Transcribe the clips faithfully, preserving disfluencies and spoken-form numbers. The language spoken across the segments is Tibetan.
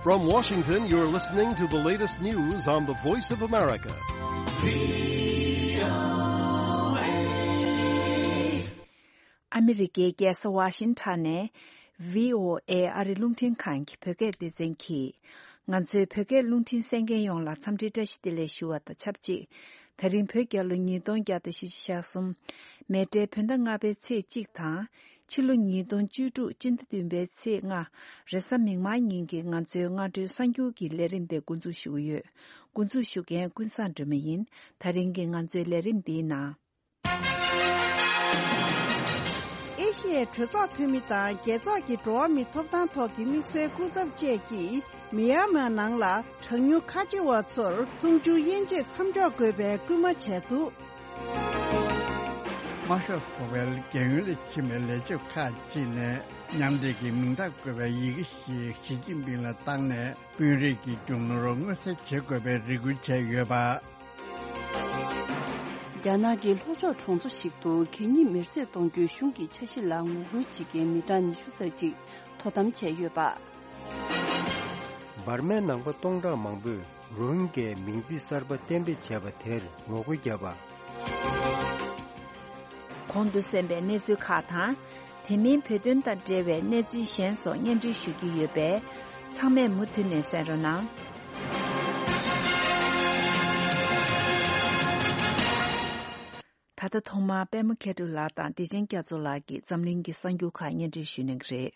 From Washington, you're listening to the latest news on the Voice of America. ཨ་མི་རི་ཀའི་རྒྱལ་ས་ཝ་ཤིང་ཊོན་ནས་བྷི་ཨོ་ཨེ་ཨ་རི་རླུང་འཕྲིན་ཁང་གི་བོད་སྐད་སྡེ་ཚན་གྱིས། ང་ཚོའི་བོད་སྐད་རླུང་འཕྲིན་གསན་མཁན་ཡོངས་ལ་འཚམས་འདྲི་བཀྲ་ཤིས་བདེ་ལེགས་ཞུ་བ་དང་ཆབས་ཅིག་ད་རིང་བོད་རྒྱལ་ལོ་ཉིས་སྟོང་བརྒྱ་དང་བཞི་བཅུ་ཞེ་གསུམ། མེ་སྤྲེལ་བོད་ཟླ་ལྔ་པའི་ཚེས་གཅིག་དང་། ཕྱི་ལོ་ཉིས་སྟོང་བཅུ་དྲུག་སྤྱི་ཟླ་བདུན་པའི་ཚེས་ལྔ། རེས་གཟའ་མིག་དམར་ཉིན་གྱི་ང་ཚོའི་སྔ་དྲོའི་གསར་འགྱུར་གྱི་ལས་རིམ་དེ་འགོ་འཛུགས་ཞུ་གི་ཡོད། འགོ་འཛུགས་ཞུ་མཁན་ཀུན་བཟང་སྒྲོལ་མ་ཡིན། ད་རིང་གི་ང་ཚོའི་ལས་རིམ་འདིའི་ནང་། ཨེ་ཤི་ཡའི་གྲོས་ཚོགས་འཐུས་མི་དང་རྒྱལ་ཚོགས་ཀྱི་འགྲོ་བ་མིའི་ཐོབ་ཐང་ཐོག་གི་དམིགས་བསལ་སྐུ་ཚབ་བཅས་ཀྱིས་མི་ཡན་མར་ནང་ལ་གྲངས་ཉུང་ཁ་ཆེ་བ་ཚོར་འཐུང་ཆུའི་དབྱེ་འབྱེད་མཚམས་འཇོག་དགོས་པའི་སྐུལ་མ་བྱས་འདུག། དམར་ཤོག་ཚོགས་པའི་རྒྱལ་ཡོངས་ལས་ཁྱིམ་པའི་ལས་བྱེད་ཁག་ཅིག་ནས་མཉམ་འབྲེལ་གྱི་མིང་རྟགས་བཀོད་པའི་ཡི་གེ་ཞིག་ཞི་ཅིན་ཕིང་ལ་བཏང་ནས། དཔོན་རིགས་ཀྱི་རྒྱུ་ནོར་མངོན་གསལ་བྱེད་དགོས་པའི་རེ་སྐུལ་བྱས་ཡོད་པ། རྒྱ་ནག་གི་ལྷོ་ཕྱོགས་གྲོང་ཚོ་ཞིག་ཏུ་གད་སྙིགས་མེར་སྲེག་གཏོང་རྒྱུའི་གཞུང་གི་འཆར་གཞི་ལ་ངོ་རྒོལ་བྱེད་མཁན་མི་གྲངས་ཉི་ཤུ་ཙམ་ཅིག་དོ་དམ་བྱས་ཡོད་པ། འབར་མའི་ནང་པ་སྟོང་ཕྲག་མང་པོས་རོ་ཧིན་གྱའི་མིང་ཚིག་གསར་པ་གཏན་འབེབས་བྱས་པ་དེར་ངོ་རྒོལ་བརྒྱབ་པ། གོང་དུ་གསན་པའི་གནས་ཚུལ་ཁག་དང་། དེ་མིན་བོད་དོན་དང་འབྲེལ་བའི་གནས་ཚུལ་གཞན་སོགས་སྙན་སྒྲོན་ཞུ་རྒྱུ་ཡོད་པས། ཚང་མས་མུ་མཐུད་ནས་གསན་རོགས་གནང་། ད་ལྟ་ཐོག་མར་པད་མ་མཁས་གྲུབ་ལགས་དང་བདེ་ཆེན་རྒྱ་མཚོ་ལགས་ཀྱིས་འཛམ་གླིང་གི་གསར་འགྱུར་ཁག་སྙན་སྒྲོན་ཞུ་གནང་གི་རེད།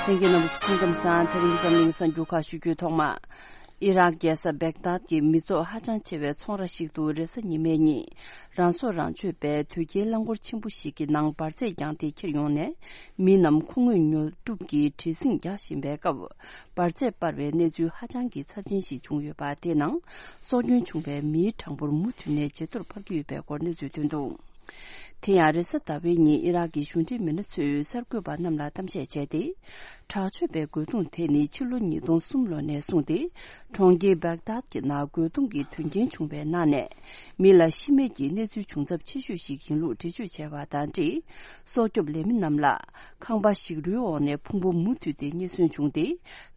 གསན་མཁན་རྣམ་པ་ཚོ་སྐུ་ཁམས་བཟང་། དེ་རིང་གི་འཛམ་གླིང་གསར་འགྱུར་ཁག་ཞུ་རྒྱུའི་ཐོག་མ། ཨི་རག་རྒྱལ་ས་བེག་དཱད་ཀྱི་མི་ཚོགས་ཧ་ཅང་ཆེ་བའི་ཚོང་ར་ཞིག་ཏུ་རེས་གཟའ་ཉི་མའི་ཉིན། རང་སྲོག་རང་གཅོད་པའི་དོས་སྐྱེལ་རླངས་འཁོར་ཆེན་པོ་ཞིག་གི་ནང་འབར་རྫས་རྒྱང་དེ་འཁྱེར་ཡོང་ནས། མི་རྣམས་ཁོ་ངོས་ཉོ་སྒྲུབ་ཀྱི་བྲེལ་ཟིང་རྒྱག་བཞིན་པའི་སྐབས། འབར་རྫས་སྤར་བའི་གནས་ཚུལ་ཧ་ཅང་གི་ཚབས་ཆེན་ཞིག་བྱུང་ཡོད་པ། དེའི་ནང་སྲོག་སྐྱོན་བྱུང་བའི་མིའི་གྲངས་འབོར་མུ་མཐུད་ནས་ཇེ་མཐོར་འཕར་གྱི་ཡོད་པའི་སྐོར་གནས་ཚུལ་ཐོན་འདུག། དེ་ཡང་རེས་གཟའ་ཟླ་བའི་ཉིན་ཨི་རག་གི་གཞུང་འབྲེལ་མི་སྣ་ཚོས་གསར་འགོད་པ་རྣམས་ལ་གཏམ་བཤད་བྱས་ཏེ། དྲག་སྤྱོད་པའི་རྒོལ་རྡུང་དེ་ནི་ཕྱི་ལོ་ཉིས་སྟོང་གསུམ་ལོ་ནས་བཟུང་སྟེ། གྲོང་ཁྱེར་བེག་དཱད་ཀྱི་ནང་རྒོལ་རྡུང་གི་དོན་རྐྱེན་བྱུང་བའི་ནང་ནས། མི་ལ་ཤི་རྨས་ཀྱི་གནས་ཚུལ་བྱུང་ཚབས་ཆེ་ཤོས་ཤིག་ཡིན་ལུགས་འགྲེལ་བརྗོད་བྱས་པ་དང་འབྲེལ། སྲོག་སྐྱོབ་ལས་མི་རྣམས་ལ། ཁང་པ་ཞིག་རོའི་འོག་ནས་ཕུང་པོ་མུ་མཐུད་དེ་རྙེད་སོན་བྱུང་སྟེ།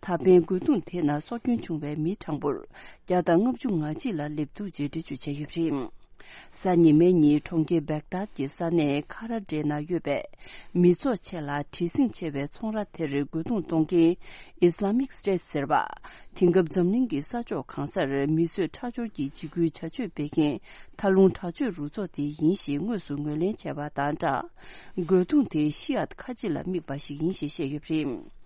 ད་ཕན་རྒོལ་རྡུང་དེ་ནང་སྲོག་སྐྱོན་བྱུང་བའི་མིའི་གྲངས་འབོར། བརྒྱ་དང་ལྔ་བཅུ་ང་གཅིག་ལ་སླེབས་འདུག་ཅེས་འགྲེལ་བརྗོད་བྱས་ཡོད་པ་རེད། གཟའ་ཉི་མའི་ཉིན་གྲོང་ཁྱེར་བེག་དཱད་ཀྱི་ས་གནས་ཁ་ར་ཌེ་ན་ཡོད་པའི་མི་ཚོགས་ཆེ་ལ་བྲེལ་ཟིང་ཆེ་བའི་ཚོང་ར་དེར་རྒོལ་རྡུང་གཏོང་མཁན་Islamic State་ཟེར་བ། དེང་སྐབས་འཛམ་གླིང་གི་ས་ཕྱོགས་གང་སར་མི་གསོད་ཁྲག་སྦྱོར་གྱི་འཇིགས་སྐུལ་བྱ་སྤྱོད་སྤེལ་མཁན་མཐའ་ལྷུང་དྲག་སྤྱོད་རུ་ཚོགས་དེ་ཡིན་ཞེས་དངོས་སུ་ངོས་ལེན་བྱས་པ་དང་སྦྲགས། རྒོལ་རྡུང་དེ་ཤི་ཡཱཏ་ཁ་ཆེ་ལ་དམིགས་པ་ཞིག་ཡིན་ཞེས་བཤད་ཡོད་པ་རེད།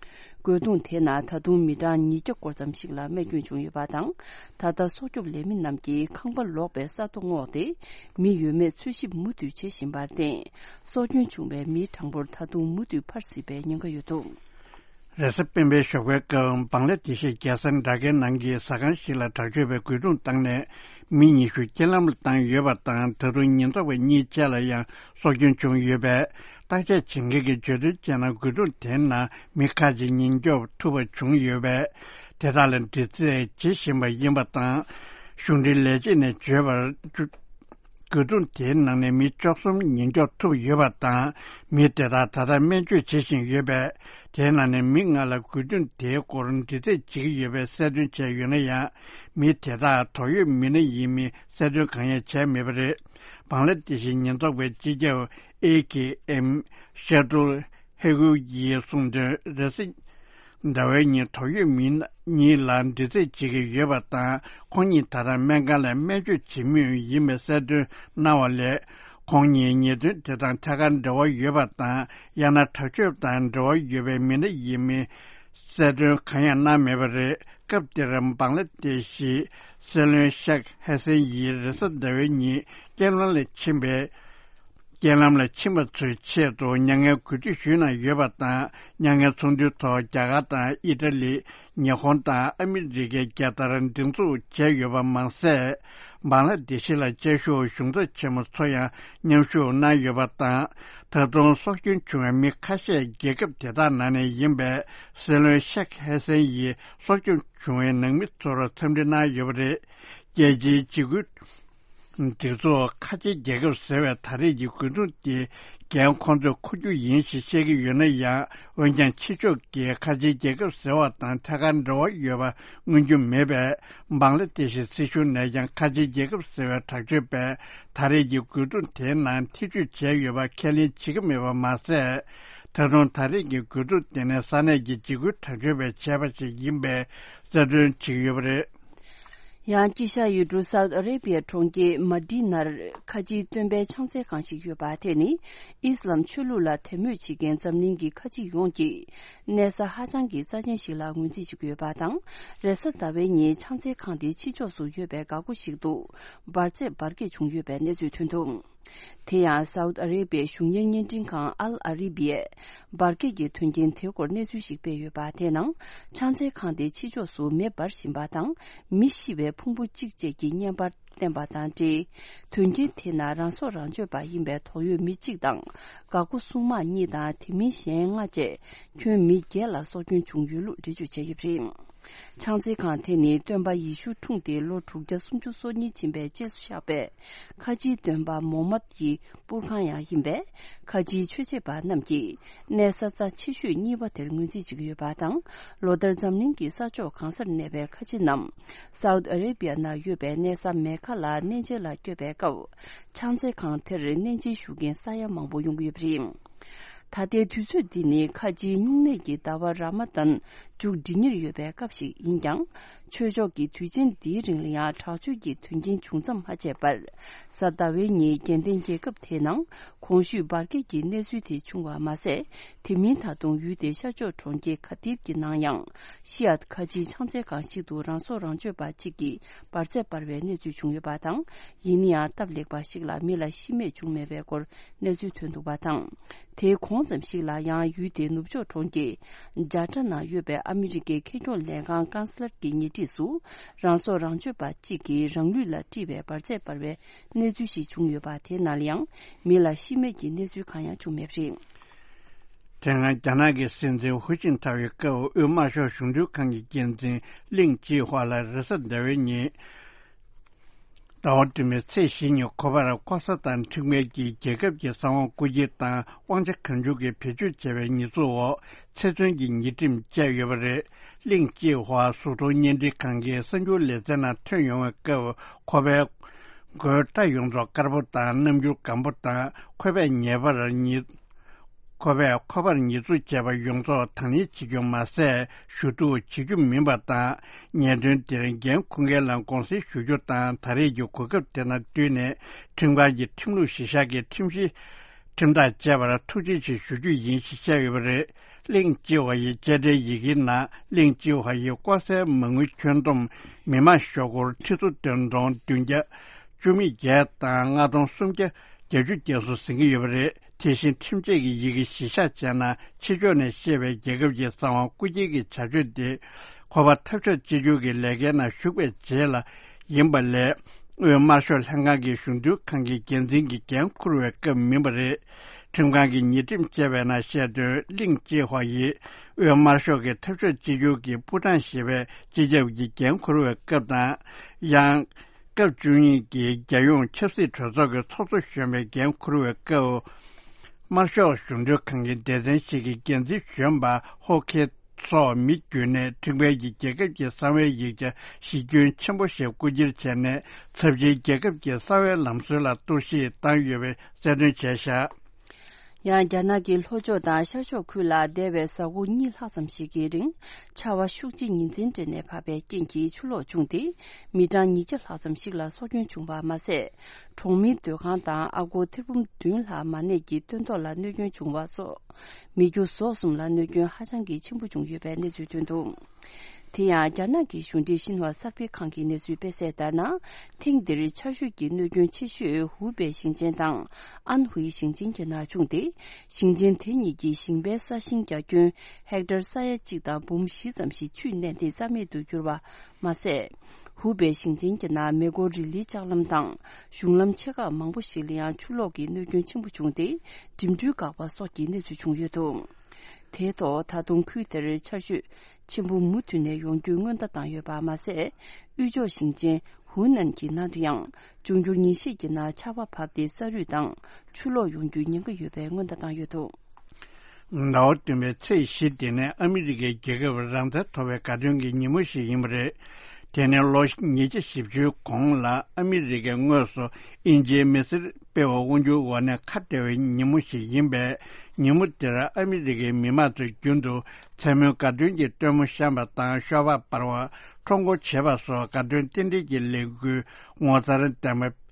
རྒོལ་རྡུང་དེ་ནང་ད་དུང་མི་གྲངས་ཉིས་བརྒྱ་སྐོར་ཙམ་ཞིག་ལ་རྨས་སྐྱོན་བྱུང་ཡོད་པ་དང་། ད་ལྟ་སྲོག་སྐྱོབ་ལས་མི་རྣམས་ཀྱིས་ཁང་པ་ལོག་པའི་ས་རྡོ་བསྔོགས་ཏེ། མི་ཡོད་མེད་འཚོལ་ཞིབ་མུ་མཐུད་བྱེད་བཞིན་པར་བརྟེན། སྲོག་སྐྱོན་བྱུང་བའི་མིའི་གྲངས་འབོར་ད་དུང་མུ་མཐུད་འཕར་སྲིད་པའི་ཉེན་ཁ་ཡོད་འདུག། རེས་གཟའ་སྤེན་པའི་ཞོགས་པའི་སྐབས་བང་ལ་དེ་ཤི་རྒྱལ་ས་ཌ་ཀའི་ནང་གི་ཟ་ཁང་ཞིག་ལ་དྲག་སྤྱོད་པས་རྒོལ་རྡུང་བཏང་ནས་མི་ཉི་ཤུ་རྐྱེན་ལམ་ལ་བཏང་ཡོད་པ་དང་། ད་དུང་ཉེན་རྟོག་པ་གཉིས་བཅས་ལ་ཡང་སྲོག་སྐྱོན་བྱུང་ཡོད་པས། བརྟག་དཔྱད་བྱེད་མཁན་གྱིས་བརྗོད་དོན་བྱས་ན། རྒོལ་རྡུང་དེའི་ནང་མི་ཁག་ཅིག་ཉེན་སྐྱོབ་ཐུབ་པ་བྱུང་ཡོད་པས། དེ་དག་ལ་འདྲི་རྩད་བྱེད་བཞིན་པ་ཡིན་པ་དང་། གཞུང་འབྲེལ་ལས་བྱེད་ནས་བརྗོད་པར། རྒོལ་རྡུང་དེའི་ནང་ནས་མི་བཅུ་གསུམ་ཉེན་སྐྱོབ་ཐུབ་ཡོད་པ་དང་། མི་དེ་དག་ད་ལྟ་སྨན་བཅོས་བྱེད་བཞིན་ཡོད་པས། དེའི་ནང་ནས་མི་ལྔ་ལ་རྒོལ་རྡུང་དེའི་སྐོར་འདྲི་རྩད་བྱེད་ཀྱི་ཡོད་པའི་གསལ་སྟོན་བྱས་ཡོད་ན་ཡང་། མི་དེ་དག་དོགས་ཡོད་མི་སྣ་ཡིན་མིན་གསལ་སྟོན་གང་ཡང་བྱས་མེད་པ་རེད། བང་ལ་དེ་ཤི་ཉེན་རྟོག་པའི་སྤྱི་ཁྱབ་ཨེ་ཀེ་ཨེམ་ཤ་ཏུལ་ཧེ་ཧུ་ཡིས་གསུངས་དོན། རེས་གཟའ་ཟླ་བའི་ཉིན་དོགས་ཡོད་མི་གཉིས་ལ་འདྲི་རྩད་བྱེད་ཀྱི་ཡོད་པ་དང་། ཁོང་གཉིས་ད་ལྟ་སྨན་ཁང་ལ་སྨན་བཅོས་བྱེད་མུས་ཡིན་པའི་གསལ་སྟོན་གནང་བ་ལས། ཁོང་གཉིས་ཉེས་དོན་དེ་དང་ཐད་ཀར་འབྲེལ་བ་ཡོད་པ་དང་། ཡང་ན་དྲག་སྤྱོད་དང་འབྲེལ་བ་ཡོད་པའི་མི་སྣ་ཡིན་མིན་གསལ་སྟོན་གང་ཡང་གནང་མེད་པ་རེད། སྐབས་དེར་བང་ལ་དེ་ཤི་སྲིད་བློན་ཤེག་ཧེ་སན་ཡིས་རེས་གཟའ་ཟླ་བའི་ཉིན་རྐྱེན་ལམ་ལ་ཕྱིན་པའི། རྐྱེན་ལམ་ལ་ཕྱིན་པ་ཚོའི་ཆེད་དུ་མྱ་ངན་གུས་འདུད་ཞུས་གནང་ཡོད་པ་དང་། མྱ་ངན་ཚོགས་འདུའི་ཐོག་རྒྱ་གར་དང་ཨི་ཊ་ལི། ཉི་ཧོང་དང་ཨ་མི་རི་ཀའི་རྒྱལ་དར་སྒྲེང་འཛུགས་བྱས་ཡོད་པ་མ་ཟད། བང་ལ་དེ་ཤི་ལ་བཅའ་བཞུགས་གཞུང་ཚབ་ཆེན་མོ་ཚོ་ཡང་མཉམ་ཞུགས་གནང་ཡོད་པ་དང་། ད་དུང་སྲོག་སྐྱོན་བྱུང་བའི་མི་ཁ་ཤས་རྒྱལ་ཁབ་དེ་དག་ནང་ནས་ཡིན་པས། སྲིད་བློན་ཤེག་ཧེ་སན་ཡིས་སྲོག་སྐྱོན་བྱུང་བའི་ནང་མི་ཚོར་འཚམས་འདྲི་གནང་ཡོད་པ་རེད། རྒྱལ་སྤྱིའི་འཇིགས་སྐུལ། སྒྲིག་འཛུགས་ཁ་ཆེའི་རྒྱལ་ཁབ་ཟེར་བའི་ད་རེས་ཀྱི་རྒོལ་རྡུང་དེ་འགན་ཁོང་ཚོས་འཁུར་རྒྱུ་ཡིན་ཞེས་བཤད་ཀྱི་ཡོད་ན་ཡང་། འོན་ཀྱང་ཕྱི་ཕྱོགས་ཀྱི་ཁ་ཆེའི་རྒྱལ་ཁབ་ཟེར་བ་དང་ཐད་ཀར་འབྲེལ་བ་ཡོད་པ་མངོན་རྒྱུ་མེད་པས། བང་ལ་དེ་ཤི་སྲིད་གཞུང་ནས་ཀྱང་ཁ་ཆེའི་རྒྱལ་ཁབ་ཟེར་བའི་དྲག་སྤྱོད་པས་ད་རེས་ཀྱི་རྒོལ་རྡུང་དེའི་ནང་ཐེ་བྱུས་བྱས་ཡོད་པ་ཁས་ལེན་བྱེད་ཀྱི་མེད་པ་མ་ཟད། ད་དུང་ད་རེས་ཀྱི་རྒོལ་རྡུང་དེ་ནི་ས་གནས་ཀྱི་འཇིགས་སྐུལ་དྲག་སྤྱོད་པས་བྱས་པ་ཞིག་ཡིན་པའི་གསལ་སྟོན་བྱེད་ཀྱི་ཡོད་པ་རེད། ཡང་དཀྱིལ་ཤར་ཡུལ་གྲུ་སའུ་ཨ་རེ་བྷི་ཡའི་གྲོང་ཁྱེར་མ་ཏི་ནར་ཁ་ཆེའི་སྟོན་པའི་ཕྱག་འཚལ་ཁང་ཞིག་ཡོད་པ་དེ་ནི་ཨི་སི་ལམ་ཆོས་ལུགས་ལ་དད་མོས་བྱེད་མཁན་འཛམ་གླིང་གི་ཁ་ཆེ་ཡོངས་ཀྱིས་གནས་ས་ཧ་ཅང་གི་རྩ་ཆེན་ཞིག་ལ་ངོས་འཛིན་བྱེད་ཀྱི་ཡོད་པ་དང་། རེས་གཟའ་ཟླ་བའི་ཉིན་ཕྱག་འཚལ་ཁང་དེ་ཕྱི་ཕྱོགས་སུ་ཡོད་པའི་འགག་སྒོ་ཞིག་ཏུ་འབར་རྫས་འབར་གས་བྱུང་ཡོད་པའི་གནས་ཚུལ་ཐོན་འདུག་དེ་ཡང་སའུ་ཨ་རེ་བྷི་ཡའི་གཞུང་གཉེར་བརྙན་འཕྲིན་ཁང་ཨལ་ཨ་རི་བྷི་ཡས་འབར་གས་ཀྱི་དོན་རྐྱེན་དེའི་སྐོར་གནས་ཚུལ་ཞིག་སྤེལ་ཡོད་པ། དེའི་ནང་ཕྱག་འཚལ་ཁང་དེའི་ཕྱི་ཕྱོགས་སུ་མེ་འབར་བཞིན་པ་དང་། མི་ཤི་བའི་ཕུང་པོ་གཅིག་བཅས་ཀྱི་བརྙན་པར་བསྟན་པ་དང་འབྲེལ། དོན་རྐྱེན་དེའི་ནང་རང་སྲོག་རང་གཅོད་པ་ཡིན་པའི་དོགས་ཡོད་མི་གཅིག་དང་། འགག་སྒོ་སྲུང་དམག་གཉིས་དང་། དེ་མིན་གཞན་ལྔ་བཅས་ཁྱོན་མི་བརྒྱད་ལ་སྲོག་སྐྱོན་བྱུང་ཡོད་ལུགས་འགྲེལ་བརྗོད་བྱས་ཡོད་པ་རེད། ཕྱག་འཚལ་ཁང་དེ་ནི་སྟོན་པ་ཡེ་ཤུ་འཁྲུངས་ཏེ་ལོ་དྲུག་བརྒྱ་སུམ་ཅུ་སོ་གཉིས་ཕྱིན་པའི་རྗེས་སུ་བཞག་པའི་ཁ་ཆེའི་སྟོན་པ་མོ་མད་ཀྱི་པུར་ཁང་ཡང་ཡིན་པས། ཁ་ཆེའི་ཆོས་བྱེད་པ་རྣམས་ཀྱིས་གནས་ས་རྩ་ཆེ་ཤོས་གཉིས་པ་དེར་ངོས་འཛིན་བྱེད་ཀྱི་ཡོད་པ་དང་། ལོ་ལྟར་འཛམ་གླིང་གི་ས་ཕྱོགས་གང་སར་གནས་པའི་ཁ་ཆེ་རྣམས་སའུ་ཨ་རེ་བྷི་ཡ་ནང་ཡོད་པའི་གནས་ས་མེ་ཁ་ལ་གནས་མཇལ་ལ་བསྐྱོད་པའི་སྐབས། ཕྱག་འཚལ་ཁང་དེར་གནས་མཇལ་ཞུ་མཁན་ས་ཡ་མང་པོ་ཡོང་གི་ཡོད་པ་རེད། ད་ལྟའི་དུས་ཚོད་འདི་ནི་ཁ་ཆེའི་སྨྱུང་གནས་ཀྱི་ཟླ་བ་ར་མ་དན་མཇུག་སྒྲིལ་ཉེར་ཡོད་པའི་སྐབས་ཤིག་ཡིན་ཀྱང་། ཆོས་ཕྱོགས་ཀྱི་དུས་ཆེན་འདིའི་རིང་ལ་ཡང་དྲག་སྤྱོད་ཀྱི་དོན་རྐྱེན་བྱུང་མཚམས་མ་ཆད་པར། གཟའ་ཟླ་བའི་ཉིན་རྒྱལ་ལྡན་རྒྱལ་ཁབ་དེའི་ནང་གོང་ཞུས་འབར་གས་ཀྱི་གནས་ཚུལ་དེ་བྱུང་བ་མ་ཟད། དེ་མིན་ད་དུང་ཡུལ་དེའི་ཤར་ཕྱོགས་གྲོང་ཁྱེར་ག་དིར་གྱི་ནང་ཡང་ཤི་ཡཱཏ་ཁ་ཆེའི་ཕྱག་འཚལ་ཁང་ཞིག་ཏུ་རང་སྲོག་རང་གཅོད་པ་གཅིག་གིས་འབར་རྫས་སྤར་བའི་གནས་ཚུལ་བྱུང་ཡོད་པ་དང་། ཡིན་ན་ཡང་སྟབས་ལེགས་པ་ཞིག་ལ་མི་ལ་ཤི་རྨས་བྱུང་མེད་པའི་སྐོར་གནས་ཚུལ་ཐོན་འདུག་པ་དང་། དེའི་གོང་ཙམ་ཞིག་ལ་ཡང་ཡུལ་དེའི་ནུབ་ཕྱོགས་གྲོང་ཁྱེར་ཇཱ་ཀྲ་ནང་ཡོད་པའི་ཨ་མི་རི་ཀའི་ཁེ་གྱོང་ལས་ཁང་ཀན་སི་ལར་གྱི་ཉེ་འཁྲིས་སུ་རང་སྲོག་རང་གཅོད་པ་གཅིག་གིས་རང་ལུས་ལ་དཀྲིས་པའི་འབར་རྫས་སྤར་བའི་གནས་ཚུལ་ཞིག་བྱུང་ཡོད་པ། དེའི་ནང་ལ་ཡང་མི་ལ་ཤི་རྨས་ཀྱི་གནས་ཚུལ་གང་ཡང་བྱུང་མེད་པ་རེད། དེ་སྔ་རྒྱ་ནག་གི་སྲིད་འཛིན་ཧུའུ་ཅིན་ཐའོ་ཡི་སྐབས་དབུས་དམར་ཤོག་གཞུང་འབྲེལ་ཁང་གི་འགན་འཛིན་ལིང་ཅི་ཧྭ་ལ་རེས་གཟའ་ཟླ་བའི་ཉིན། ཟླ་བ་སྒྲོལ་མའི་ཚེས་བཞི་ཉིན་ཁོ་པར་ལྐོག་ཟ་དང་ཁྲིམས་འགལ་གྱིས་རྒྱལ་ཁབ་ཀྱི་གསང་བ་རྐུ་འཁྱེར་དང་དབང་ཆ་གང་བྱུང་གིས་བེད་སྤྱོད་བྱས་པའི་ཉེས་འཛུགས་འོག་ཚེ་བཙོན་གྱི་ཉེས་ཁྲིམས་བཅད་ཡོད་པ་རེད། ལིང་ཅི་ཧྭ་གཟུགས་མཐོང་བརྙན་འཕྲིན་ཁང་གི་གསར་འགྱུར་ལེ་ཚན་ནང་ཐོན་ཡོང་བའི་སྐབས་ཁོ་པའི་མགོའི་སྐྲ་ཡོངས་རྫོགས་དཀར་པོ་དང་རྣམ་འགྱུར་སྒམ་པོ་དང་ཁོ་པས་ཉེ་བར་ཉེས། ཁོ་པས་ཁོ་པར་ཉེས་འཛུགས་བྱས་པ་ཡོངས་རྫོགས་དང་ལེན་བྱེད་རྒྱུ་མ་ཟད། ཞུ་གཏུག་བྱེད་རྒྱུ་མིན་པ་དང་། ཉེས་དོན་དེར་འགན་འཁུར་མཁན་ལ་དགོངས་སེལ་ཞུ་རྒྱུ་དང་། ད་རེས་ཀྱི་གོ་སྐབས་དེ་དང་བསྟུན་ནས་ཁྲིམས་ཁང་གི་ཁྲིམས་ལུགས་གཞིར་བཞག་གི་ཁྲིམས་གཞི་ཁྲིམས་ཐག་བཅད་པར་ཐུགས་རྗེ་ཆེ་ཞུ་རྒྱུ་ཡིན་ཞེས་བཤད་ཡོད་པ་རེད། ལིང་ཅི་ཧྭ་ཡི་བཅད་ཁྲའི་ཡི་གེའི་ནང་། ལིང་ཅི་ཧྭ་ཡི་ལྐོག་ཟའི་མ་དངུལ་ཁྱོན་བསྡོམས་མི་མང་ཤོག་སྒོར་ཁྲི་ཚོ་བདུན་སྟོང་བདུན་བརྒྱ་བཅུ་མེད་བརྒྱད་དང་ལྔ་སྟོང་སུམ་བརྒྱ་བརྒྱད་ཅུ་བརྒྱད་སོགས་ཟིན་གྱི་ཡོད་པ་རེད། དེ་བཞིན་ཁྲིམས་ཆད་ཀྱི་ཡི་གེ་གཞིར་བཞག་བྱས་ན། ཕྱི་ཕྱོགས་ནས་བཤད་པའི་རྒྱལ་ཁབ་ཀྱི་གསང་བ་རྐུ་འཁྱེར་གྱི་བྱ་སྤྱོད་དེ། ཁོ་པ་འཐབ་ཕྱོགས་གཅིག་གྱུར་གྱི་ལས་ཀའི་ནང་ཞུགས་པའི་རྗེས་ལ་ཡིན་པ་ལས། དབུས་དམར་ཤོག་ལྷན་ཁང་གི་གཞུང་དོན་ཁང་གི་འགན་འཛིན་གྱི་འགན་འཁུར་བའི་སྐབས་མིན་པ་རེད། ཁྲིམས་ཁང་གིས་ཉེས་ཁྲིམས་བཅད་པའི་ནང་བཤད་དོན། ལིང་ཅི་ཧྭ་ཡིས་དབུས་དམར་ཤོག་གི་འཐབ་ཕྱོགས་གཅིག་གྱུར་གྱི་པུའུ་ཀྲང་ཞེས་པའི་སྤྱི་ཁྱབ་ཀྱི་འགན་འཁུར་བའི་སྐབས་དང་། ཡང་། སྐབས་བཅུ་གཉིས་ཀྱི་རྒྱལ་ཡོངས་ཆབ་སྲིད་གྲོས་ཚོགས་ཀྱི་ཚོགས་གཙོ་གཞོན་པའི་འགན་འཁུར་བའི་སྐབས། དམར་ཤོག་གཞུང་འབྲེལ་ཁང་གི་སྡེ་ཚན་ཞིག་གི་འགན་འཛིན་གཞོན་པ་ཧོ་ཁེ་སོགས་མི་བརྒྱུད་ནས་ཁྲིམས་འགལ་གྱིས་རྒྱལ་ཁབ་ཀྱི་གསང་བའི་ཡིག་ཆ་གཞི་ཁྱོན་ཆེན་པོ་ཞིག་རྐུ་འཁྱེར་བྱས་ནས། ཚབས་ཆེའི་རྒྱལ་ཁབ་ཀྱི་གསང་བའི་ལམ་སྲོལ་ལ་གཏོར་བཤིག་བཏང་ཡོད་པའི་གསལ་སྟོན་བྱས་བཞག་ཡང་རྒྱ་ནག་གི་ལྷོ་ཕྱོགས་དང་ཤར་ཕྱོགས་ཁུལ་ལ་འདས་པའི་གཟའ་འཁོར་གཉིས་ལྷག་ཙམ་ཞིག་གི་རིང་ཆར་བ་ཤུགས་ཆེ་ཉིན་མཚན་སྤྲད་ནས་བབས་པའི་རྐྱེན་གྱིས་ཆུ་ལོག་བྱུང་སྟེ། མི་གྲངས་ཉིས་བརྒྱ་ལྷག་ཙམ་ཞིག་ལ་སྲོག་སྐྱོན་བྱུང་བ་མ་ཟད། གྲོང་མིའི་སྡོད་ཁང་དང་ཨ་སྒོར་ཐེར་འབུམ་བདུན་ལྷག་མ་གནས་ཀྱི་སྟོན་ཐོག་ལ་གནོད་སྐྱོན་བྱུང་བ་སོགས། མི་རྒྱུ་ཟོག་གསུམ་ལ་གནོད་སྐྱོན་ཧ་ཅང་གི་ཆེན་པོ་བྱུང་ཡོད་པའི་གནས་ཚུལ་ཐོན་འདུག་དེ་ཡང་རྒྱ་ནག་གི་གཞུང་འབྲེལ་ཤིན་ཧྭ་གསར་སྤེལ་ཁང་གི་གནས་ཚུལ་སྤེལ་གསལ་ལྟར་ན། ཐེངས་འདིར་ཆར་ཞོད་ཀྱི་གནོད་སྐྱོན་ཆེ་ཤོས་ཧུའུ་པེ་ཞིང་ཆེན་དང་ཨན་ཧུའེ་ཞིང་ཆེན་གྱི་ནང་བྱུང་སྟེ། ཞིང་ཆེན་དེ་གཉིས་ཀྱི་ཞིང་པའི་ས་ཞིང་རྒྱ་ཁྱོན་ཧེག་ཊར་ས་ཡ་གཅིག་དང་འབུམ་བཞི་ཙམ་ཞིག་ཆུས་མནན་ཏེ་རྩ་མེད་དུ་གྱུར་བ་མ་ཟད། ཧུའུ་པེ་ཞིང་ཆེན་གྱི་ནང་མེ་འཁོར་རི་ལིའི་ལྕགས་ལམ་དང་གཞུང་ལམ་ཆེ་ཁག་མང་པོ་ཞིག་ལ་ཡང་ཆུ་ལོག་གི་གནོད་སྐྱོན་ཆེན་པོ་བྱུང་སྟེ། འགྲིམ་འགྲུལ་འགག་པ་སོགས་ཀྱི་གནས་ཚུལ་བྱུང་ཡོད་འདུག་དེའི་ཐོག་ད་དུང་ཁུལ་དེར་ཆར་ཞོད་ཆེན་པོ་མུ་མཐུད་ནས་ཡོང་རྒྱུའི་སྔོན་བརྡ་བཏང་ཡོད་པ་མ་ཟད། དབུས་ཕྱོགས་ཞིང་ཆེན་ ཧུའུ་ནན་གྱི་ནང་དུ་ཡང་འབྱུང་འགྱུར་ཉིན་ཤས་ཀྱི་ནང་ཆར་པ་བབས་ཏེ་ས་རུད་དང་ཆུ་ལོག་ཡོང་རྒྱུའི་ཉེན་ཁ་ཡོད་པའི་སྔོན་བརྡ་བཏང་ཡོད་འདུག་ཟླ་བ་བདུན་པའི་ཚེས་བཞི་དེ་ནི་ཨ་མི་རི་ཀའི་རྒྱལ་ཁབ་རང་བཙན་ཐོབ་པའི་དགའ་སྟོན་གྱི་ཉིན་མོ་ཞིག་ཡིན་པ་རེད། དེ་ནི་ལོ་ཉིས་བརྒྱ་བཞི་བཅུའི་གོང་ལ་ཨ་མི་རི་ཀས་དངོས་སུ་དབྱིན་ཇིའི་མི་སེར་སྤེལ་བ་དབང་སྒྱུར་འོག་ནས་ཁ་བྲལ་བའི་ཉིན་མོ་ཞིག་ཡིན་པས། ཉིན་མོ་དེར་ཨ་མི་རི་ཀའི་མི་མང་ཚོས་རྒྱུན་དུ་མཚན་མོའི་དགའ་སྟོན་གྱི་སྟོན་མོ་བཤམས་པ་དང་ཤོག་སྦག་འབར་བ། ཁྲོམ་སྐོར་བྱེད་པ་སོགས་དགའ་སྟོན་རྟེན་འབྲེལ་གྱི་ལས་འགུལ་ངོ་མཚར་ལྡན་པ་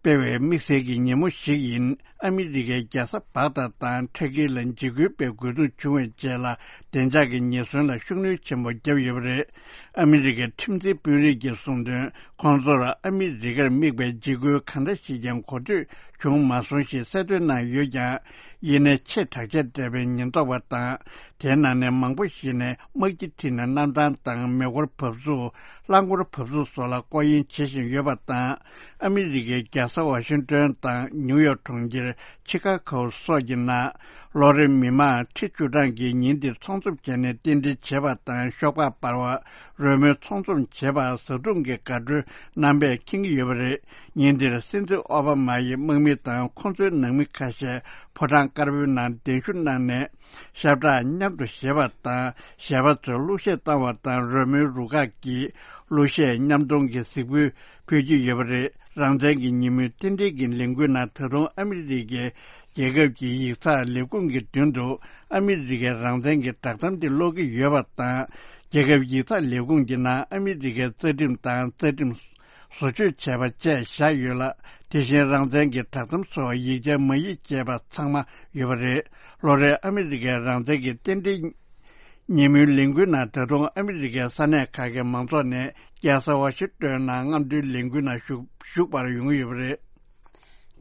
སྤེལ་བའི་དམིགས་བསལ་གྱི་ཉིན་མོ་ཞིག་ཡིན། ཨ་མི་རི་ཀའི་རྒྱལ་ས་བག་དྷ་དང་ཁྲ་ཀིར་ལ་འཇིགས་སྐུལ་སྤེལ་དགོས་གཏུག་བྱུང་བའི་རྗེས་ལ། བདེ་འཇགས་ཀྱི་ཉེན་ཟོན་ལ་ཤུགས་སྣོན་ཆེན་པོ་བརྒྱབ་ཡོད་པ་རེད། ཨ་མི་རི་ཀའི་ཁྲིམས་འཛིན་དཔོན་རིགས་ཀྱིས་གསུངས་དོན། ཁོང་ཚོར་ཨ་མི་རི་ཀར་དམིགས་པའི་འཇིགས་སྐུལ་གང་འདྲ་ཞིག་ཀྱང་གོ་ཐོས་བྱུང་མ་སོང་ཞེས་གསལ་སྟོན་གནང་ཡོད་ཀྱང་། ཡིན་ནའི་ཆེས་དྲག་ཆས་སྤྲས་པའི་ཉེན་རྟོག་པ་དང་། དེའི་ནང་ནས་མང་པོ་ཞིག་ནས་དམག་སྤྱི་ཁྲིད་ནས་གནམ་ཐང་དང་མེ་འཁོར་བབས་ཚུགས། རླངས་འཁོར་བབས་ཚུགས་སོགས་ལ་སྐོར་གཡེང་བྱེད་བཞིན་ཡོད་པ་དང་། ཨ་མི་རི་ཀའི་རྒྱལ་ས་ཝ་ཤིང་ཏོན་དང་ནིའུ་ཡོག་གྲོང་ཁྱེར། ཆི་ཀ་གོ་སོགས་ཀྱི་ནང་ལོ་རེར་མི་མང་ཁྲི་བཅུ་གྲངས་ཀྱིས་ཉིན་འདིར་ཚོགས་འཛོམས་བྱས་ནས་རྟེན་འབྲེལ་བྱེད་པ་དང་ཤོག་སྦག་འབར་བ། རོལ་མོའི་ཚོགས་འཛོམས་བྱེད་པ། བཟའ་བཏུང་གི་དགའ་སྤྲོའི་རྣམ་པས་ཁེངས་ཀྱི་ཡོད་པ་རེད། ཉིན་འདིར་སྲིད་འཛིན་ཨོ་བྷ་མ་ཡི་དམག་མི་དང་ཁོང་ཚོའི་ནང་མི་ཁ་ཤས་ཕོ་བྲང་དཀར་པོའི་ནང་གདན་ཞུ་གནང་ནས། ཞབས་བྲག་མཉམ་དུ་བཞེས་པ་དང་། གཞས་པ་ཚོས་གླུ་གཞས་བཏང་བ་དང་། རོལ་མོའི་རུ་ཁག་གིས་གླུ་གཞས་མཉམ་གཏོང་གི་གཟིགས་འབུལ་ཕུལ་གྱི་ཡོད་པ་རེད། རང་བཙན་གྱི་ཉིན་མོའི་རྟེན་འབྲེལ་གྱི་ལས་འགུལ་ནང་ད་དུང་ཨ་མི་རི་ཀའི་རྒྱལ་ཁབ་ཀྱི་ཡིག་ཚགས་ལས་ཁུངས་ཀྱི་མདུན་དུ་ཨ་མི་རི་ཀའི་རང་བཙན་གྱི་བསྒྲགས་གཏམ་དེ་ཀློག་གི་ཡོད་པ་དང་། རྒྱལ་ཁབ་ཡིག་ཚགས་ལས་ཁུངས་ཀྱི་ནང་ཨ་མི་རི་ཀའི་རྩ་ཁྲིམས་དང་རྩ་ཁྲིམས་བཟོ་བཅོས་བྱས་པ་བཅས་བཞག་ཡོད་ལ། དེ་བཞིན་རང་བཙན་གྱི་བསྒྲགས་གཏམ་སོགས་ཡིག་ཆ་མ་ཡིག་བཅས་པ་ཚང་མ་ཡོད་པ་རེད། ལོ་རེའི་ཨ་མི་རི་ཀའི་རང་བཙན་གྱི་རྟེན་འབྲེལ་ཉིན་མོའི་ལས་འགུལ་ནང་ད་དུང་ཨ་མི་རི་ཀའི་ས་གནས་ཁག་གི་མང་ཚོགས་ནས་རྒྱལ་ས་ཝ་ཤིང་ཏོན་ནང་རྔམ་སྟོན་ལས་འགུལ་ནང་ཞུགས་ཞུགས་པར་ཡོང་གི་ཡོད་པ་རེད།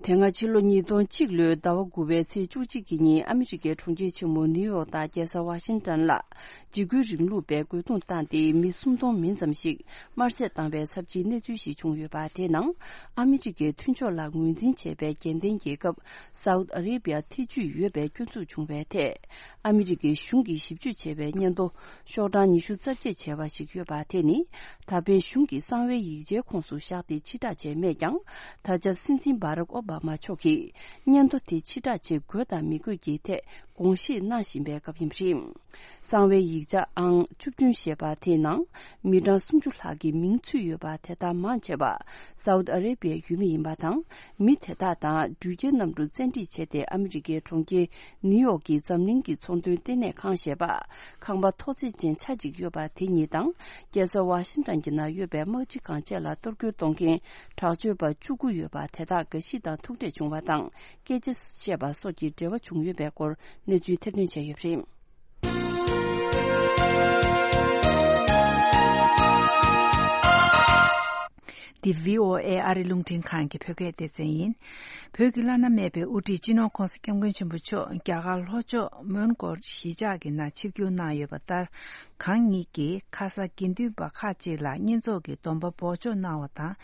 དེ་སྔ་ཕྱི་ལོ་ཉིས་སྟོང་གཅིག་ལོའི་ཟླ་བ་དགུ་པའི་ཚེས་བཅུ་གཅིག་གི་ཉིན་ཨ་མི་རི་ཀའི་གྲོང་ཁྱེར་ཆེན་མོ་ནིའུ་ཡོག་དང་རྒྱལ་ས་ཝ་ཤིང་ཏོན་ལ་འཇིགས་སྐུལ་རིང་ལུགས་པས་རྒོལ་རྡུང་བཏང་སྟེ་མི་སུམ་སྟོང་མིན་ཙམ་ཞིག་དམར་གསོད་བཏང་བའི་ཚབས་ཆེའི་གནས་ཚུལ་ཞིག་བྱུང་ཡོད་པ། དེའི་ནང་ཨ་མི་རི་ཀའི་མཐུན་ཕྱོགས་ལ་ངོས་འཛིན་བྱས་པའི་རྒྱལ་ལྡན་རྒྱལ་ཁབ་སའུ་ཏི་ཨ་རེ་བི་ཡ་ཐེ་ཇུས་ཡོད་པའི་སྐྱོན་འཛུགས་བྱུང་བའི་ཐད། ཨ་མི་རི་ཀའི་གཞུང་གིས་ཞིབ་འཇུག་བྱས་པའི་སྙན་ཐོ་ཤོག་གྲངས་ཉི་ཤུ་རྩ་བརྒྱད་བྱས་པ་ཞིག་ཡོད་པ། དེ་ནི་ད་ཕན་གཞུང་གི་གསང་བའི་ཡིག་ཆའི་ཁོངས་སུ་བཞག་སྟེ་ཕྱིར་བསྒྲགས་བྱས་མེད་ཀྱང་། ད་ཆ་སྲིད་འཛིན་བྷ་རག་ཨོ་བྷ་མ་མཆོག་གིས་སྙན་ཐོ་དེ་ཕྱིར་བསྒྲགས་བྱེད་དགོས་དང་མི་དགོས་ཀྱི་ཐད་དགོངས་བཞེས་གནང་བཞིན་པའི་སྐབས་ཡིན་པ་རེད། གསང་བའི་ཡིག་ཆ་ཨང་བཅུ་བདུན་ཞེས་པ་དེའི་ནང་མི་གྲངས་སུམ་ཅུ་ལྷག་གི་མིང་ཚུད་ཡོད་པ། དེ་དག་མང་ཆེ་བ་སའུ་ཏི་ཨ་རེ་བི་ཡའི་ཡུལ་མི་ཡིན་པ་དང་། མི་དེ་དག་དང་འགྲུལ་སྐྱེལ་གནམ་གྲུ་བཙན་ཁྲིད་བྱས་ཏེ་ཨ་མི་རི་ཀའི་གྲོང་ཁྱེར་ནིའུ་ཡོག་གི་འཛམ་གླིང་གི་ཚོང་དོན་ལྟེ་གནས་ཁང་ཞེས་པ། ཁང་པ་མཐོ་ཚད་ཅན་ཆ་གཅིག་ཡོད་པ་དེ་གཉིས་དང་། རྒྱལ་ས་ཝ་ཤིང་ཏོན་གྱི་ནང་ཡོད་པའི་དམག་སྤྱི་ཁང་བཅས་ལ་གཏོར་རྒོལ་གཏོང་མཁན་དྲག་སྤྱོད་པ་བཅུ་དགུ་ཡོད་པ། དེ་དག་འགའ་ཞིག་དང་ཐུག་འཕྲད་བྱུང་བ་དང་། སྐད་ཆ་བཤད་པ་སོགས་ཀྱི་འབྲེལ་བ་བྱུང་ཡོད་པའི་སྐོར་གནས་ཚུལ་ཐེར་འདོན་བྱས་ཡོད་པ་རེད། འདི་བྷི་ཨོ་ཨེ་ཨ་རི་རླུང་འཕྲིན་ཁང་གི་བོད་སྐད་སྡེ་ཚན་ཡིན། བོད་ཀྱི་བླ་ན་མེད་པའི་དབུ་ཁྲིད་སྤྱི་ནོར་༸གོང་ས་༸སྐྱབས་མགོན་ཆེན་པོ་མཆོག་རྒྱ་གར་ལྷོ་ཕྱོགས་མོན་གྷོར་གཞིས་ཆགས་ཀྱི་ནང་ཆིབས་བསྒྱུར་གནང་ཡོད་པ་ལྟར། གང་ཉིད་ཀྱིས་ཁ་ས་དགེ་འདུན་པ་ཁག་ཅིག་ལ་བསྙེན་རྫོགས་ཀྱི་སྡོམ་པ་འབོགས་ཆོག་གནང་བ་དང་།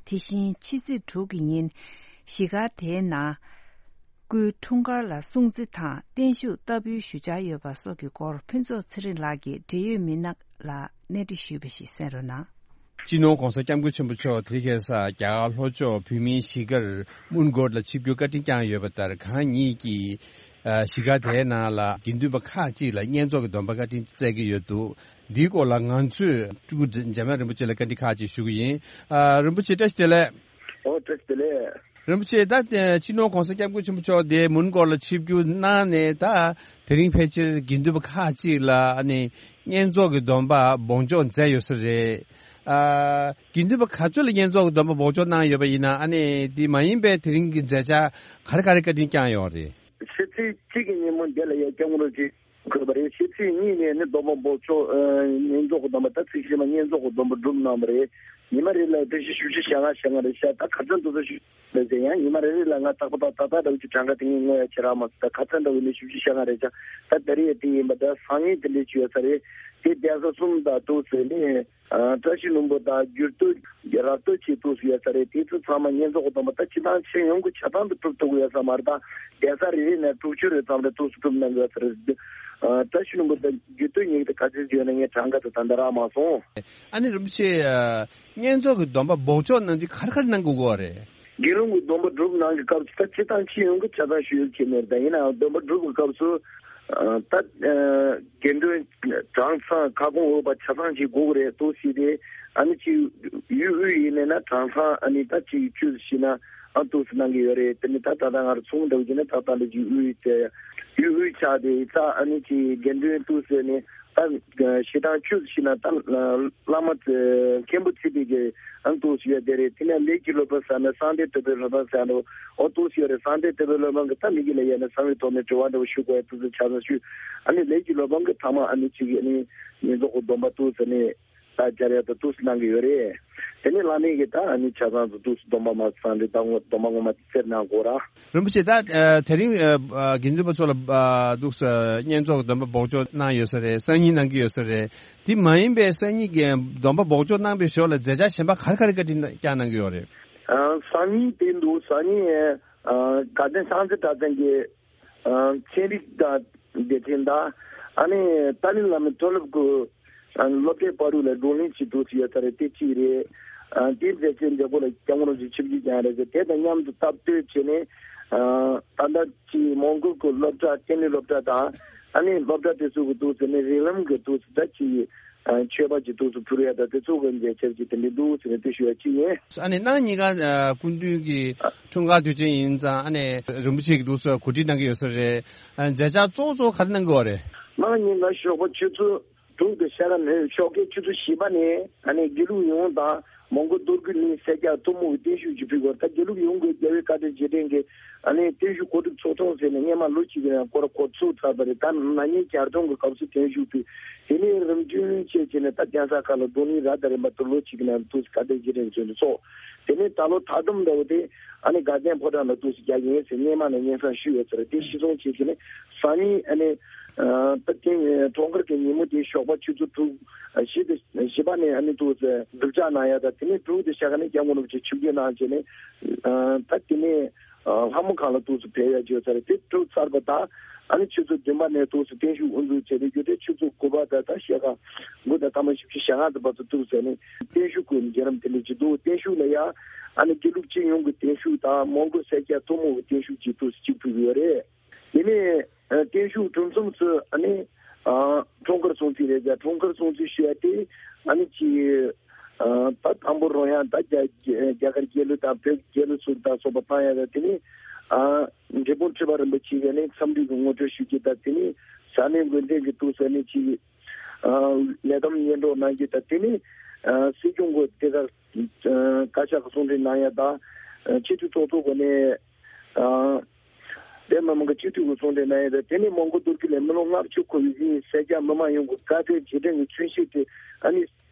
དེ་བཞིན་ཕྱི་ཚེས་དྲུག་གི་ཉིན་གཞིས་སྒར་དེའི་ནང་སྐུའི་འཁྲུངས་སྐར་ལ་སྲུང་བརྩི་དང་བརྟན་བཞུགས་བསྟར་འབུལ་ཞུ་འཆར་ཡོད་པ་སོགས་ཀྱི་སྐོར་ཕུན་ཚོགས་ཚེ་རིང་ལགས་ཀྱིས་འབྲེལ་ཡོད་མི་སྣ་ལ་གནས་འདྲི་ཞུས་པ་ཞིག་གསན་རོགས་གནང་། སྤྱི་ནོར་༸གོང་ས་༸སྐྱབས་མགོན་ཆེན་པོ་མཆོག་དེ་ག་ས་རྒྱ་གར་ལྷོ་ཕྱོགས་བོད་མིའི་གཞིས་སྒར་མོན་གྷོ་ལ་ཆིབས་བསྒྱུར་བཀའ་དྲིན་བསྐྱངས་ཡོད་པ་ལྟར། གང་ཉིད་ཀྱིས་ཨ་གཞིས་སྒར་དེའི་ནང་ལ་དགེ་འདུན་པ་ཁག་ཅིག་ལ་བསྙེན་རྫོགས་ཀྱི་སྡོམ་པ་བཀའ་དྲིན་སྩལ་གྱི་ཡོད་འདུག་འདིའི་སྐོར་ལ་ང་ཚོས་སྤྲུལ་སྐུ་འཇམ་དབྱངས་རིན་པོ་ཆེ་ལ་བཀའ་འདྲི་ཁག་ཅིག་ཞུ་གི་ཡིན། ཨ་རིན་པོ་ཆེ་བཀྲ་ཤིས་བདེ་ལེགས། ཨོ་བཀྲ་ཤིས་བདེ་ལེགས། རིན་པོ་ཆེ་ད་སྤྱི་ནོར་༸གོང་ས་༸སྐྱབས་མགོན་ཆེན་པོ་མཆོག་དེ་མོན་གྷོ་ལ་ཆིབས་བསྒྱུར་གནང་ནས། ད་དེ་རིང་ཕལ་ཆེར་དགེ་འདུན་པ་ཁག་ཅིག་ལ་ཨ་ནི་བསྙེན་རྫོགས་ཀྱི་སྡོམ་པ་འབོགས་འཇོག་མཛད་ཡོད་ས་རེད། ཨ་དགེ་འདུན་པ་ག་ཚོད་ལ་བསྙེན་རྫོགས་ཀྱི་སྡོམ་པ་འབོགས་འཇོག་གནང་ཡོད་པ་ཡིན་ན། ཨ་ནི་དེ་མ་ཡིན་པའི་དེ་རིང་གི་མཛད་འཆར་ག་རེ་ག་རེ་བཀའ་དྲིན་བསྐྱངས་ཡོད་རེད། ཕྱི་ཚེས་གཅིག་གི་ཉིན་མོ་འདི་ལ་ཡ་སྐྱབས་མགོན་རིན་པོ་ཆེ་འཁོད་པ་རེད། ཕྱི་ཚེས་གཉིས་ནས་ནི་སྡོམ་པ་འབོགས་ཆོག་ཨ་བསྙེན་རྫོགས་ཀྱི་སྡོམ་པ། ད་ཚིག་ཤིག་མ་བསྙེན་རྫོགས་ཀྱི་སྡོམ་པ་སྒྲུབ་གནང་བ་རེད། ཉི་མ་རེ་ལ་བཀྲ་ཤིས་བཞུགས་ཁྲི་ཞལ་སྔ་ཞལ་སྔ་རེ་བཞག་ད་ག་ཚོད་འདུག་ཟེར་ཞུ་ལ་ཟེར་ཡང་། ཉི་མ་རེ་རེ་ལ་ང་རྟག་པར་ད་ད་ད་འདྲ་བོ་ཅིག་གྲངས་ཀ་དེ་ངས་ངོ་ཡ་ཁྱེད་རང་མ་ཟེར། ད་ག་ཚོད་འདྲ་བོ་ནས་བཞུགས་ཁྲི་ཞལ་སྔ་རེ་བཞག་ད་ད་རེས་ཡ་དེ་ཡིན་པ། ད་སང་ཉིན་དེ་འདྲས་ཅིག་ཡོད་ས་རེད། དེ་གདན་ས་གསུམ་དང་འདུག་ཟེར་ནས། ཨ་བཀྲ་ཤིས་ལྷུན་པོ་དང་འགྱུར་རྡོ་རབ་རྡོ་ཆེ་ཏོག་ཙམ་ཡོད་ས་རེད། དེ་ཚོ་ཚང་མ་བསྙེན་རྫོགས་ཀྱི་སྡོམ་པ་ད་སྤྱི་བཏང་ཁྱོན་ཡོངས་ཀྱི་ཆ་ཚང་དུ་སྒྲུབ་ཐུབ་ཀྱི་ཡོད་ས་མ་རེད། ད་གདན་ས་རེ་རེ་ནས་དྲུག་ཅུ་རེ་ཙམ་རེ་ཏོག་ཙམ་སྒྲུབ་གནང་གི་ཡོད་ས་རེད། ཨ་བཀྲ་ཤིས་ལྷུན་པོ་དང་འགྱུར་རྡོ་གཉིས་ཀྱི་ག་ཚོད་ཡོད་ན་ངས་གྲངས་ཀ་དེ་ད་ལྟ་རག་མ་སོང་། ཨ་ནི་རིན་པོ་ཆེ། ཨ་བསྙེན་རྫོགས་ཀྱི་སྡོམ་པ་འབོགས་ཆོག་གནང་དུས་ག་རེ་ག་རེ་གནང་དགོས་ཀྱི་ཡོད་རེད། དགེ་སློང་གི་སྡོམ་པ་སྒྲུབ་གནང་གི་སྐབས་སུ་ད་སྤྱི་བཏང་སྤྱི་ཡོངས་ཀྱི་ཆ་ཚང་ཞུ་ཡུལ་ཁྱེད་མེད། ད་ཡིན་ནའང་སྡོམ་པ་སྒྲུབ་ཀྱི་སྐབས་སུ་ཨ་ད་ཨ་དགེ་འདུན་གྲངས་ཚང་ཁ་སྐོང་འོས་པ་ཆ་ཚང་ཞིག་དགོས་ཀྱི་རེད་འདུག་ཟེར་ཏེ། ཨ་ནི་ཅིག་ཡུལ་དབུས་ཡིན་ནས་ན་གྲངས་ཚང་ཨ་ནི་ད་ཅིག་བཅུ་ཞིག་ན་ཨ་འདུག་ཟེར་གནང་གི་ཡོད་རེད། དེ་ནི་ད་ད་ལྟ་ང་རང་ཚོང་འདྲ་བོ་བྱས་ན་ད་ད་ལྟ་ཅིག་དབུས་དེ་ཡུལ་དབུས་ཆགས་ཏེ་ད་ཨ་ནི་ཅིག་དགེ་འདུན་འདུག་ཟེར་ནས། ད་ཞེ་སྡང་བཅུ་ཞིག་ན་ད་བླ་མ་མཁན་པོ་ཚེ་འཕེལ་གྱི་ཨང་དུ་ཞུ་ཡ་དེ་རེད། དེ་ནས་ལས་ཀྱི་སློབ་དཔོན་ཟེར་ན་གསང་བདེ་དོལ་པོའི་སློབ་དཔོན་ཟེར་ནོ་ཨོ་དུ་ཞུ་ཡ་རེད། གསང་བདེ་དོལ་པོའི་སློབ་དཔོན་གྱི་ད་མི་གི་ལ་ཡ་ནས་གསང་བའི་ཐོག་ནས་དྲི་བ་འདྲ་བོ་ཞུ་དགོས་ཡ་དུ་ཚོ་ཆ་ཚང་ཞུ། ཨ་ནི་ལས་ཀྱི་སློབ་དཔོན་གྱི་ཐ་མ་ཨ་ནི་ཅིག་ཨ་ནི་ཉིན་རྫོགས་ཀྱི་སྡོམ་པ་དུ་ཟེར་ནས་ད་སྦྱར་ཡ་ད་དུ་གནང་གི་ཡོད་རེད། དེ་ནས་བླ་མས་གི་ད་ཨ་ནི་ཆ་ཚང་དུ་དུ་སྡོམ་པ་མ་གསང་རེད། ད་ངོ་སྡོམ་པ་ངོ་མ་དེ་སེར་གནང་དགོས་ར། རིན་པོ་ཆེ་ད་ཨ་དེ་རིང་ཨ་དགེ་འདུན་པ་ཚོ་ལ་ཨ་འདུག་ས་བསྙེན་རྫོགས་སྡོམ་པ་འབོགས་ཆོག་གནང་ཡོད་ས་རེད། སང་ཉིན་གནང་གི་ཡོད་ས་རེད། དེ་མ་ཡིན་པའི་སང་ཉིན་གྱི་སྡོམ་པ་འབོགས་ཆོག་གནང་པའི་ཞོར་ལ་མཛད་འཆར་གཞན་པ་ག་རེ་ག་རེ་བཀའ་དྲིན་བསྐྱངས་གནང་གི་ཡོད་རེད། ཨ་སང་ཉིན་དེ་འདུག་སང་ཉིན་ཨ་དགའ་ལྡན་སངས་རྒྱས་གྲྭ་ཚང་གི་ཨ་ཚན་རིག་དང་སྡེ་ཚན་དང་ཨ་ནི་ཏཱ་ལའི་བླ་མའི་མཐོ་སློབ་ཀྱི་ཨ་སློབ་གྲྭའི་བར་དུ་ལ་བགྲོ་གླེང་བྱེད་འདུག་ཟེར་ཡོད་ས་རེད། དེ་གཅིག་རེད། ཨ་དེའི་མཛད་རྗེས་འདི་གོ་ལ་སྐྱབས་མགོན་རིན་པོ་ཆེ་ཆིབས་བསྒྱུར་བསྐྱངས་རེད་ཟེར། དེ་དང་མཉམ་དུ་སྟབས་བསྟུན་བྱས་ནས་ཨ་ད་ལྟ་ཅིག་མོན་གྷོ་གི་སློབ་གྲྭ་ལྟེ་གནས་སློབ་གྲྭ་དང་ཨ་ནི་སློབ་གྲྭ་དེ་ཚོ་གི་འདུག་ཟེར་ནས་རིགས་ལམ་གྱི་འདུག་ཟེར་ད་ཅིག་ཨ་མཆོད་པ་ཅིག་འདུག་ཟེར་ཕུལ་ཡ་ད་དེ་ཚོ་གི་མཛད་འཆར་ཅིག་དེ་འདྲ་འདུག་ཟེར་ནས་དེ་ཞུ་ཡ་གཅིག་ཡིན། ཨ་ནི་གནངས་ཉིན་ཀ་ཨ་སྐུ་མདུན་གྱི་འཁྲུངས་སྐར་དུས་ཆེན་ཡིན་ཙང་ཨ་ནི་རིན་པོ་ཆེ་གི་འདུག་ཟེར་གོ་སྒྲིག་གནང་གི་ཡོད་ས་རེད། ཨ་མཛད་འཆར་གཙོ་བོ་གཙོ་བོ་ག་རེ་གནང་གི་ཡོད་རེད། གནངས་ཉིན་ཀ་ཞོགས་པ་ཆུ་ཚོད་དྲུག་དང་ཕྱེད་ཀ་ནས་ཞོགས་ཀའི་ཆུ་ཚོད་བཞི་པ་ནས་ཨ་ནི་དགེ་ལུགས་ཡོངས་དང་མོན་གྷོ་རྡོ་རྒུད་གླིང་སེར་སྐྱ་ཐུན་མོང་གི་བརྟན་བཞུགས་ཀྱི་ཕུལ་སྐོར། ད་དགེ་ལུགས་ཡོངས་ཀྱི་རྒྱལ་བའི་བཀའ་དྲིན་རྗེས་དྲན་གྱི་ཨ་ནི་བརྟན་བཞུགས་གོ་སྒྲིག་ཚོགས་ཆུང་ཟེར་ནས་སྔས་མ་ལོ་གཅིག་གི་རིང་སྐོར་གོ་ཚུགས་ཚར་བ་རེད། ད་ན་ནིང་གྱ་སྟོན་གྱི་སྐབས་སུ་བརྟན་བཞུགས་ཕུལ། དེ་ནས་རིམ་བྱོན་བྱས་བྱས་ནས་ད་གདན་ས་ཁག་ལ་བགྲོ་གླེང་ར་དང་རིམ་པ་དུ་ལོ་གཅིག་གི་ནང་དུ་བཀའ་དྲིན་རྗེས་དྲན་གྱི་ཚོགས། དེ་ནས་ད་ལོ་ད་དུང་འདྲ་བོ་དེ་ཨ་ནི་དགའ་ལྡན་ཕོ་བྲང་ལ་འདུག་སེ་རྒྱག་གི་ཡིན་ཟེར་སྔས་མ་ནས་སྙན་སེང་ཞུས་ཡོད་ཟེར། དེ་གཞིར་བཟུང་བྱས་བྱས་ནས་སང་ཉིན་ཨ་ནི་ད་ཐེངས་འཁྲུངས་སྐར་གྱི་ཉིན་མོ་དེ་ཞོགས་པ་ཆུ་ཚོད་དྲུག་བཞི་དང་བཞི་པ་ནས་ཨ་ནི་འདུག་སེ་སྒྲུབ་ཕྱག་གནང་ཡ་ད་དེ་ནས་དྲུག་དང་ཕྱེད་ཀ་ནས་སྐྱབས་མགོན་རིན་པོ་ཆེ་ཆིབས་བསྒྱུར་གནང་བྱས་ནས་ད་དེ་ནས་ལྷ་མོ་ཁང་ལ་འདུག་སེ་ཕེབས་ཡ་བྱས་ཡོད་ཟེར། དེ་གྲུབ་ཚར་བ་ད་ཨ་ནི་ཆུ་ཚོད་བདུན་པ་ནས་འདུག་སེ་བརྟན་བཞུགས་དབུ་འཛུགས་བྱས་ཏེ་རྒྱུ་དེ་ཆུ་ཚོད་དགུ་པ་དང་ད་ཕྱེད་ཀ་དགུ་དང་ཐ་མ་བཞི་བཅུ་ཞེ་ལྔ་དེ་བར་དུ་འདུག་ཟེར་ནས་བརྟན་བཞུགས་ཀྱི་བརྒྱུད་རིམ་དེ་འདྲ་ཅིག་འདུག་བརྟན་བཞུགས་ལ་ཡ་ཨ་ནི་དགེ་ལུགས་སྤྱི་ཡོངས་ཀྱི་བརྟན་བཞུགས་དང་མོན་གྷོ་སེར་སྐྱ་ཐུན་མོང་གི་བརྟན་བཞུགས་ཅིག་འདུག་སེ་གཅིག་ཕུལ་གྱི་ཡོད་རེད། དེ་ནས་ཨ་བརྟན་བཞུགས་གྲུབ་མཚམས་སུ་ཨ་ནི་ཨ་འཁྲུངས་སྐར་སྲུང་བརྩི་རེད་ཟེར། འཁྲུངས་སྐར་སྲུང་བརྩི་ཞུ་ཡ་དེ་ཨ་ནི་ཅིག་ཨ་ད་དང་པོ་རང་ཡང་ད་རྒྱ་རྒྱ་གར་རྒྱལ་གླུ་དང་བོད་རྒྱལ་གླུ་ཚུར་དང་སོགས་པ་བཏང་ཡ་ད་དེ་ནས་ཨ་འབྲས་སྤུངས་ཁྲི་པ་རིན་པོ་ཆེ་གིས་ནི་འཚམས་འདྲི་གི་ངོ་སྤྲོད་ཞུ་རྒྱུ་དང་དེ་ནས་ས་གནས་འགོ་འཛིན་གྱི་འདུག་ཟེར་ནས་ཅིག་ཨ་ལས་བསྡོམས་སྙན་སྒྲོན་གནང་རྒྱུ་དང་དེ་ནས་ཨ་སྲིད་སྐྱོང་གི་དེ་གར་ཨ་བཀའ་ཤག་གི་གསུང་འཕྲིན་གནང་ཡ་དང་ཨ་སྤྱི་འཐུས་ཚོགས་གཙོ་གོ་ནས་ཨ་བོད་མི་མང་གི་སྤྱི་འཐུས་ཀྱི་གསུང་འཕྲིན་གནང་ཡ་དང་དེ་ནས་མོན་གྷོ་རྡོ་རྒུད་ལ་མི་ལོ་ལྔ་བཅུ་འཁོར་བའི་གཞིས་སེར་སྐྱ་མི་མང་ཡོངས་ཀྱི་བཀའ་དྲིན་རྗེས་དྲན་གྱི་མཚོན་བྱེད་དེ་ཨ་ནི་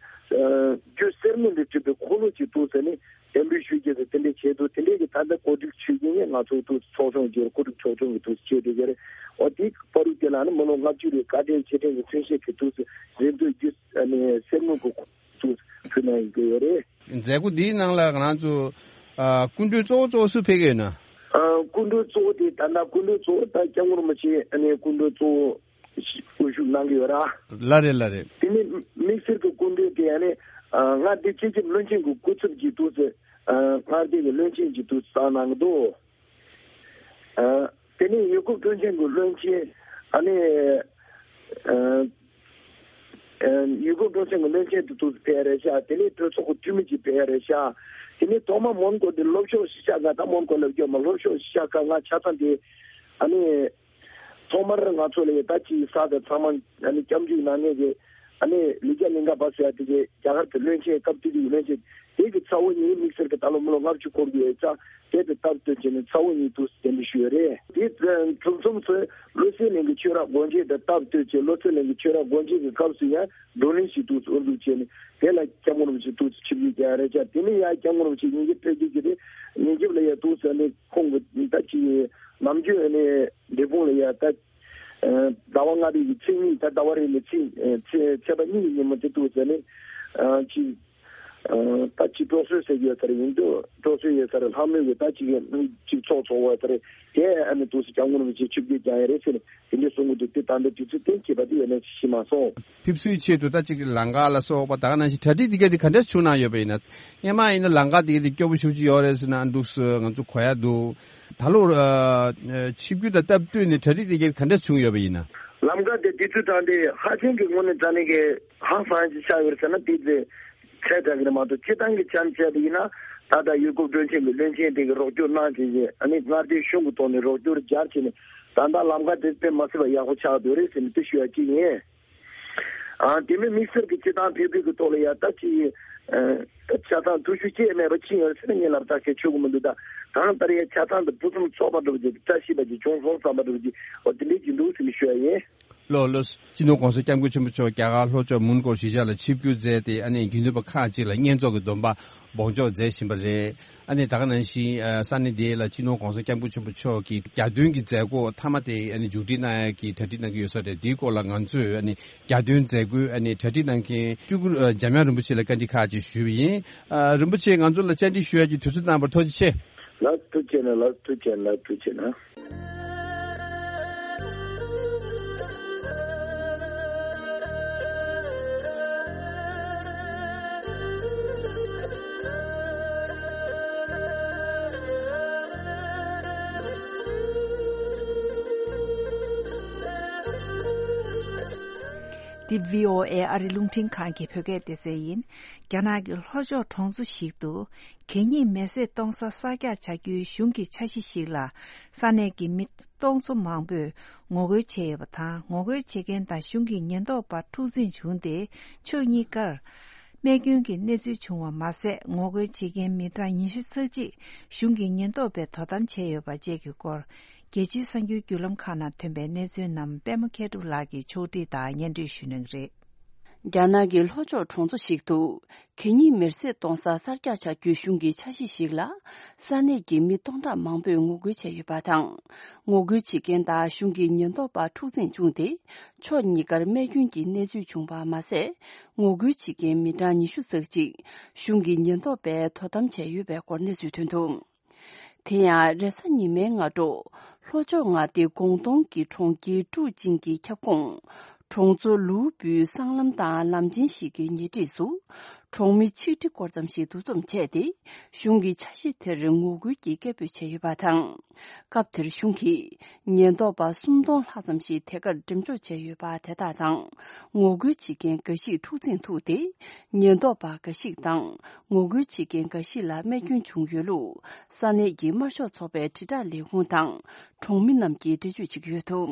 ཨ་རྒྱུ་གསེར་དངུལ་ལས་གྲུབ་པའི་འཁོར་ལོ་ཅིག་འདུག་ཟེར་ནས་གདན་འདྲེན་ཞུ་རྒྱུ་དེ་དེ་འདྲའི་ཆེད་དུ་དེ་འདྲའི་གི་ད་ལྟ་གོ་སྒྲིག་ཞུ་རྒྱུ་ནི་ང་ཚོ་འདུག་ཚོགས་ཆུང་བརྒྱུད་གོ་སྒྲིག་ཚོགས་ཆུང་གི་འདུག་བྱས་བསྡད་ཀྱི་རེད། འོ་དེའི་བར་དུ་དེ་ལ་ནི་མི་ལོ་ལྔ་བཅུ་རེའི་བཀའ་དྲིན་རྗེས་དྲན་གྱི་མཚོན་བྱེད་ཀྱི་འདུག་རེ་འདོད་རྒྱུ་ཨ་ནི་གསེར་དངུལ་གྱི་འདུག་ཕུལ་གནང་ཡོང་གི་ཡོད་རེད། མཛད་སྒོ་འདིའི་ནང་ལ་ང་རང་ཚོ་ཨ་སྐུ་མགྲོན་གཙོ་བོ་གཙོ་བོ་སུ་ཕེབས་ཀྱི་ཡོད་ན། ཨ་སྐུ་མགྲོན་གཙོ་བོ་དེ་ད་ལྟ་སྐུ་མགྲོན་གཙོ་བོ་ད་སྐྱབས་མགོན་རིན་པོ་ཆེ་ཨ་ནི་སྐུ་མགྲོན་གཙོ་བོ་དབུ་བཞུགས་གནང་གི་ཡོད་ར། ལགས་རེད་ལགས་རེད། དེ་ནས་དམིགས་བསལ་གྱི་སྐུ་མགྲོན་དེ་ཨ་ནི་ཨ་མངའ་སྡེ་སྤྱི་ཁྱབ་བློན་ཆེན་གྱི་སྐུ་ཚབ་ཀྱིས་འདུག་ཟེར། ཨ་མངའ་སྡེ་གི་བློན་ཆེན་གྱིས་འདུག་བསྐྱངས་གནང་གི་འདུག་ཨ་དེ་ནས་ཡུལ་སྐོར་སྐྱོན་ཅན་གྱི་བློན་ཆེན་ཨ་ནི་ཨ་ཨ་ཡུལ་སྐོར་སྐྱོན་ཅན་གྱི་བློན་ཆེན་དེ་འདུག་ཕེབས་ཡ་རེད་ཤག་དེ་ནས་གྲོས་ཚོགས་ཀྱི་འཐུས་མི་ཅིག་ཕེབས་ཡ་རེད་ཤག་དེ་ནས་ཐོག་མ་མོན་གྷོ་དེ་ལྷོ་ཕྱོགས་གཞིས་ཆགས་ང་ད་མོན་གྷོ་ལབ་རྒྱུ་མ་ལྷོ་ཕྱོགས་གཞིས་ཆགས་ཁག་ང་ཆ་ཚང་དེ་ཨ་ནི། ཐོག་མར་ང་ཚོ་ལ་ད་ཅིག་ས་དང་ཚང་མ་ཨ་ནི་སྐྱབས་འཇུག་གནང་མཁན་གྱི་ཨ་ནི་ལི་ཀ་གླིང་ག་པ་ཟེར་ཡ་དེ་གི་རྒྱ་གར་གྱི་བློན་ཆེན་སྐབས་དེ་དུས་ཀྱི་བློན་ཆེན་དེ་གི་ཚ་བོ་གཉིས་དམིགས་བསལ་གྱི་ད་ལོ་མི་ལོ་ལྔ་བཅུ་འཁོར་གྱི་ཡོད་ཙང་དེ་དང་སྟབས་བསྟུན་བྱས་ནས་ཚ་བོ་གཉིས་འདུག་གདན་འདྲེན་ཞུས་ཡོད་རེད། དེ་གྲུབ་མཚམས་སུ་བློ་གསལ་གླིང་གི་ཆོས་ར་སྒོ་འབྱེད་དང་སྟབས་བསྟུན་བྱས་བློ་གསལ་གླིང་གི་ཆོས་ར་སྒོ་འབྱེད་ཀྱི་སྐབས་སུ་ཡང་བགྲོ་གླེང་ཞིག་འདུག་དབུ་འཛུགས་བྱས་ནས་དེ་ལ་སྐྱབས་མགོན་རིན་པོ་ཆེ་འདུག་ཆིབས་བསྒྱུར་བསྐྱངས་ཡ་རེད་ཅག་དེ་ནས་ཡང་སྐྱབས་མགོན་རིན་པོ་ཆེ་ཉིན་རྒྱབ་ཕེབས་རྒྱུ་གི་རེད། ཉིན་རྒྱབ་ལ་ཡང་འདུག་ཟེར་ནས་ཁོང་གི་ད་ཅིག་ནམ་རྒྱུན་ནས་འབྲས་སྤུངས་ལ་ཡ་ད་ཟླ་བ་ལྔ་པའི་གི་ཚེས་གཉིས་ད་ཟླ་བ་རེ་ནས་ཚེས་ཚེས་ཚེས་པ་གཉིས་ཀྱི་ཉིན་མོ་དེ་འདུག་ཟེར་ནས་ ཨ་ཅི། ཨ་ད་ཅི་སྤྲོ་སོས་ཟེར་གྱི་ཡོད་ས་རེད། ཡིན་དུས་སྤྲོ་སོས་ཡོད་ས་རེད། ལྷག་མོས་ཀྱི་ད་ཅི་གི་ཅིག་ཚོགས་ཚོགས་པ་ས་རེད། དེ་ཨ་ནི་འདུག་སེ་སྐྱབས་མགོན་རིན་པོ་ཆེ་ཆིབས་བསྒྱུར་བསྐྱངས་ཡོད་རེད་ཟེར་ནས་དེ་འདྲས་གསུང་གི་འདུག་དེ་ད་ལྟ་དུས་ཚོད་གཏན་འཁེལ་བ་དེ་ཡོད་ན་ཤེས་མ་སོང་། ཕེབས་བསུའི་ཆེད་དུ་ད་ཅིག་ལམ་ཁ་ལ་སོགས་པ་ད་ག་ནང་བཞིན་གྲ་སྒྲིག་དེ་ག་དེ་ག་འདྲས་བྱུང་གནང་ཡོད་པ་ཡིན་ན། སྔོན་མ་ཡིན་ན་ལམ་ཁ་དེ་ག་དེ་སྐྱོ་པོ་ཞེ་པོ་ཅིག་ཡོད་རེད་ཟེར་ན་འདུག་སེ་ང་ཚོ་གོ་ཡ་འདུག་ད་ལོ་ཨ་ཆིབས་བསྒྱུར་དང་སྟབས་བསྟུན་ནས་གྲ་སྒྲིག་དེ་ག་ག་འདྲས་བྱུང་ཡོད་པ་ཡིན་ན། ལམ་ཁ་དེ་དུས་ཚོད་དྲང་དེ་ཧ་ཅང་གི་དངོས་གནས་དྲང་གནས་ཀྱི་ཧང་སང་ཅིག་ཆགས་ཡོད་རེད་ཟེར་ན་དེ་དེ་ཚད་དྲག་གི་རེད་མ་གཏོགས་སྤྱིར་བཏང་གི་ཆ་བཞག་པ་ཡིན་ན་ད་ལྟ་ཡུལ་སྐོར་བསྐྲུན་ཆེན་གྱི་བློན་ཆེན་དེ་གི་རོགས་སྐྱོར་གནང་བྱས་རྗེས་ཨ་ནི་མངའ་སྡེའི་གཞུང་གི་ཐོག་ནས་རོགས་སྐྱོར་སྦྱར་བྱས་ནས་ད་ལྟ་ལམ་ཁ་དེ་དཔེ་མ་སྲིད་པ་ཡག་པོ་ཆགས་འདུག་རེད་ཟེར་ནས་དེ་ཞུ་ཡ་གཅིག་ཡིན། ཨ་དེ་མིན་དམིགས་བསལ་གྱི་སྤྱིར་བཏང་ཕེབས་འབུལ་གྱི་ཐོག་ལ་ཡ་ད་ཅི་ཆ་ཚང་ཐུགས་ཤུགས་ཅི་མེད་པ་ཕྱིན་ཡོད་ཟེར་ན་ངས་ལབ་ཐག་ཆོད་ཆོད་གི་མི་འདུག་ད་གང་ལྟར་ཡ་ཆ་ཚང་དུ་ཕུན་སུམ་ཚོགས་པ་འདྲ་བོ་ཅིག་བཀྲ་ཤིས་པ་ཅིག་བྱུང་སོང་བསམ་པ་འདྲ་བོ་ཅིག་འོ་དེ་འདྲས་ཅིག་འདུག་ཟེར་ནས་ཞུ་ཡ་ཡིན། ལགས་ལགས། སྤྱི་ནོར་༸གོང་ས་༸སྐྱབས་མགོན་ཆེན་པོ་མཆོག་རྒྱ་གར་ལྷོ་ཕྱོགས་མོན་གྷོ་གཞིས་ཆགས་ལ་ཆིབས་བསྒྱུར་མཛད་དེ་ཨ་ནི་དགེ་འདུན་པ་ཁག་ཅིག་ལ་བསྙེན་རྫོགས་ཀྱི་སྡོམ་པ་སྦོམ་འཇོག་མཛད་བཞིན་པ་རེད། ཨ་ནི་ད་ག་ནང་བཞིན་ཨ་ས་གནས་དེ་ལ་སྤྱི་ནོར་༸གོང་ས་༸སྐྱབས་མགོན་ཆེན་པོ་མཆོག་གིས་གྱ་སྟོན་གྱི་མཛད་སྒོ་མཐའ་མ་དེ་ཨ་ནི་མཇུག་སྒྲིལ་གནང་ཡག་གི་གྲ་སྒྲིག་གནང་གི་ཡོད་ས་རེད། དེའི་སྐོར་ལ་ང་ཚོས་ཨ་ནི་གྱ་སྟོན་མཛད་སྒོའི་ཨ་ནི་གྲ་སྒྲིག་གནང་མཁན་སྤྲུལ་སྐུ་ཨ་འཇམ་དབྱངས་རིན་པོ་ཆེ་ལ་བཀའ་འདྲི་ཁག་ཅིག་ཞུས་པ་ཡིན། ཨ་རིན་པོ་ཆེ་ང་ཚོ་ལ་བཅར་འདྲི་ཞུ་ཡག་གི་དུས་ཚོད་གནང་བར་ཐུགས་རྗེ་ཆེ། ལགས་ཐུགས་རྗེ་ཆེ་གནང་། ལགས་ཐུགས་རྗེ་ཆེ་གནང་། ལགས་ཐུགས་རྗེ་ཆེ་གནང་། འདི་བྷི་ཨོ་ཨེ་ཨ་རི་རླུང་འཕྲིན་ཁང་གི་བོད་སྐད་སྡེ་ཚན་ཡིན། རྒྱ་ནག་གི་ལྷོ་ཕྱོགས་གྲོང་ཚོ་ཞིག་ཏུ། གད་སྙིགས་མེ་བསྲེགས་གཏོང་ས་གསར་རྒྱག་བྱ་རྒྱུའི་གཞུང་གི་འཆར་གཞི་ཞིག་ལ། ས་གནས་ཀྱི་མི་སྟོང་ཚོ་མང་པོས་ངོ་རྒོལ་བྱས་ཡོད་པ་དང་། ངོ་རྒོལ་བྱེད་མཁན་དང་གཞུང་གི་ཉེན་རྟོག་པ་འཁྲུག་འཛིང་བྱུང་སྟེ། ཕྱོགས་གཉིས་ཀར། རྨས་སྐྱོན་གྱི་གནས་ཚུལ་བྱུང་བ་མ་ཟད། ངོ་རྒོལ་བྱེད་མཁན་མི་གྲངས་ཉི་ཤུ་ཙམ་ཅིག་གཞུང་གི་ཉེན་རྟོག་པས་དོ་དམ་བྱས་ཡོད་པ་བཅས་ཀྱི་སྐོར། རྒྱལ་སྤྱིའི་གསར་འགྱུར་བརྒྱུད་ལམ་ཁག་ནང་ཐོན་པའི་གནས་ཚུལ་རྣམས་པད་མ་མཁས་གྲུབ་ལགས་ཀྱིས་ཕྱོགས་སྒྲིག་དང་སྙན་སྒྲོན་ཞུ་གནང་གི་རེད། རྒྱ་ནག་གི་ལྷོ་ཕྱོགས་གྲོང་ཚོ་ཞིག་ཏུ། གད་སྙིགས་མེར་སྲེག་གཏོང་ས་གསར་རྒྱག་བྱ་རྒྱུའི་གཞུང་གི་འཆར་གཞི་ཞིག་ལ། ས་གནས་ཀྱི་མི་སྟོང་ཕྲག་མང་པོས་ངོ་རྒོལ་བྱས་ཡོད་པ་དང་། ངོ་རྒོལ་བྱེད་མཁན་དང་གཞུང་གི་ཉེན་རྟོག་པ་འཁྲུག་འཛིང་བྱུང་སྟེ། ཕྱོགས་གཉིས་ཀར་རྨས་སྐྱོན་གྱི་གནས་ཚུལ་བྱུང་བ་མ་ཟད། ངོ་རྒོལ་བྱེད་མཁན་མི་གྲངས་ཉི་ཤུ་ཙམ་ཅིག་གཞུང་གི་ཉེན་རྟོག་པས་དོ་དམ་བྱས་ཡོད་པའི་སྐོར་གནས་ཚུལ་ཐོན་འདུག་དེ་ཡང་རེས་གཟའ་ཉི་མའི་སྔ་དྲོ། ལྷོ་ཕྱོགས་མངའ་སྡེ་ཀོང་ཏུང་གི་གྲོང་ཁྱེར་ཀྲུའུ་ཅིང་གི་ཁྱབ་ཁོངས། གྲོང་ཚོ་ལུའུ་པུའི་སྲང་ལམ་དང་ལམ་ཆེན་ཞིག་གི་ཉེ་འཁྲིས་སུ། གྲོང་མི་ཆིག་ཁྲི་སྐོར་ཙམ་ཞིག་འདུ་འཛོམས་བྱས་ཏེ། གཞུང་གི་འཆར་གཞི་དེར་ངོ་རྒོལ་གྱི་སྐད་འབོད་བྱས་ཡོད་པ་དང་། སྐབས་དེར་གཞུང་གིས་ཉེན་རྟོག་པ་སུམ་སྟོང་ལྷག་ཙམ་ཞིག་དེ་གར་འགྲེམས་འཇོག་བྱས་ཡོད་པ་དེ་དག་དང་། ངོ་རྒོལ་བྱེད་མཁན་འགའ་ཞིག་འཁྲུག་འཛིང་ཐུག་སྟེ། ཉེན་རྟོག་པ་འགའ་ཞིག་དང་ངོ་རྒོལ་བྱེད་མཁན་འགའ་ཞིག་ལ་རྨས་སྐྱོན་བྱུང་ཡོད་ལུགས། ས་གནས་ཀྱི་དམར་ཤོག་ཚོགས་པའི་དྲིལ་བསྒྲགས་ལས་ཁུངས་དང་གྲོང་མི་རྣམས་ཀྱིས་འགྲེལ་བརྗོད་བྱེད་ཀྱི་ཡོད་འདུག་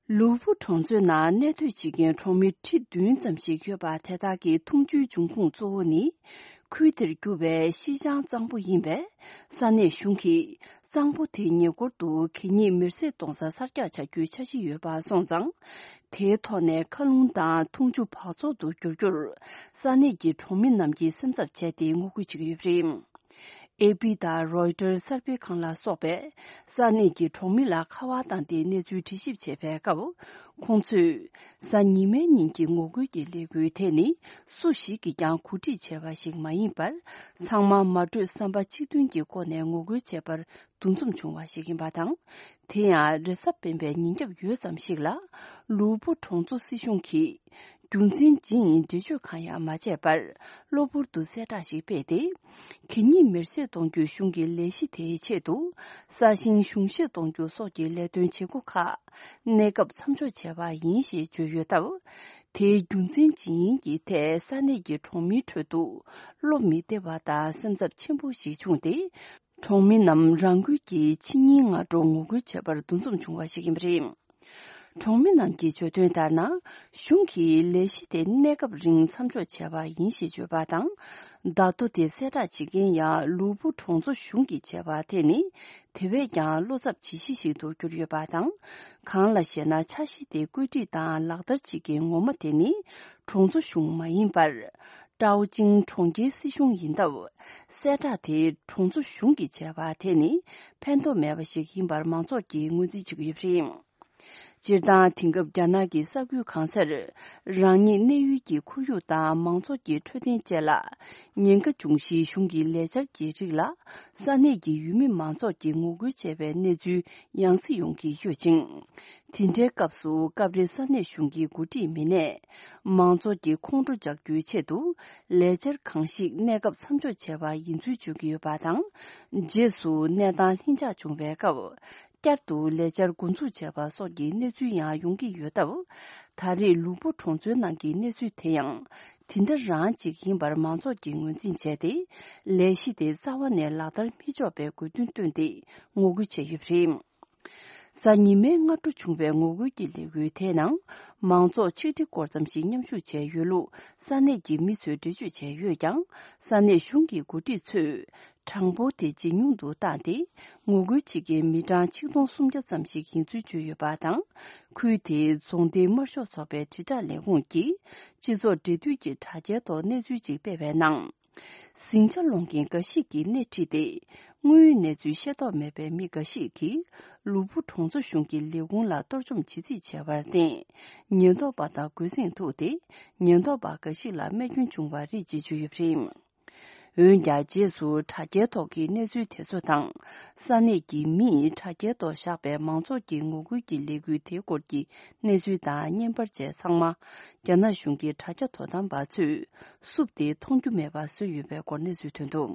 ལུའུ་པུ་གྲོང་ཚོའི་ནང་གནས་སྡོད་བྱེད་མཁན་གྲོང་མི་ཁྲི་བདུན་ཙམ་ཞིག་ཡོད་པ་དེ་དག་གི་འཐུང་ཆུའི་འབྱུང་ཁུངས་གཙོ་བོ་ནི། ཁུལ་དེར་རྒྱུ་བའི་ཤིན་ཅང་གཙང་པོ་ཡིན་པས། ས་གནས་གཞུང་གིས་གཙང་པོ་དེའི་ཉེ་འཁོར་དུ་གད་སྙིགས་མེར་སྲེག་གཏོང་ས་གསར་རྒྱག་བྱ་རྒྱུའི་འཆར་གཞི་ཡོད་པ་སོང་ཙང་། དེའི་ཐོག་ནས་མཁའ་རླུང་དང་འཐུང་ཆུ་འབག་བཙོག་ཏུ་འགྱུར་རྒྱུར། ས་གནས་ཀྱི་གྲོང་མི་རྣམས་ཀྱིས་སེམས་འཚབ་བྱས་ཏེ་ངོ་རྒོལ་བྱེད་ཀྱི་ཡོད་པ་རེད། ཨེ་པི་དང་རོའི་ཊར་གསར་སྤེལ་ཁང་ལ་སོགས་པས་ས་གནས་ཀྱི་གྲོང་མི་ལ་ཁ་པར་བཏང་སྟེ་གནས་ཚུལ་འགྲེལ་ཞིབ་བྱས་པའི་སྐབས། ཁོང་ཚོས་གཟའ་ཉི་མའི་ཉིན་གྱི་ངོ་རྒོལ་གྱི་ལས་འགུལ་དེ་ནི་སུ་ཞིག་གིས་ཀྱང་གོ་སྒྲིག་བྱས་པ་ཞིག་མ་ཡིན་པར། ཚང་མ་མ་གྲོས་བསམ་པ་གཅིག་མཐུན་གྱི་སྒོ་ནས་ངོ་རྒོལ་བྱས་པར་འདུ་འཛོམས་བྱུང་བ་ཞིག་ཡིན་པ་དང་། དེ་ཡང་རེས་གཟའ་སྤེན་པའི་ཉིན་རྒྱབ་ཡོལ་ཙམ་ཞིག་ལ། ལུའུ་པུ་གྲོང་ཚོ་སྲིད་གཞུང་གིས། རྒྱུ་མཚན་ཇི་ཡིན་འགྲེལ་བརྗོད་གང་ཡང་མ་བྱས་པར། གློ་བུར་དུ་གསལ་བསྒྲགས་ཤིག་སྤེལ་ཏེ། གད་སྙིགས་མེར་སྲེག་གཏོང་རྒྱུའི་གཞུང་གི་ལས་གཞི་དེའི་ཆེད་དུ། ས་ཞིང་གཞུང་བཞེས་གཏོང་རྒྱུ་སོགས་ཀྱི་ལས་དོན་བྱེད་སྒོ་ཁག་གནས་སྐབས་མཚམས་འཇོག་བྱས་པ་ཡིན་ཞེས་བརྗོད་ཡོད་སྟབས། དེའི་རྒྱུ་མཚན་ཇི་ཡིན་གྱི་ཐད་ས་གནས་ཀྱི་གྲོང་མིའི་ཁྲོད་དུ། བློ་མི་བདེ་བ་དང་སེམས་འཚབ་ཆེན་པོ་ཞིག་བྱུང་སྟེ། གྲོང་མི་རྣམས་རང་འགུལ་གྱིས་ཕྱི་ཉིན་སྔ་དྲོ་ངོ་རྒོལ་བྱེད་པར་འདུ་འཛོམས་བྱུང་བ་ཞིག་ཡིན་པ་རེད། གྲོང་མི་རྣམས་ཀྱིས་བརྗོད་དོན་ལྟར་ན། གཞུང་གིས་ལས་གཞི་དེ་གནས་སྐབས་རིང་མཚམས་འཇོག་བྱས་པ་ཡིན་ཞེས་བརྗོད་པ་དང་། བརྡ་ཐོ་དེ་གསལ་བསྒྲགས་བྱེད་མཁན་ཡང་ལུའུ་པུ་གྲོང་ཚོ་གཞུང་གིས་བྱས་པ་དེ་ནི། དེ་བས་ཀྱང་བློ་འཚབ་བྱེད་གཞི་ཞིག་ཏུ་གྱུར་ཡོད་པ་དང་། གང་ལ་ཞེ་ན། འཆར་གཞི་དེ་བཀོད་སྒྲིག་དང་ལག་བསྟར་བྱེད་མཁན་ངོ་མ་དེ་ནི། གྲོང་ཚོ་གཞུང་མ་ཡིན་པར། ཀྲའོ་ཅིང་གྲོང་ཁྱེར་སྲིད་གཞུང་ཡིན་སྟབས། གསལ་བསྒྲགས་དེ་གྲོང་ཚོ་གཞུང་གིས་བྱས་པ་དེ་ནི་ཕན་ཐོགས་མེད་པ་ཞིག་ཡིན་པར་མང་ཚོགས་ཀྱིས་ངོས་འཛིན་བྱེད་ཀྱི་ཡོད་པ་རེད། སྤྱིར་བཏང་དེང་སྐབས་རྒྱ་ནག་གི་ས་ཁུལ་གང་སར་རང་ཉིད་གནས་ཡུལ་གྱི་ཁོར་ཡུག་དང་མང་ཚོགས་ཀྱི་འཕྲོད་བསྟེན་བཅས་ལ་ཉེན་ཁ་འབྱུང་གཞིའི་གཞུང་གི་ལས་འཆར་གྱི་རིགས་ལ་ས་གནས་ཀྱི་ཡུལ་མི་མང་ཚོགས་ཀྱིས་ངོ་རྒོལ་བྱས་པའི་གནས་ཚུལ་ཡང་སེ་ཡོང་གི་ཡོད་ཅིང་། དེ་འདྲའི་སྐབས་སུ་སྐབས་རེ་ས་གནས་གཞུང་གི་འགོ་ཁྲིད་མི་སྣས་མང་ཚོགས་ཀྱི་ཁོང་ཁྲོ་འཇགས་རྒྱུའི་ཆེད་དུ་ལས་འཆར་གང་ཞིག་གནས་སྐབས་མཚམས་འཇོག་བྱས་པ་ཡིན་ཚུལ་བརྗོད་ཀྱི་ཡོད་པ་དང་། རྗེས་སུ་གནས་སྟངས་ལྷིང་འཇགས་བྱུང་བའི་སྐབས། བསྐྱར་དུ་ལས་འཆར་འགོ་འཛུགས་བྱས་པ་སོགས་ཀྱི་གནས་ཚུལ་ཡང་ཡོང་གི་ཡོད་སྟབས། ད་རེས་ལུའུ་པུའུ་གྲོང་ཚོའི་ནང་གི་གནས་ཚུལ་དེ་ཡང་དེ་འདྲ་རང་ཅིག་ཡིན་པར་མང་ཚོགས་ཀྱིས་ངོས་འཛིན་བྱས་ཏེ། ལས་གཞི་དེ་རྩ་བ་ནས་ལག་བསྟར་མི་ཆོག་པའི་དགོས་འདུན་བཏོན་ཏེ་ངོ་རྒོལ་བྱས་ཡོད་པ་རེད། གཟའ་ཉི་མའི་སྔ་དྲོ་བྱུང་བའི་ངོ་རྒོལ་གྱི་ལས་འགུལ་དེའི་ནང་། མང་ཚོགས་ཆིག་ཁྲི་སྐོར་ཙམ་ཞིག་མཉམ་ཞུགས་བྱས་ཡོད་ལུགས་ས་གནས་ཀྱི་མི་ཚོས་འགྲེལ་བརྗོད་བྱས་ཡོད་ཀྱང་། ས་གནས་གཞུང་གི་འགོ་ཁྲིད་ཚོས། གྲངས་འབོར་དེ་ཇེ་ཉུང་དུ་བཏང་སྟེ། ངོ་རྒོལ་བྱེད་མཁན་མི་གྲངས་ཆིག་སྟོང་སུམ་བརྒྱ་ཙམ་ཞིག་ཡིན་ཚུལ་བརྗོད་ཡོད་པ་དང་། ཁུལ་དེའི་རྫོང་སྡེའི་དམར་ཤོག་ཚོགས་པའི་དྲིལ་བསྒྲགས་ལས་ཁུངས་ཀྱིས། སྤྱི་ཚོགས་འབྲེལ་མཐུད་ཀྱི་དྲ་རྒྱའི་ཐོག་གནས་ཚུལ་ཅིག་སྤེལ་བའི་ནང་། ཟིང་ཆ་སློང་མཁན་འགའ་ཞིག་གིས་སྣེ་ཁྲིད་དེ། དངོས་ཡོད་གནས་ཚུལ་ཤེས་རྟོགས་མེད་པའི་མི་འགའ་ཞིག་གིས། ལུའུ་པུའུ་གྲོང་ཚོ་གཞུང་གི་ལས་ཁུངས་ལ་གཏོར་བཅོམ་བྱེད་རྩིས་བྱས་པར་བརྟེན། ཉེན་རྟོག་པ་དང་འགོས་འཛིང་ཐུག་སྟེ། ཉེན་རྟོག་པ་འགའ་ཞིག་ལ་རྨས་སྐྱོན་བྱུང་བ་རེད་ཅེས་བརྗོད་ཡོད་པ་རེད། འོན་ཀྱང་། རྗེས་སུ་དྲ་རྒྱའི་ཐོག་གི་གནས་ཚུལ་དེ་ཚོ་དང་། ས་གནས་ཀྱི་མིས་དྲ་རྒྱའི་ཐོག་བཞག་པའི་མང་ཚོགས་ཀྱི་ངོ་རྒོལ་གྱི་ལས་འགུལ་དེའི་སྐོར་གྱི་གནས་ཚུལ་དང་བརྙན་པར་བཅས་ཚང་མ། རྒྱ་ནག་གཞུང་གི་དྲ་རྒྱ་དོ་དམ་པ་ཚོས་བསུབས་ཏེ། མཐོང་རྒྱུ་མེད་པར་བཟོས་ཡོད་པའི་སྐོར་གནས་ཚུལ་ཐོན་འདུག་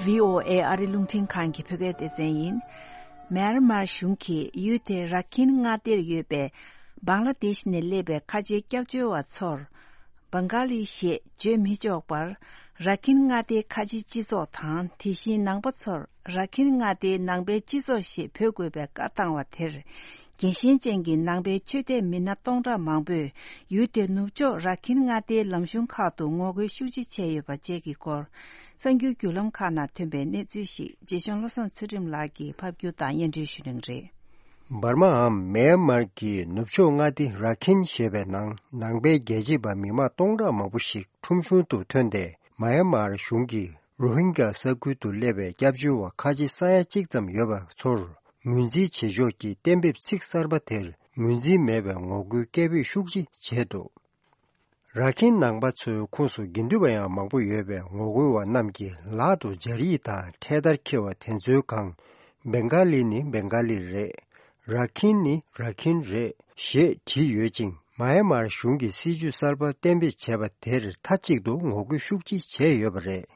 བྷི་ཨོ་ཨེ་ཨ་རི་རླུང་འཕྲིན་ཁང་གི་བོད་སྐད་སྡེ་ཚན་ཡིན། མེན་མར་གཞུང་གིས་ཡུལ་དེའི་ར་ཁིན་མངའ་སྡེར་ཡོད་པའི་བང་ལ་དེཤ་ནས་སླེབས་པའི་ཁ་ཆེའི་སྐྱབས་བཅོལ་བ་ཚོར། བང་ག་ལི་ཞེས་བརྗོད་མི་ཆོག་པར། ར་ཁིན་མངའ་སྡེའི་ཁ་ཆེ་སྤྱི་ཚོགས་དང་། དེ་བཞིན་ནང་པ་ཚོར་ར་ཁིན་མངའ་སྡེའི་ནང་པའི་སྤྱི་ཚོགས་ཞེས་འབོད་དགོས་པའི་བཀའ་བཏང་བ་དེར། རྒྱལ་ཞེན་ཅན་གྱི་ནང་པའི་ཆོས་དད་མི་སྣ་སྟོང་ཕྲག་མང་པོས་ཡུལ་དེའི་ནུབ་ཕྱོགས་ར་ཁིན་མངའ་སྡེའི་ལམ་གཞུང་ཁག་ཏུ་ངོ་རྒོལ་ཤུགས་ཆེ་བྱས་ཡོད་པ་བཅས་ཀྱི་སྐོར། གསར་འགྱུར་བརྒྱུད་ལམ་ཁག་ནང་ཐོན་པའི་གནས་ཚུལ་ཞིག་རྗེ་གཞུང་བློ་བཟང་ཚུལ་ཁྲིམས་ལགས་ཀྱིས་ཕབ་བསྒྱུར་དང་སྙན་སྒྲོན་ཞུ་གནང་རེད། འབར་མའམ་མེན་མར་གྱི་ནུབ་ཕྱོགས་མངའ་སྡེ་ར་ཁིན་ཞེས་པའི་ནང་ནང་པའི་རྒྱལ་གཅེས་པ་མི་མང་སྟོང་ཕྲག་མང་པོ་ཞིག་ཁྲོམ་གཞུང་དུ་ཐོན་ཏེ། མ་ཡན་མར་གཞུང་གིས་རོ་ཧིན་གྱ་ས་ཁུལ་དུ་སླེབས་པའི་སྐྱབས་བཅོལ་བ་ཁ་ཆེ་ས་ཡ་གཅིག་ཙམ་ཡོད་པ་ཚོར་ངོས་འཛིན་བྱེད་ཕྱོགས་ཀྱི་གཏན་འབེབས་ཚིག་གསར་པ་དེར་ངོས་འཛིན་མེད་པའི་ངོ་རྒོལ་སྐད་འབོད་ཤུགས་ཆེ་བྱས་འདུག་ར་ཁིན་ནང་པ་ཚོའི་ཁོངས་སུ་དགེ་འདུན་པ་ཡང་མང་པོ་ཡོད་པས། ངོ་རྒོལ་བ་རྣམས་ཀྱིས་ལག་ཏུ་སྦྱར་ཡིག་དང་འཕྲེད་དར་འཁྱེར་བ་དེ་ཚོའི་སྒང་། བེང་ག་ལི་ནི་བེང་ག་ལི་རེད། ར་ཁིན་ནི་ར་ཁིན་རེད་ཞེས་བྲིས་ཡོད་ཅིང་། མ་ཡན་མར་གཞུང་གིས་སྲིད་ཇུས་གསར་པ་གཏན་འབེབས་བྱས་པ་དེར་མཐའ་གཅིག་ཏུ་ངོ་རྒོལ་ཤུགས་ཆེ་བྱས་ཡོད་པ་རེད།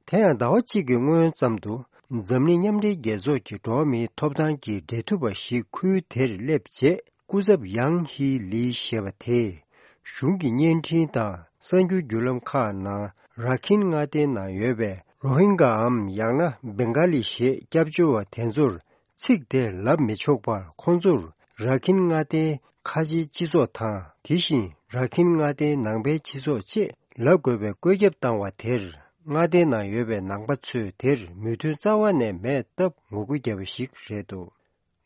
དེ་ཡང་ཟླ་བ་གཅིག་གི་སྔོན་ཙམ་དུ། འཛམ་གླིང་མཉམ་འབྲེལ་རྒྱལ་ཚོགས་ཀྱི་འགྲོ་བ་མིའི་ཐོབ་ཐང་གི་འབྲེལ་མཐུད་པ་ཞིག་ཁུལ་དེར་སླེབས་རྗེས། སྐུ་ཚབ་ཡང་ཧི་ལི་ཞེས་པ་དེས། གཞུང་གི་བརྙན་འཕྲིན་དང་གསར་འགྱུར་བརྒྱུད་ལམ་ཁག་ནང་། ར་ཁིན་མངའ་སྡེའི་ནང་ཡོད་པའི་རོ་ཧིན་གའམ་ཡང་ན་བེང་ག་ལི་ཞེས་སྐྱབས་བཅོལ་བ་དེ་ཚོར། ཚིག་དེ་ལབ་མི་ཆོག་པར། ཁོང་ཚོར་ར་ཁིན་མངའ་སྡེའི་ཁ་ཆེའི་སྤྱི་ཚོགས་དང་། དེ་བཞིན་ར་ཁིན་མངའ་སྡེའི་ནང་པའི་སྤྱི་ཚོགས་ཅེས་ལབ་དགོས་པའི་བཀོད་ཁྱབ་བཏང་བ་དེར། མངའ་སྡེའི་ནང་ཡོད་པའི་ནང་པ་ཚོས་དེར་མོས་མཐུན་རྩ་བ་ནས་མེད་སྟབས་ངོ་རྒོལ་བརྒྱབ་པ་ཞིག་རེད་འདུག་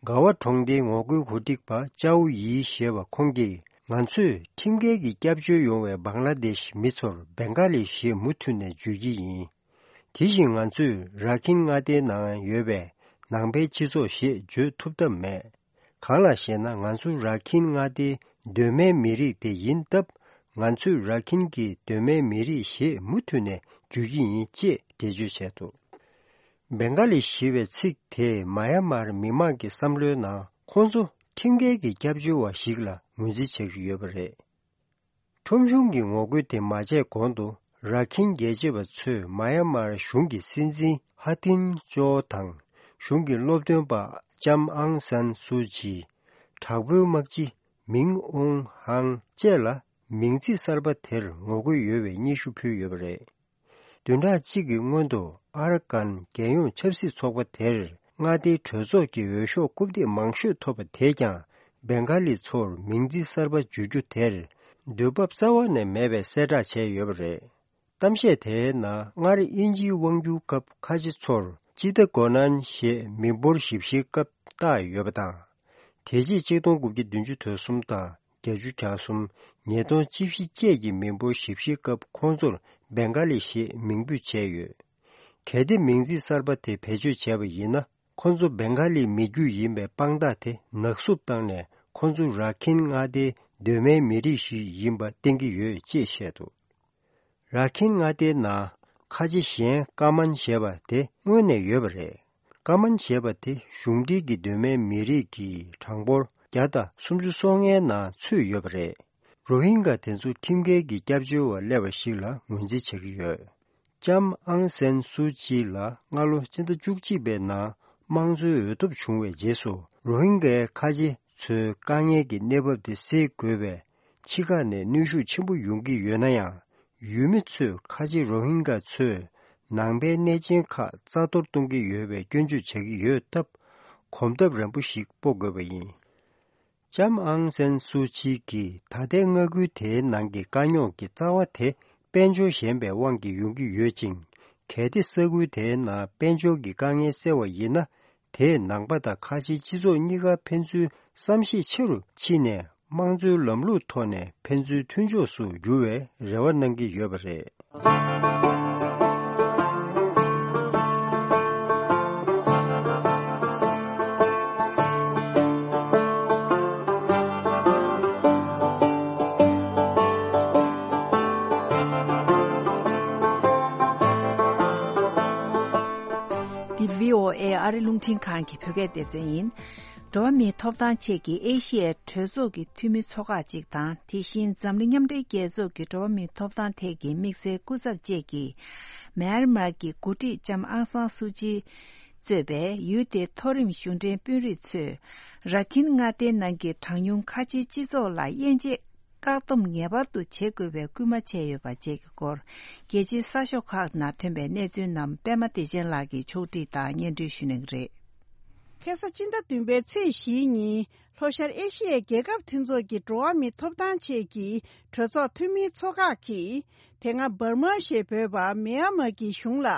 ག་བ་གྲོང་སྡེའི་ངོ་རྒོལ་གོ་སྒྲིག་པ་ཅའོ་ཡི་ཞེས་པ་ཁོང་གིས། ང་ཚོས་ཁྲིམས་འགལ་གྱི་སྐྱབས་བཅོལ་ཡོང་བའི་བང་ལ་དེཤ་མི་ཚོར་བེང་ག་ལི་ཞེས་མུ་མཐུད་ནས་བརྗོད་ཀྱི་ཡིན། དེ་བཞིན་ང་ཚོས་ར་ཁིན་མངའ་སྡེའི་ནང་ཡོད་པའི་ནང་པའི་སྤྱི་ཚོགས་ཞེས་བརྗོད་ཐུབ་ཐབས་མེད། གང་ལགས་ཤེ་ན། ང་ཚོ་ར་ཁིན་མངའ་སྡེའི་གདོད་མའི་མི་རིགས་དེ་ཡིན་སྟབས། ང་ཚོས་ར་ཁིན་གྱི་གདོད་མའི་མི་རིགས་ཞེས་མུ་མཐུད་ནས་བརྗོད་ཀྱི་ཡིན་ཅེས་འགྲེལ་བརྗོད་བྱས་འདུག་བེང་ག་ལི་ཞེས་པའི་ཚིག་དེས་མ་ཡ་མར་མི་མང་གི་བསམ་བློའི་ནང་། ཁོང་ཚོ་ཁྲིམས་འགལ་གྱི་སྐྱབས་བཅོལ་བ་ཞིག་ལ་ངོས་འཛིན་བྱེད་ཀྱི་ཡོད་པ་རེད། ཁྲོམ་གཞུང་གི་ངོ་རྒོལ་དེ་མ་བྱས་གོང་དུ། ར་ཁིན་རྒྱལ་གཅེས་པ་ཚོས་མ་ཡ་མར་གཞུང་གི་སྲིད་འཛིན་ཧ་ཐིན་ཅོ་དང་། གཞུང་གི་སློབ་སྟོན་པ་ལྕམ་ཨང་སན་སུའུ་ཅི། དྲག་པོའི་དམག་སྤྱི་མིང་ཨུང་ཧང་བཅས་ལ། མིང་ཚིག་གསར་པ་དེར་ངོ་རྒོལ་ཡོད་པའི་སྙན་ཞུ་ཕུལ་ཡོད་པ་རེད། བདུན་ཕྲག་གཅིག་གི་སྔོན་དུ། ཨ་ར་ཀན་རྒྱལ་ཡོངས་ཆབ་སྲིད་ཚོགས་པ་དེར། མངའ་སྡེའི་གྲོས་ཚོགས་ཀྱི་འོས་ཤོག་རྐུབ་སྟེགས་མང་ཤོས་ཐོབ་པ་དེས་ཀྱང་། བེང་ག་ལི་ཚོར་མིང་ཚིག་གསར་པ་བརྗོད་རྒྱུ་དེར་འདོད་འབབ་རྩ་བ་ནས་མེད་པའི་གསལ་བསྒྲགས་བྱས་ཡོད་པ་རེད། གཏམ་བཤད་དེའི་ནང་སྔར་དབྱིན་ཇིའི་དབང་སྒྱུར་སྐབས་ཁ་ཆེ་ཚོར་ཅི་ཏ་གོ་ནན་ཞེས་མི་འབོར་ཞིབ་བཤེར་སྐབས་བཏགས་ཡོད་པ་དང་། དེ་རྗེས་ཆིག་སྟོང་དགུ་བརྒྱ་བདུན་ཅུ་དོན་གསུམ་དང་བརྒྱད་ཅུ་གྱ་གསུམ། ཉིས་སྟོང་བཅུ་བཞི་བཅས་ཀྱི་མི་འབོར་ཞིབ་བཤེར་སྐབས་ཁོང་ཚོར་བེང་ག་ལི་ཞེས་མིང་འབོད་བྱས་ཡོད། གལ་ཏེ་མིང་ཚིག་གསར་པ་དེ་བེད་སྤྱོད་བྱས་པ་ཡིན་ན། ཁོ་ཚོ་བེང་ག་ལིའི་མི་རྒྱུད་ཡིན་པའི་དཔང་རྟགས་དེ་ནག་བསུབ་བཏང་ནས། ཁོ་ཚོ་ར་ཁིན་མངའ་སྡེའི་གདོད་མའི་མི་རིགས་ཤིག་ཡིན་པ་བསྟན་གྱི་ཡོད་ཅེས་བཤད་འདུག་ར་ཁིན་མངའ་སྡེའི་ནང་ཁ་ཆེ་གཞན་ཀ་མན་ཞེས་པ་དེ་སྔོན་ནས་ཡོད་པ་རེད། ཀ་མན་ཞེས་པ་དེ་གཞུང་འབྲེལ་གྱི་གདོད་མའི་མི་རིགས་ཀྱི་གྲངས་འབོར་བརྒྱ་དང་སུམ་ཅུ་སོ་ལྔའི་ནང་ཚུད་ཡོད་པ་རེད། རོ་ཧིན་ག་དེ་ཚོ་ཁྲིམས་འགལ་གྱི་སྐྱབས་བཅོལ་བ་སླེབས་པ་ཞིག་ལ་ངོས་འཛིན་བྱེད་ཀྱི་ཡོད། ལྕམ་ཨང་སན་སུ་ཅི་ལ་སྔ་ལོ་ཕྱི་ཟླ་བཅུ་གཅིག་པའི་ནང་དམངས་གཙོའི་འོས་ཐོབ་བྱུང་བའི་རྗེས་སུ། རོ་ཧིན་གའི་ཁ་ཆེ་ཚོའི་དཀའ་ངལ་གྱི་གནས་བབ་དེ་སེལ་དགོས་པའི་ཕྱི་ཁ་ནས་གནོན་ཤུགས་ཆེན་པོ་ཡོང་གི་ཡོད་ན་ཡང་། ཡུལ་མི་ཚོས་ཁ་ཆེ་རོ་ཧིན་ག་ཚོས་ནང་པའི་གནས་ཆེན་ཁག་རྩ་གཏོར་གཏོང་གི་ཡོད་པའི་སྐྱོན་བརྗོད་བྱེད་ཀྱི་ཡོད་སྟབས། གོམ་སྟབས་རན་པོ་ཞིག་སྤོ་དགོས་པ་ཡིན། ལྕམ་ཨང་སན་སུ་ཅི་གིས་ད་ལྟའི་མངའ་ཁུལ་དེའི་ནང་གི་དཀའ་རྙོག་གི་རྩ་བ་དེ་དཔལ་འབྱོར་ཞན་པའི་དབང་གིས་ཡོང་གི་ཡོད་ཅིང་། གལ་ཏེ་ས་ཁུལ་དེའི་ནང་དཔལ་འབྱོར་གྱི་དཀའ་ངལ་སེལ་བ་ཡིན་ན། དེས་ནང་པ་དང་ཁ་ཆེའི་སྤྱི་ཚོགས་གཉིས་ཀར་ཕན་ཚུན་བསམ་ཤེས་ཆེ་རུ་ཕྱིན་ནས། དམངས་གཙོའི་ལམ་ལུགས་ཐོག་ནས་ཕན་ཚུན་མཐུན་ཕྱོགས་སུ་འགྱུར་བའི་རེ་བ་གནང་གི་ཡོད་པ་རེད། འདི་བྷི་ཨོ་ཨེ་ཨ་རི་རླུང་འཕྲིན་ཁང་གི་བོད་སྐད་སྡེ་ཚན་ཡིན། འགྲོ་བ་མིའི་ཐོབ་ཐང་ཆེད་ཀྱི་ཨེ་ཤི་ཡའི་གྲོས་ཚོགས་ཀྱི་འཐུས་མི་ཚོ་ཁག་ཅིག་དང་། དེ་བཞིན་འཛམ་གླིང་མཉམ་འབྲེལ་རྒྱལ་ཚོགས་ཀྱི་འགྲོ་བ་མིའི་ཐོབ་ཐང་ཐད་ཀྱི་དམིགས་བསལ་སྐུ་ཚབ་བཅས་ཀྱིས། མེན་མར་གྱི་འགོ་ཁྲིད་ལྕམ་ཨང་སང་སུ་ཅི་གཙོས་པའི་ཡུལ་དེའི་མཐོ་རིམ་གཞུང་འབྲེལ་དཔོན་རིགས་ཚོས། ར་ཁིན་མངའ་སྡེའི་ནང་གི་གྲངས་ཉུང་ཁ་ཆེའི་སྤྱི་ཚོགས་ལ་དབྱེ་འབྱེད་བཀག་སྡོམ་ངེས་པར་དུ་བྱེད་དགོས་པའི་སྐུལ་མ་བྱས་ཡོད་པ་བཅས་ཀྱི་སྐོར། རྒྱལ་སྤྱིའི་གསར་ཤོག་ཁག་ནང་ཐོན་པའི་གནས་ཚུལ་རྣམས་པད་མ་བདེ་ཆེན་ལགས་ཀྱིས་ཕྱོགས་སྒྲིག་དང་སྙན་སྒྲོན་ཞུ་གནང་གི་རེད། ཁ་སང་སྤྱི་ཟླ་བདུན་པའི་ཚེས་བཞིའི་ཉིན་ལྷོ་ཤར་ཨེ་ཤི་ཡའི་རྒྱལ་ཁབ་མཐུན་ཚོགས་ཀྱི་འགྲོ་བ་མིའི་ཐོབ་ཐང་ཆེད་ཀྱི་གྲོས་ཚོགས་འཐུས་མིའི་ཚོ་ཁག་གིས། དེ་སྔ་འབར་མ་ཞེས་འབོད་པ་མི་ཡན་མར་གྱི་གཞུང་ལ།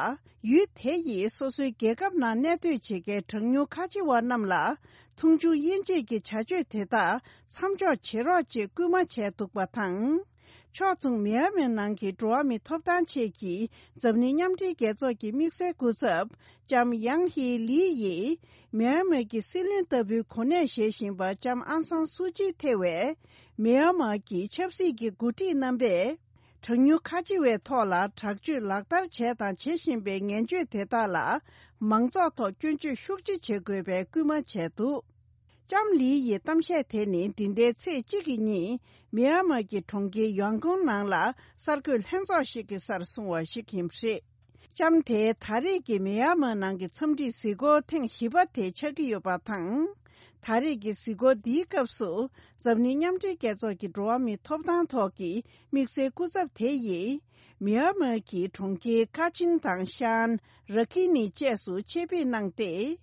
ཡུལ་དེ་ཡིས་སོ་སོའི་རྒྱལ་ཁབ་ནང་གནས་སྡོད་བྱེད་མཁན་གྲངས་ཉུང་ཁ་ཆེ་བ་རྣམས་ལ། མཐོང་ཆུང་དབྱེ་འབྱེད་ཀྱི་བྱ་སྤྱོད་དེ་དག་མཚམས་འཇོག་བྱེད་རོགས་ཅེས་སྐུལ་མ་བྱས་འདུག་པ་དང་། ཕྱོགས་མཚུངས་མི་ཡན་མའི་ནང་གི་འགྲོ་བ་མིའི་ཐོབ་ཐང་ཆེད་ཀྱི་འཛམ་གླིང་མཉམ་འབྲེལ་རྒྱལ་ཚོགས་ཀྱི་དམིགས་བསལ་སྐུ་ཚབ་ལྕམ་ཡང་ཧི་ལི་ཡིས། མི་ཡན་མར་གྱི་སྲིད་བློན་ལྟ་བུའི་གོ་གནས་བཞེས་བཞིན་པ་ལྕམ་ཨང་སང་སུ་ཅི་ཐེ་བའི་མི་ཡན་མར་གྱི་ཆབ་སྲིད་ཀྱི་འགོ་ཁྲིད་རྣམ་པས། གྲངས་ཉུང་ཁ་ཆེ་བའི་ཐོག་ལ་དྲག་སྤྱོད་ལག་བསྟར་བྱས་དང་བྱེད་བཞིན་པའི་ངན་སྤྱོད་དེ་དག་ལ་མང་ཚོགས་ཐོག་སྐྱོན་བརྗོད་ཤུགས་ཆེ་བྱེད་དགོས་པའི་སྐུལ་མ་བྱས་འདུག་ལྕམ་ལི་ཡི་གཏམ་བཤད་དེ་ནི་འདི་ཟླའི་ཚེས་གཅིག་གི་ཉིན་མི་ཡན་མར་གྱི་གྲོང་ཁྱེར་ཡང་ཀོང་ནང་ལ་གསར་འགོད་ལྷན་ཚོགས་ཤིག་གི་སར་གསུངས་པ་ཞིག་ཡིན་པ་རེད། ལྕམ་དེས་ད་རེས་ཀྱི་མི་ཡན་མར་ནང་གི་འཚམས་འདྲིའི་གཟིགས་སྐོར་ཐེངས་བཞི་པ་དེ་ཆགས་ཀྱི་ཡོད་པ་དང་། ད་རེས་ཀྱི་གཟིགས་སྐོར་འདིའི་སྐབས་སུ། འཛམ་གླིང་མཉམ་འབྲེལ་རྒྱལ་ཚོགས་ཀྱི་འགྲོ་བ་མིའི་ཐོབ་ཐང་ཐོག་གི་དམིགས་བསལ་སྐུ་ཚབ་དེ་ཡིས། མི་ཡན་མར་གྱི་གྲོང་ཁྱེར་ཀ་ཆིན་དང་ཤན། ར་ཁི་ནི་བཅས་སུ་ཆེད་ཕེབས་གནང་སྟེ།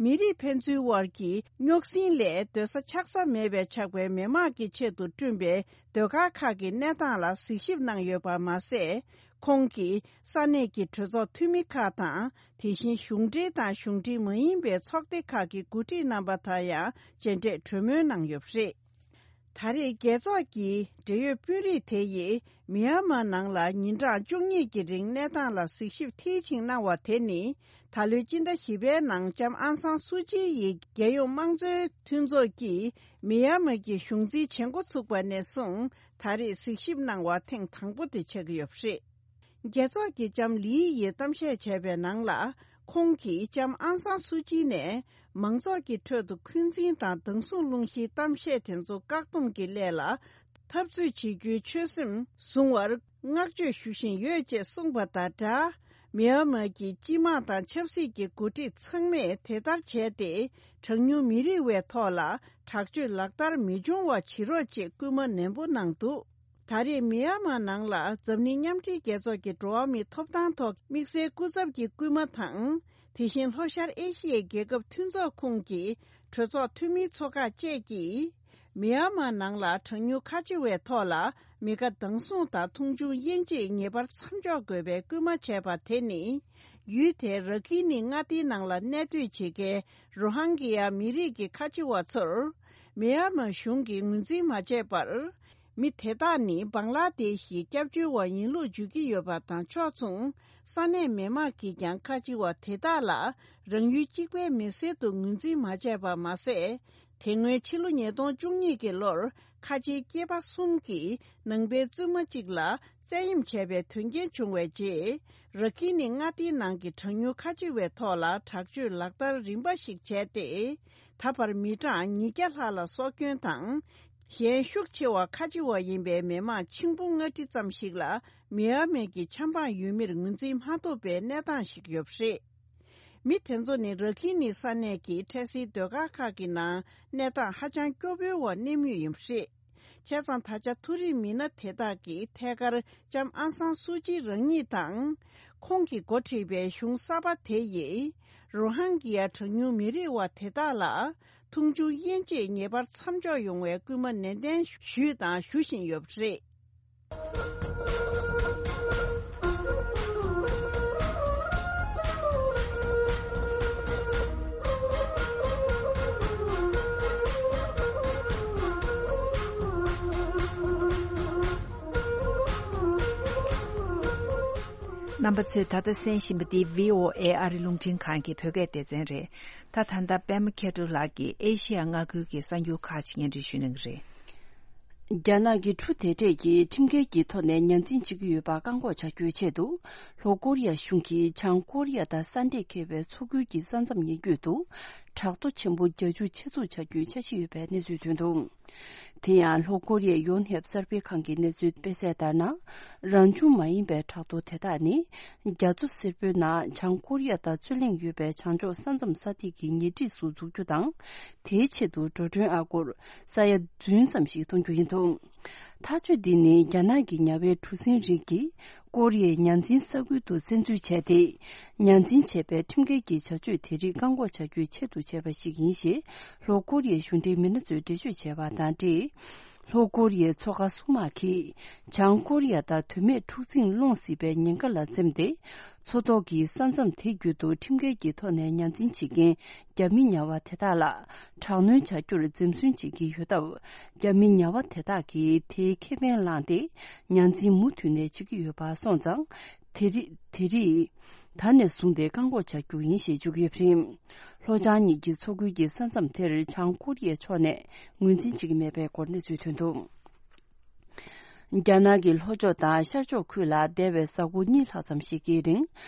མི་རིགས་ཕན་ཚུན་དབར་གྱི་རྙོག་ཟིང་ལས་སྡོད་ས་ཆགས་ས་མེད་པའི་ཆགས་པའི་མི་དམངས་ཀྱི་ཆེད་དུ་བསྐྲུན་པའི་ཟློས་གར་ཁག་གི་གནས་སྟངས་ལ་གཟིགས་ཞིབ་གནང་ཡོད་པ་མ་ཟད། ཁོང་གིས་ས་གནས་ཀྱི་གྲོས་ཚོགས་འཐུས་མི་ཁག་དང་། དེ་བཞིན་གཞུང་འབྲེལ་དང་གཞུང་འབྲེལ་མ་ཡིན་པའི་ཚོགས་སྡེ་ཁག་གི་འགོ་ཁྲིད་རྣམ་པ་དང་ཡང་མཇལ་འཕྲད་གྲོས་མོལ་གནང་ཡོད་པ་རེད། ད་རེས་རྒྱལ་ཚོགས་ཀྱི་འབྲེལ་ཡོད་དཔོན་རིགས་དེ་ཡིས་མི་ཡན་མར་ནང་ལ་ཉིན་གྲངས་བཅུ་གཉིས་ཀྱི་རིང་གནས་སྟངས་ལ་གཟིགས་ཞིབ་མཐིལ་ཕྱིན་གནང་བ་དེ་ནི། ད་ལོའི་སྤྱི་ཟླ་བཞི་པའི་ནང་ལྕམ་ཨང་སང་སུ་ཅི་ཡིས་རྒྱལ་ཡོངས་དམངས་གཙོའི་མཐུན་ཚོགས་ཀྱིས་མི་ཡན་མར་གྱི་གཞུང་འཛིན་བྱེད་འགོ་ཚུགས་པ་ནས་བཟུང་ད་རེས་གཟིགས་ཞིབ་གནང་བ་ཐེངས་དང་པོ་དེ་ཆགས་ཀྱི་ཡོད་པ་རེད། རྒྱལ་ཚོགས་ཀྱིས་ལྕམ་ལི་ཡིས་གཏམ་བཤད་བྱས་པའི་ནང་ལ། ཁོང་གིས་ལྕམ་ཨང་སང་སུ་ཅི་ནས་མང་ཚོགས་ཀྱི་ཁྲོད་དུ་འཁོན་འཛིན་དང་སྡང་ཟུག་སློང་གཞིའི་གཏམ་བཤད་དེ་ཚོ་བཀག་སྡོམ་གྱི་སླད་ལ་འཐབ་རྩོད་བྱེད་རྒྱུའི་ཆོད་སེམས་བཟུང་བར་བསྔགས་བརྗོད་ཞུ་བཞིན་ཡོད་ཅེས་གསུངས་པ་དང་སྦྲགས། མི་ཡན་མར་གྱི་སྤྱི་དམངས་དང་ཆབ་སྲིད་ཀྱི་འགོ་ཁྲིད་ཚང་མས་དེ་ལྟར་བྱས་ཏེ། གྲངས་ཉུང་མི་རིགས་བའི་ཐོག་ལ་དྲག་སྤྱོད་ལག་བསྟར་མི་འབྱུང་བ་བྱེད་རོགས་ཅེས་སྐུལ་མ་ནན་པོ་གནང་འདུག་ད་རེས་མི་ཡན་མར་ནང་ལ་འཛམ་གླིང་མཉམ་འབྲེལ་རྒྱལ་ཚོགས་ཀྱི་འགྲོ་བ་མིའི་ཐོབ་ཐང་ཐོག་དམིགས་བསལ་སྐུ་ཚབ་ཀྱི་སྐུལ་མ་དང་། དེ་བཞིན་ལྷོ་ཤར་ཨེ་ཤི་ཡའི་རྒྱལ་ཁབ་མཐུན་ཚོགས་ཁོངས་ཀྱི་གྲོས་ཚོགས་འཐུས་མིའི་ཚོ་ཁག་བཅས་ཀྱིས། མི་ཡན་མར་ནང་ལ་གྲངས་ཉུང་ཁ་ཆེ་བའི་ཐོག་ལ་མི་དགའ་སྡང་ཟུང་དང་མཐོང་ཆུང་དབྱེ་འབྱེད་ངེས་པར་མཚམས་འཇོག་དགོས་པའི་སྐུལ་མ་བྱས་པ་དེ་ནི། ཡུལ་དེའི་ར་ཁི་ནི་མངའ་སྡེའི་ནང་ལ་གནས་སྡོད་བྱེད་མཁན་རོ་ཧང་གི་ཡ་མི་རིགས་ཀྱི་ཁ་ཆེ་བ་ཚོར། མི་ཡན་མར་གཞུང་གིས་ངོས་འཛིན་མ་བྱས་པར། མི་དེ་དག་ནི་བང་ལ་དེ་ཤི་སྐྱབས་བཅོལ་བ་ཡིན་ལུགས་བརྗོད་ཀྱི་ཡོད་པ་དང་ཕྱོགས་མཚུངས། ས་གནས་མི་མང་གིས་ཀྱང་ཁ་ཆེ་བ་དེ་དག་ལ་རང་ཡུལ་གཅིག་པའི་མི་སེར་དུ་ངོས་འཛིན་མ་བྱས་པ་མ་ཟད། དེ་སྔོན་ཕྱི་ལོ་ཉིས་སྟོང་བཅུ་གཉིས་ཀྱི་ལོར་ཁ་ཆེའི་སྐྱེས་པ་གསུམ་གྱིས་ནང་པའི་བཙུན་མ་གཅིག་ལ་བཙན་གཡེམ་བྱས་པའི་དོན་རྐྱེན་བྱུང་བའི་རྗེས། ར་ཁི་ནི་མངའ་སྡེའི་ནང་གི་གྲངས་ཉུང་ཁ་ཆེ་བའི་ཐོག་ལ་དྲག་སྤྱོད་ལག་བསྟར་རིམ་པ་ཞིག་བྱས་ཏེ། ད་བར་མི་གྲངས་ཉིས་བརྒྱ་ལྷག་ལ་སྲོག་སྐྱོན་དང་། གཞན་ཤུགས་ཆེ་བ་ཁ་ཆེ་བ་ཡིན་པའི་མི་མང་ཆིག་འབུམ་ལྔ་ཁྲི་ཙམ་ཞིག་ལ་མི་ཡན་མར་གྱི་ཆབ་འབངས་ཡོད་མིར་ངོས་འཛིན་མ་ཐུབ་པའི་གནས་སྟངས་ཤིག་ཡོད་པ་རེད། མི་དེ་ཚོ་ནི་ར་ཁི་ནི་ས་གནས་ཀྱི་འཕྲལ་སེལ་སྡོད་སྒར་ཁག་གི་ནང་གནས་སྟངས་ཧ་ཅང་སྐྱོ་པོའི་འོག་གནས་མུས་ཡིན་པ་རེད། བྱས་ཙང་ད་ཆ་མཐོ་རིམ་མི་སྣ་དེ་དག་གིས་ཐད་ཀར་ལྕམ་ཨང་སང་སུའུ་ཅི་རང་ཉིད་དང་། ཁོང་གིས་འགོ་ཁྲིད་པའི་གཞུང་གསར་པ་དེ་ཡིས། རོ་ཧང་གི་ཡ་གྲངས་ཉུང་མི་རིགས་བ་དེ་དག་ལ། མཐོང་ཆུང་དབྱེ་འབྱེད་ངེས་པར་མཚམས་འཇོག་ཡོང་བའི་སྐུལ་མ་ནན་ཏན་ཞུས་དང་ཞུ་བཞིན་ཡོད་པ་རེད། རྣམ་པ་ཚོས་ད་ལྟ་གསན་བཞིན་པ་འདི་བྷི་ཨོ་ཨེ་ཨ་རི་རླུང་འཕྲིན་ཁང་གི་བོད་སྐད་སྡེ་ཚན་རེད། ད་ད་ལྟ་པད་མ་མཁས་གྲུབ་ལགས་ཀྱིས་ཨེ་ཤི་ཡ་མངའ་ཁུལ་གྱི་གསར་འགྱུར་ཁག་ཅིག་སྙན་སྒྲོན་ཞུ་གནང་གི་རེད། རྒྱ་ནག་གི་ཁྲུ་དེ་གྲས་ཀྱིས་ཁྲིམས་འགལ་གྱི་ཐོག་ནས་ཉ་འཛིན་བྱེད་ཀྱི་ཡོད་པ་བཀག་འགོག་བྱ་རྒྱུའི་ཆེད་དུ། ལྷོ་ཀོ་རི་ཡ་གཞུང་གིས་བྱང་ཀོ་རི་ཡ་དང་ས་འདྲེས་འཁེལ་བའི་མཚོ་ཁུལ་གྱི་ས་མཚམས་ཉེ་བརྒྱུད་དུ། བྲག་རྡོ་ཆེན་པོ་བརྒྱད་ཅུ་ཆེད་འཛུགས་བྱ་རྒྱུའི་འཆར་གཞི་ཡོད་པའི་གནས་ཚུལ་ཐོན་འདུག་དེ་ཡང་ལྷོ་ཀོ་རི་ཡའི་ཡོན་ཧེབ་གསར་སྤེལ་ཁང་གི་གནས་ཚུལ་སྤེལ་གསལ་ལྟར་ན། རང་བྱུང་མ་ཡིན་པའི་བྲག་རྡོ་དེ་དག་ནི། རྒྱ་མཚོ་སེར་པོའི་ནང་བྱང་ཀོ་རི་ཡ་དང་རྩོད་གླེང་ཡོད་པའི་བྱང་ཕྱོགས་ས་མཚམས་ས་ཐིག་གི་ཉེ་འཁྲིས་སུ་འཛུགས་རྒྱུ་དང་། དེའི་ཆེད་དུ་འགྲོ་གྲོན་ཨ་སྒོར་ས་ཡ་བདུན་ཙམ་ཞིག་གཏོང་རྒྱུ་ཡིན་འདུག་ཐག་གཅོད་འདི་ནི་རྒྱ་ནག་གི་ཉ་བའི་གྲུ་གཟིངས་རིགས་ཀྱིས་ཀོ་རི་ཡའི་ཉ་འཛིན་ས་ཁུལ་དུ་བཙན་འཛུལ་བྱས་ཏེ། ཉ་འཛིན་བྱས་པའི་ཁྲིམས་འགལ་གྱི་བྱ་སྤྱོད་དེ་རིགས་བཀག་འགོག་བྱ་རྒྱུའི་ཆེད་དུ་བྱས་པ་ཞིག་ཡིན་ཞེས་ལྷོ་ཀོ་རི་ཡའི་གཞུང་འབྲེལ་མི་སྣ་ཚོས་འགྲེལ་བརྗོད་བྱས་པ་དང་འབྲེལ། ལྷོ་ཀོ་རི་ཡའི་མཚོ་ཁ་སུང་དམག་གིས་བྱང་ཀོ་རི་ཡ་དང་དོན་མེད་འཁྲུག་འཛིང་སློང་སྲིད་པའི་ཉེན་ཁ་ལ་འཛེམས་ཏེ། མཚོ་ཐོག་གི་ས་མཚམས་དེ་བརྒྱུད་དུ་ཁྲིམས་འགལ་གྱི་ཐོག་ནས་ཉ་འཛིན་བྱེད་མཁན་རྒྱ་མི་ཉ་བ་དེ་དག་ལ་དྲག་གནོན་བྱ་རྒྱུར་འཛེམ་ཟོན་བྱེད་ཀྱི་ཡོད་སྟབས། རྒྱ་མི་ཉ་བ་དེ་དག་གིས་དེའི་ཁེ་ཕན་བླངས་ཏེ། ཉ་འཛིན་མུ་མཐུད་ནས་བྱེད་ཀྱི་ཡོད་པ་སོང་ཙང་། དེ་རིགས་དེ་རིགས་ད་ནས་བཟུང་སྟེ་བཀག་འགོག་བྱ་རྒྱུ་ཡིན་ཞེས་བརྗོད་ཀྱི་ཡོད་པ་རེད། ལྷོ་བྱང་གཉིས་ཀྱི་མཚོ་ཁུལ་གྱི་ས་མཚམས་དེར་བྱང་ཀོ་རི་ཡའི་ཕྱོགས་ནས་ངོས་འཛིན་བྱེད་ཀྱི་མེད་པའི་སྐོར་གནས་ཚུལ་ཐོན་འདུག་རྒྱ་ནག་གི་ལྷོ་ཕྱོགས་དང་ཤར་ཕྱོགས་ཁུལ་ལ་འདས་པའི་གཟའ་འཁོར་གཉིས་ལྷག་ཙམ་ཞིག་གི་རིང་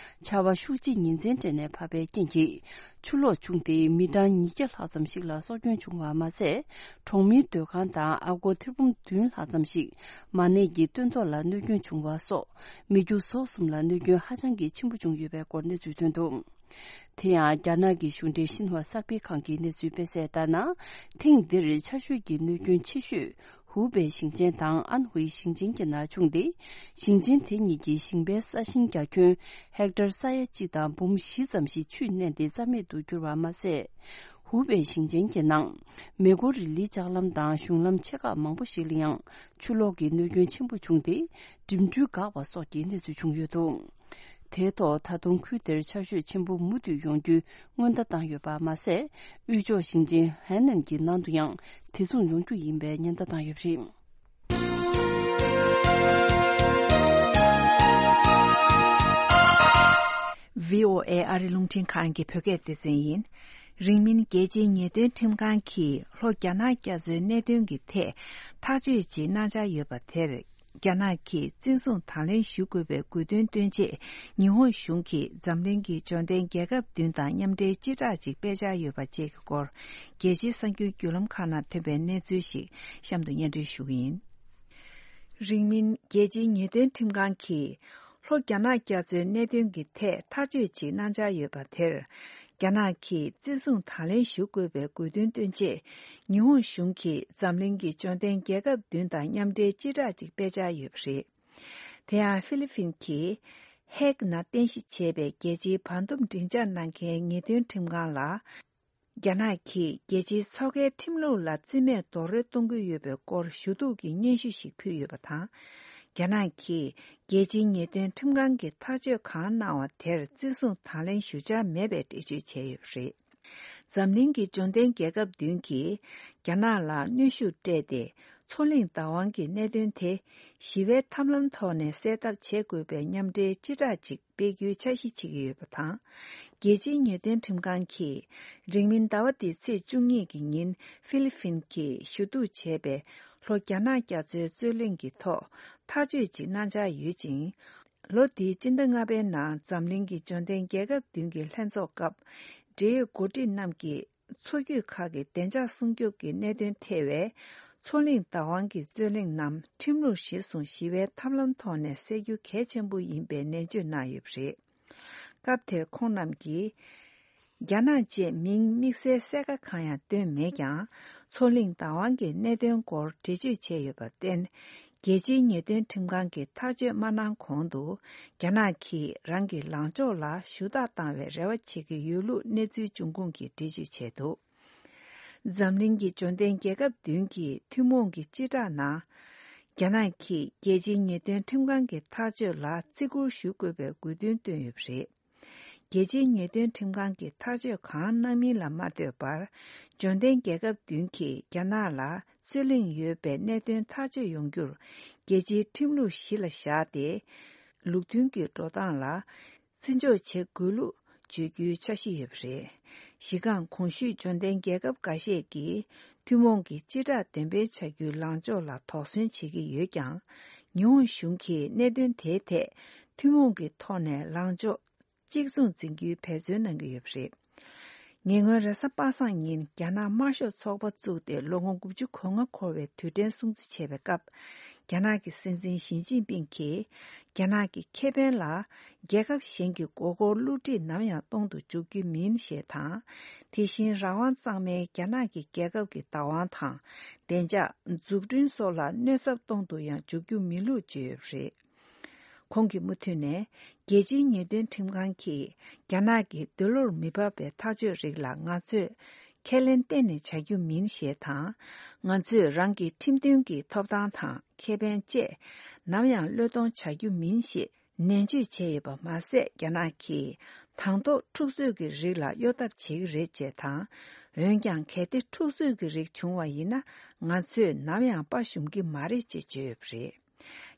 ཆར་པ་ཤུགས་ཆེ་ཉིན་མཚན་སྤྲད་ནས་བབས་པའི་རྐྱེན་གྱིས་ཆུ་ལོག་བྱུང་སྟེ་མི་གྲངས་ཉིས་བརྒྱ་ལྷག་ཙམ་ཞིག་ལ་སྲོག་སྐྱོན་བྱུང་བ་མ་ཟད། གྲོང་མིའི་སྡོད་ཁང་དང་ཨ་སྒོར་ཐེར་འབུམ་བདུན་ལྷག་ཙམ་ཞིག་མ་ནས་ཀྱི་སྟོན་ཐོག་ལ་གནོད་སྐྱོན་བྱུང་བ་སོགས་མི་རྒྱུ་ཟོག་གསུམ་ལ་གནོད་སྐྱོན་ཧ་ཅང་གི་ཆེན་པོ་བྱུང་ཡོད་པའི་སྐོར་གནས་ཚུལ་ཐོན་འདུག་དེ་ཡང་རྒྱ་ནག་གི་གཞུང་འབྲེལ་ཤིན་ཧྭ་གསར་སྤེལ་ཁང་གི་གནས་ཚུལ་སྤེལ་གསལ་ལྟར་ན། ཐེངས་འདིར་ཆར་ཞོད་ཀྱི་གནོད་སྐྱོན་ཆེ་ཤོས་ཧུའུ་པེ་ཞིང་ཆེན་དང་ཨན་ཧུའེ་ཞིང་ཆེན་གྱི་ནང་བྱུང་སྟེ། ཞིང་ཆེན་དེ་གཉིས་ཀྱི་ཞིང་པའི་ས་ཞིང་རྒྱ་ཁྱོན་ཧེག་ཊར་ས་ཡ་གཅིག་དང་འབུམ་བཞི་ཙམ་ཞིག་ཆུས་མནན་ཏེ་རྩ་མེད་དུ་གྱུར་བ་མ་ཟད། ཧུའུ་པེ་ཞིང་ཆེན་གྱི་ནང་མེ་འཁོར་རི་ལིའི་ལྕགས་ལམ་དང་གཞུང་ལམ་ཆེ་ཁག་མང་པོ་ཞིག་ལ་ཡང་ཆུ་ལོག་གི་གནོད་སྐྱོན་ཆེན་པོ་བྱུང་སྟེ། འགྲིམ་འགྲུལ་འགག་པ་སོགས་ཀྱི་གནས་ཚུལ་བྱུང་ཡོད་འདུག་དེའི་ཐོག་ད་དུང་ཁུལ་དེར་ཆར་ཞོད་ཆེན་པོ་མུ་མཐུད་ཡོང་རྒྱུའི་སྔོན་བརྡ་བཏང་ཡོད་པ་མ་ཟད། དབུས་ཕྱོགས་ཞིང་ཆེན་ཧའེ་ནན་གྱི་ནང་དུ་ཡང་དེ་མཚུངས་ཡོང་རྒྱུ་ཡིན་པའི་ཉེན་བརྡ་བཏང་ཡོད་པ་རེད། བྷི་ཨོ་ཨེ་ཨ་རི་རླུང་འཕྲིན་ཁང་གི་བོད་སྐད་སྡེ་ཚན་ཡིན། རིང་མིན་རྒྱལ་སྤྱིའི་ཉེས་དོན་ཁྲིམས་ཁང་གིས་ལྷོ་རྒྱ་ནག་རྒྱ་མཚོའི་གནད་དོན་གྱི་ཐད་ཐག་གཅོད་ཅིག་གནང་འཆར་ཡོད་པ་དེར། རྒྱ་ནག་གིས་བཙན་བཟུང་དང་ལེན་ཞུ་དགོས་པའི་དགོས་འདུན་བཏོན་ཆེད། ཉི་ཧོང་གཞུང་གིས་འཛམ་གླིང་གི་འབྱོར་ལྡན་རྒྱལ་ཁབ་བདུན་དང་མཉམ་འབྲེལ་སྤྱི་བསྒྲགས་ཅིག་སྤེལ་འཆར་ཡོད་པ་བཅས་ཀྱི་སྐོར། རྒྱལ་སྤྱིའི་གསར་འགྱུར་བརྒྱུད་ལམ་ཁག་ནང་ཐོན་པའི་གནས་ཚུལ་ཞིག་གཤམ་དུ་སྙན་སྒྲོན་ཞུ་གི་ཡིན། རིང་མིན་རྒྱལ་སྤྱིའི་ཉེས་དོན་ཁྲིམས་ཁང་གིས་ལྷོ་རྒྱ་ནག་རྒྱ་མཚོའི་གནད་དོན་གྱི་ཐད་ཐག་གཅོད་ཅིག་གནང་འཆར་ཡོད་པ་དེར། རྒྱ་ནག་གིས་བཙན་བཟུང་དང་ལེན་ཞུ་དགོས་པའི་དགོས་འདུན་བཏོན་ཆེད། ཉི་ཧོང་གཞུང་གིས་འཛམ་གླིང་གི་འབྱོར་ལྡན་རྒྱལ་ཁབ་བདུན་དང་མཉམ་འབྲེལ་སྤྱི་བསྒྲགས་ཅིག་སྤེལ་འཆར་ཡོད་པ་རེད། དེ་ཡང་ཧྥི་ལི་ཕིན་གྱིས་ཧེག་ནང་རྟེན་གཞི་བྱས་པའི་རྒྱལ་སྤྱིའི་བར་འདུམ་སྒྲིག་འཇགས་གནང་མཁན་ཉེས་དོན་ཁྲིམས་ཁང་ལ། རྒྱ་ནག་གིས་རྒྱལ་སྤྱིའི་མཚོ་ཁའི་ཁྲིམས་ལུགས་ལ་རྩིས་མེད་རྡོག་རོལ་གཏོང་གི་ཡོད་པའི་སྐོར་ཞུ་གཏུག་གི་སྙན་ཞུ་ཞིག་ཕུལ་ཡོད་པ་དང་། རྒྱ་ནག་གིས་རྒྱལ་སྤྱིའི་ཉེས་དོན་ཁྲིམས་ཁང་གི་ཐག་གཅོད་གང་གནང་བ་དེར་བརྩི་སྲུང་དང་ལེན་ཞུ་འཆར་མེད་པའི་འགྲེལ་བརྗོད་བྱས་ཡོད་པ་རེད། འཛམ་གླིང་གི་འབྱོར་ལྡན་རྒྱལ་ཁབ་བདུན་གྱིས་རྒྱ་ནག་ལ་གནོན་ཤུགས་སྤྲད་དེ། མཚོ་གླིང་བདག་དབང་གི་གནད་དོན་དེ་ཞི་བའི་ཐབས་ལམ་ཐོག་ནས་སེལ་ཐབས་བྱེད་དགོས་པའི་མཉམ་འབྲེལ་སྤྱི་བསྒྲགས་ཅིག་སྤེལ་རྒྱུའི་འཆར་གཞི་བྱེད་ཀྱི་ཡོད་པ་དང་། རྒྱལ་སྤྱིའི་ཉེས་དོན་ཁྲིམས་ཁང་གིས་རིང་མིན་ཟླ་བ་འདིའི་ཚེས་བཅུ་གཉིས་ཀྱི་ཉིན་ཧྥི་ལི་ཕིན་གྱིས་ཞུ་གཏུག་བྱས་པའི་ལྷོ་རྒྱ་ནག་རྒྱ་མཚོའི་རྩོད་གླེང་གི་ཐོག་ཐག་གཅོད་ཅིག་གནང་འཆར་ཡོད་ཅིང་། ལོ་འདིའི་སྤྱི་ཟླ་ལྔ་པའི་ནང་འཛམ་གླིང་གི་འབྱོར་ལྡན་རྒྱལ་ཁབ་བདུན་གྱི་ལྷན་ཚོགས་སྐབས། འབྲེལ་ཡོད་འགོ་ཁྲིད་རྣམས་ཀྱིས་མཚོ་རྒྱུད་ཁག་གི་བདེ་འཇགས་སྲུང་སྐྱོབ་ཀྱི་གནད་དོན་ཐེ་བའི་མཚོ་གླིང་བདག་དབང་གི་རྩོད་གླེང་རྣམས་ཁྲིམས་ལུགས་གཞིར་བཟུང་ཞི་བའི་ཐབས་ལམ་ཐོག་ནས་སེལ་རྒྱུ་གལ་ཆེན་པོ་ཡིན་པའི་ནན་བརྗོད་གནང་ཡོད་པ་རེད། སྐབས་དེར་ཁོང་རྣམས་ཀྱིས། རྒྱ་ནག་ཅེས་མིང་དམིགས་བསལ་གསལ་ཁ་གང་ཡང་བཏོན་མེད་ཀྱང་། མཚོ་གླིང་བདག་དབང་གི་གནད་དོན་སྐོར་འགྲེལ་བརྗོད་བྱས་ཡོད་པར་བརྟེན། རྒྱལ་སྤྱིའི་ཉེས་དོན་ཁྲིམས་ཁང་གིས་ཐག་གཅོད་མ་གནང་གོང་དུ། རྒྱ་ནག་གིས་རང་གི་ལངས་ཕྱོགས་ལ་ཞུ་དག་བཏང་བའི་རེ་བ་བྱེད་ཀྱི་ཡོད་ལུགས་གནས་ཚུལ་འབྱུང་ཁུངས་ཀྱིས་འགྲེལ་བརྗོད་བྱས་འདུག་འཛམ་གླིང་གི་འབྱོར་ལྡན་རྒྱལ་ཁབ་བདུན་གྱི་ཐུན་མོང་གི་སྤྱི་བསྒྲགས་ནང་། རྒྱ་ནག་གིས་རྒྱལ་སྤྱིའི་ཉེས་དོན་ཁྲིམས་ཁང་གི་ཐག་གཅོད་ལ་བརྩི་བཀུར་ཞུ་དགོས་པའི་དགོས་འདུན་བཏོན་ཡོད་པ་རེད། རྒྱལ་སྤྱིའི་ཉེས་དོན་ཁྲིམས་ཁང་གིས་ཐག་གཅོད་གང་གནང་མིན་ལ་མ་ལྟོས་པར། འབྱོར་ལྡན་རྒྱལ་ཁབ་བདུན་གྱིས་རྒྱ་ནག་ལ་རྩོད་གླེང་ཡོད་པའི་གནད་དོན་ཐག་གཅོད་ཡོང་རྒྱུར། རྒྱལ་སྤྱིའི་ཁྲིམས་ལུགས་གཞི་ལ་བཞག་སྟེ། ལུགས་མཐུན་གྱི་འགྲོ་སྟངས་ལ། བརྩི་འཇོག་བྱེད་དགོས་ལུགས་བརྗོད་རྒྱུའི་འཆར་གཞི་ཡོད་པ་རེད། གཞི་རྐང་གོང་ཞུས་འབྱོར་ལྡན་རྒྱལ་ཁབ་འགའ་ཤས་ཀྱིས། ཐུན་མོང་གི་སྤྱི་བསྒྲགས་འདོན་སྤེལ་བྱ་རྒྱུའི་ལངས་ཕྱོགས་ལ་དོགས་ཟོན་བྱེད་ཀྱི་ཡོད་ཀྱང་། ཉི་ཧོང་གཞུང་གིས་གནད་དོན་དེའི་ཐད་ཐུན་མོང་གི་ཐོག་ནས་ལངས་ཕྱོགས་གཅིག་མཚུངས་འཛིན་རྒྱུའི་འབད་བརྩོན་གནང་གི་ཡོད་པ་རེད། ཉེ་སྔོན་རེས་གཟའ་པ་སངས་ཉིན་རྒྱ་ནག་དམར་ཤོག་ཚོགས་པ་བཙུགས་ཏེ་ལོ་ངོ་དགུ་བཅུ་གོ་ལྔ་འཁོར་བའི་དུས་དྲན་སྲུང་བརྩི་བྱས་པའི་སྐབས། རྒྱ་ནག་གི་སྲིད་འཛིན་ཞི་ཅིན་ཕིང་གིས། རྒྱ་ནག་གི་ཁེ་ཕན་ལ་རྒྱལ་ཁབ་གཞན་གྱི་མགོ་སྐོར་བསླུ་བྲིད་ནམ་ཡང་གཏོང་དུ་འཇུག་རྒྱུ་མིན་ཞེས་དང་། དེ་བཞིན་རང་དབང་གཙང་མའི་རྒྱ་ནག་གི་རྒྱལ་ཁབ་ཀྱི་བདག་དབང་དང་། བདེ་འཇགས། འཛུགས་སྐྲུན་སོགས་ལ་གནོད་ཚབས་གཏོང་དུ་ཡང་འཇུག་རྒྱུ་མིན་ལུགས་བརྗོད་ཡོད་པ་རེད། ཁོང་གིས་མུ་མཐུད་ནས། རྒྱལ་སྤྱིའི་ཉེས་དོན་ཁྲིམས་ཁང་གིས་རྒྱ་ནག་གི་འདོད་བློར་མི་འབབ་པའི་ཐག་གཅོད་རིགས་ལ་ང་ཚོས་ཁས་ལེན་གཏན་ནས་བྱ་རྒྱུ་མིན་ཞེས་དང་། ང་ཚོས་རང་གི་ཁྲིམས་མཐུན་གྱི་ཐོབ་ཐང་དང་ཁེ་ཕན་བཅས་ནམ་ཡང་བློས་གཏོང་བྱ་རྒྱུ་མིན་ཞེས་ནན་བརྗོད་བྱས་ཡོད་པ་མ་ཟད། རྒྱ་ནག་གིས་དང་ཐོག་འཁྲུག་རྩོད་ཀྱི་རིགས་ལ་གཡོ་ཐབས་བྱེད་ཀྱི་རེད་ཅེས་དང་། འོན་ཀྱང་། གལ་ཏེ་འཁྲུག་རྩོད་ཀྱི་རིགས་བྱུང་བ་ཡིན་ན། ང་ཚོས་ནམ་ཡང་དཔའ་ཞུམ་གྱི་མ་རེད་ཅེས་བརྗོད་ཡོད་པ་རེད།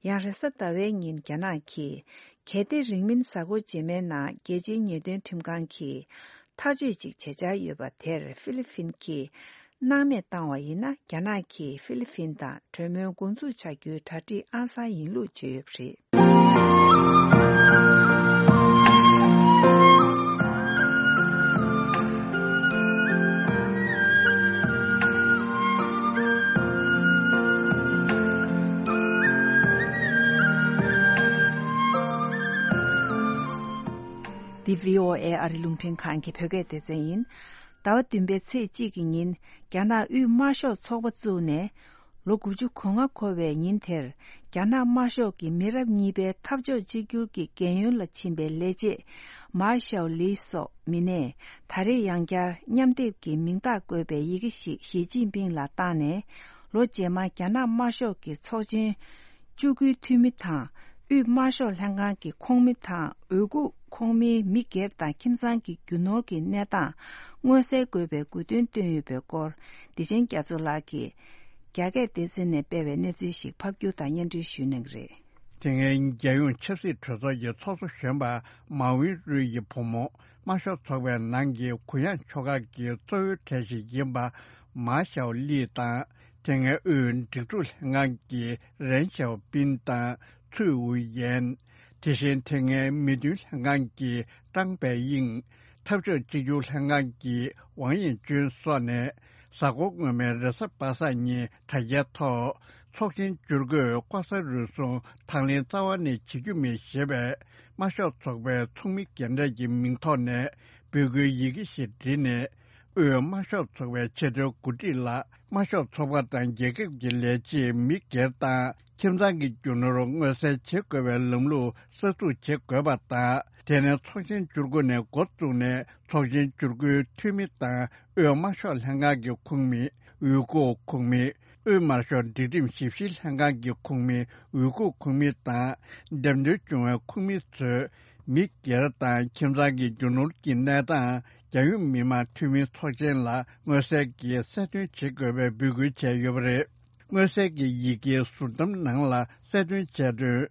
ཡང་རེས་གཟའ་ཟླ་བའི་ཉིན་རྒྱ་ནག་གིས། གལ་ཏེ་རིང་མིན་གཟའ་འཁོར་རྗེས་མའི་ནང་རྒྱལ་སྤྱིའི་ཉེས་དོན་ཁྲིམས་ཁང་གིས་ཐག་གཅོད་ཅིག་བྱེད་འཆར་ཡོད་པ་དེར་ཧྥི་ལི་ཕིན་གྱིས་སྣང་མེད་བཏང་བ་ཡིན་ན། རྒྱ་ནག་གིས་ཧྥི་ལི་ཕིན་དང་གྲོས་མོལ་འགོ་འཛུགས་བྱ་རྒྱུའི་གྲ་སྒྲིག་ཨང་གསར་ཡིན་ལུགས་བརྗོད་ཡོད་པ་རེད། འདི་བྷི་ཨོ་ཨེ་ཨ་རི་རླུང་འཕྲིན་ཁང་གི་བོད་སྐད་སྡེ་ཚན་ཡིན། ཟླ་བ་བདུན་པའི་ཚེས་གཅིག་གི་ཉིན། རྒྱ་ནག་དབུས་དམར་ཤོག་ཚོགས་པ་བཙུགས་ནས། ལོ་དགུ་བཅུ་གོ་ལྔ་འཁོར་བའི་ཉིན་དེར། རྒྱ་ནག་དམར་ཤོག་གི་མི་རབས་གཉིས་པའི་འཐབ་ཕྱོགས་གཅིག་གྱུར་གྱི་རྒན་ཡོལ་ལ་ཕྱིན་པའི་ལས་བྱེད། མཱ་ཞའོ་ལི་སོགས་མི་སྣས། ད་རེས་ཡང་བསྐྱར་མཉམ་སྡེབ་ཀྱི་མིང་རྟགས་བཀོད་པའི་ཡི་གེ་ཞིག་ཞི་ཅིན་ཕིང་ལ་བཏང་ནས། ལོ་རྗེས་མར་རྒྱ་ནག་དམར་ཤོག་གི་ཚོགས་ཆེན་བཅུ་དགུའི་འཐུས་མི་དང་། དབུས་དམར་ཤོག་ལྷན་ཁང་གི་ཁོངས་མི་དང་། འོས་སྐུགས་ཁོངས་མིའི་མི་སྒེར་དང་ཁྱིམ་ཚང་གི་རྒྱུ་ནོར་གྱི་གནས་སྟངས་མངོན་གསལ་དགོས་པའི་དགོས་འདུན་བཏོན་ཡོད་པའི་སྐོར། བདེ་ཆེན་རྒྱ་མཚོ་ལགས་ཀྱིས་རྒྱ་སྐད་སྡེ་ཚན་ནས་སྤེལ་བའི་གནས་ཚུལ་ཞིག་ཕབ་སྒྱུར་དང་སྙན་སྒྲོན་ཞུ་གནང་གི་རེད། དེ་སྔའི་རྒྱལ་ཡོངས་ཆབ་སྲིད་གྲོས་ཚོགས་ཀྱི་ཚོགས་གཙོ་གཞོན་པ་མའོ་ཝིན་རུའི་ཡི་བུ་མོ། དམར་ཤོག་ཚོགས་པའི་ནང་གི་གུ་ཡངས་ཕྱོགས་ཁག་གི་གཙོ་བོའི་གྲས་ཤིག་ཡིན་པ། མཱ་ཞའོ་ལི་དང་། དེ་སྔའི་དབུས་སྒྲིག་འཛུགས་ལྷན་ཁང་གི་རེན་ཞའོ་པིན་དང་། ཚུའེ་ཝུའུ་ཡན། དེ་བཞིན་དེ་སྔའི་མི་མཐུན་ལྷན་ཁང་གི་ཀྲང་པའེ་དབྱིང་། འཐབ་ཕྱོགས་གཅིག་གྱུར་ལྷན་ཁང་གི་ཝང་ཡན་ཅུན་སོགས་ནས། གཟའ་འཁོར་སྔོན་མའི་རེས་གཟའ་པ་སངས་ཉིན་དྲ་རྒྱའི་ཐོག་ཚོགས་ཆེན་བསྒྱུར་བཀོད་ལྐོག་ཟ་རུལ་སུངས་དང་ལེན་རྩ་བ་ནས་བྱེད་རྒྱུ་མིན་ཞེས་པའི་དམར་ཤོག་ཚོགས་པའི་ཚོགས་མི་རྒན་གྲས་ཀྱི་མིང་ཐོག་ནས་འབོད་སྐུལ་ཡི་གེ་ཞིག་བྲིས་ནས། དབུས་དམར་ཤོག་ཚོགས་པའི་ཆེས་མཐོའི་འགོ་ཁྲིད་ལ། དམར་ཤོག་ཚོགས་པ་དང་རྒྱལ་ཁབ་ཀྱི་ལས་བྱེད་མི་སྒེར་དང་ཁྱིམ་ཚང་གི་རྒྱུ་ནོར་མངོན་གསལ་བྱེད་དགོས་པའི་ལམ་ལུགས་གསར་འཛུགས་བྱེད་དགོས་པ་དང་ དེ་ནས་ཚོགས་ཆེན་བཅུ་དགུ་ནས་འགོ་བཙུགས་ནས་ཚོགས་ཆེན་བཅུ་དགུའི་འཐུས་མི་དང་དབུས་དམར་ཤོག་ལྷན་ཁང་གི་ཁོངས་མི། དབུས་ཁུག་ཁོངས་མི། དབུས་དམར་ཤོག་སྒྲིག་ཁྲིམས་ཞིབ་བཤེར་ལྷན་ཁང་གི་ཁོངས་མི། དབུས་ཁུག་ཁོངས་མི་དང་། འདེམས་ཐོན་བྱུང་བའི་ཁོངས་མི་ཚོས། མི་སྒེར་དང་ཁྱིམ་ཚང་གི་རྒྱུ་ནོར་གྱི་གནས་སྟངས། རྒྱལ་ཡོངས་མི་དམངས་འཐུས་མི་ཚོགས་ཆེན་ལ་མངོན་གསལ་གྱིས་གསལ་སྟོན་བྱེད་དགོས་པའི་འབོད་སྐུལ་བྱས་ཡོད་པ་རེད། མངོན་གསལ་གྱི་ཡི་གེའི་ཟུར་གདམ་ནང་ལ་གསལ་སྟོན་བྱས་དོན།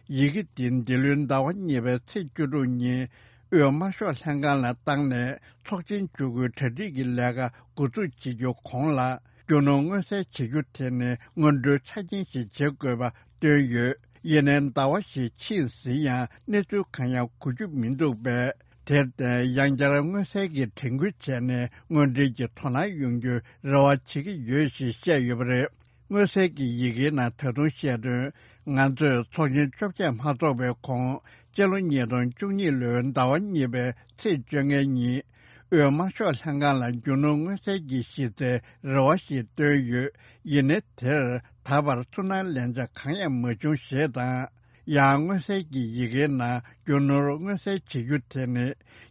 ཡི་གེ་འདི་འདི་ལོའི་ཟླ་བ་གཉིས་པའི་ཚེས་བཅུ་དྲུག་ཉིན། དབུས་དམར་ཤོག་ལྷན་ཁང་ལ་བཏང་ནས་ཚོགས་ཆེན་བཅུ་དགུའི་གྲ་སྒྲིག་གི་ལས་ཀ་འགོ་འཛུགས་བྱེད་རྒྱུ་གོང་ལ། རྒྱུ་ནོར་མངོན་གསལ་བྱེད་རྒྱུ་དེ་ནི་སྔོན་འགྲོའི་ཆ་རྐྱེན་ཞིག་བྱེད་དགོས་པ་བཏོན་ཡོད། ཡིན་ནའི་ཟླ་བ་ཞིག་ཕྱིན་ཟིན་ཡང་གནས་ཚུལ་གང་ཡང་གོ་རྒྱུ་མི་འདུག་པས། དེར་བརྟེན་ཡང་བསྐྱར་མངོན་གསལ་གྱིས་དྲན་སྐུལ་བྱས་ནས་དངོས་འབྲེལ་གྱི་དོ་སྣང་ཡོང་རྒྱུའི་རེ་བ་བྱེད་ཀྱི་ཡོད་ཞེས་བཤད་ཡོད་པ་རེད། མངོན་གསལ་གྱི་ཡི་གེའི་ནང་ད་དུང་བཤད་དོན། ང་ཚོས་ཚོགས་ཆེན་བཅོ་བརྒྱད་མ་འཚོགས་པའི་གོང་། སྤྱི་ལོ་ཉིས་སྟོང་བཅུ་གཉིས་ལོའི་ཟླ་བ་གཉིས་པའི་ཚེས་བཅོ་ལྔའི་ཉིན། དབུས་དམར་ཤོག་ལྷན་ཁང་ལ་རྒྱུ་ནོར་མངོན་གསལ་གྱི་གཞི་རྩའི་རེ་བ་ཞིག་བཏོན་ཡོད། ཡིན་ནའི་དེར་ད་བར་ཚུར་སྣང་ལན་ཆ་གང་ཡང་མ་བྱུང་ཞེས་དང་། ཡང་མངོན་གསལ་གྱི་ཡི་གེའི་ནང་རྒྱུ་ནོར་མངོན་གསལ་བྱེད་རྒྱུ་དེ་ནི།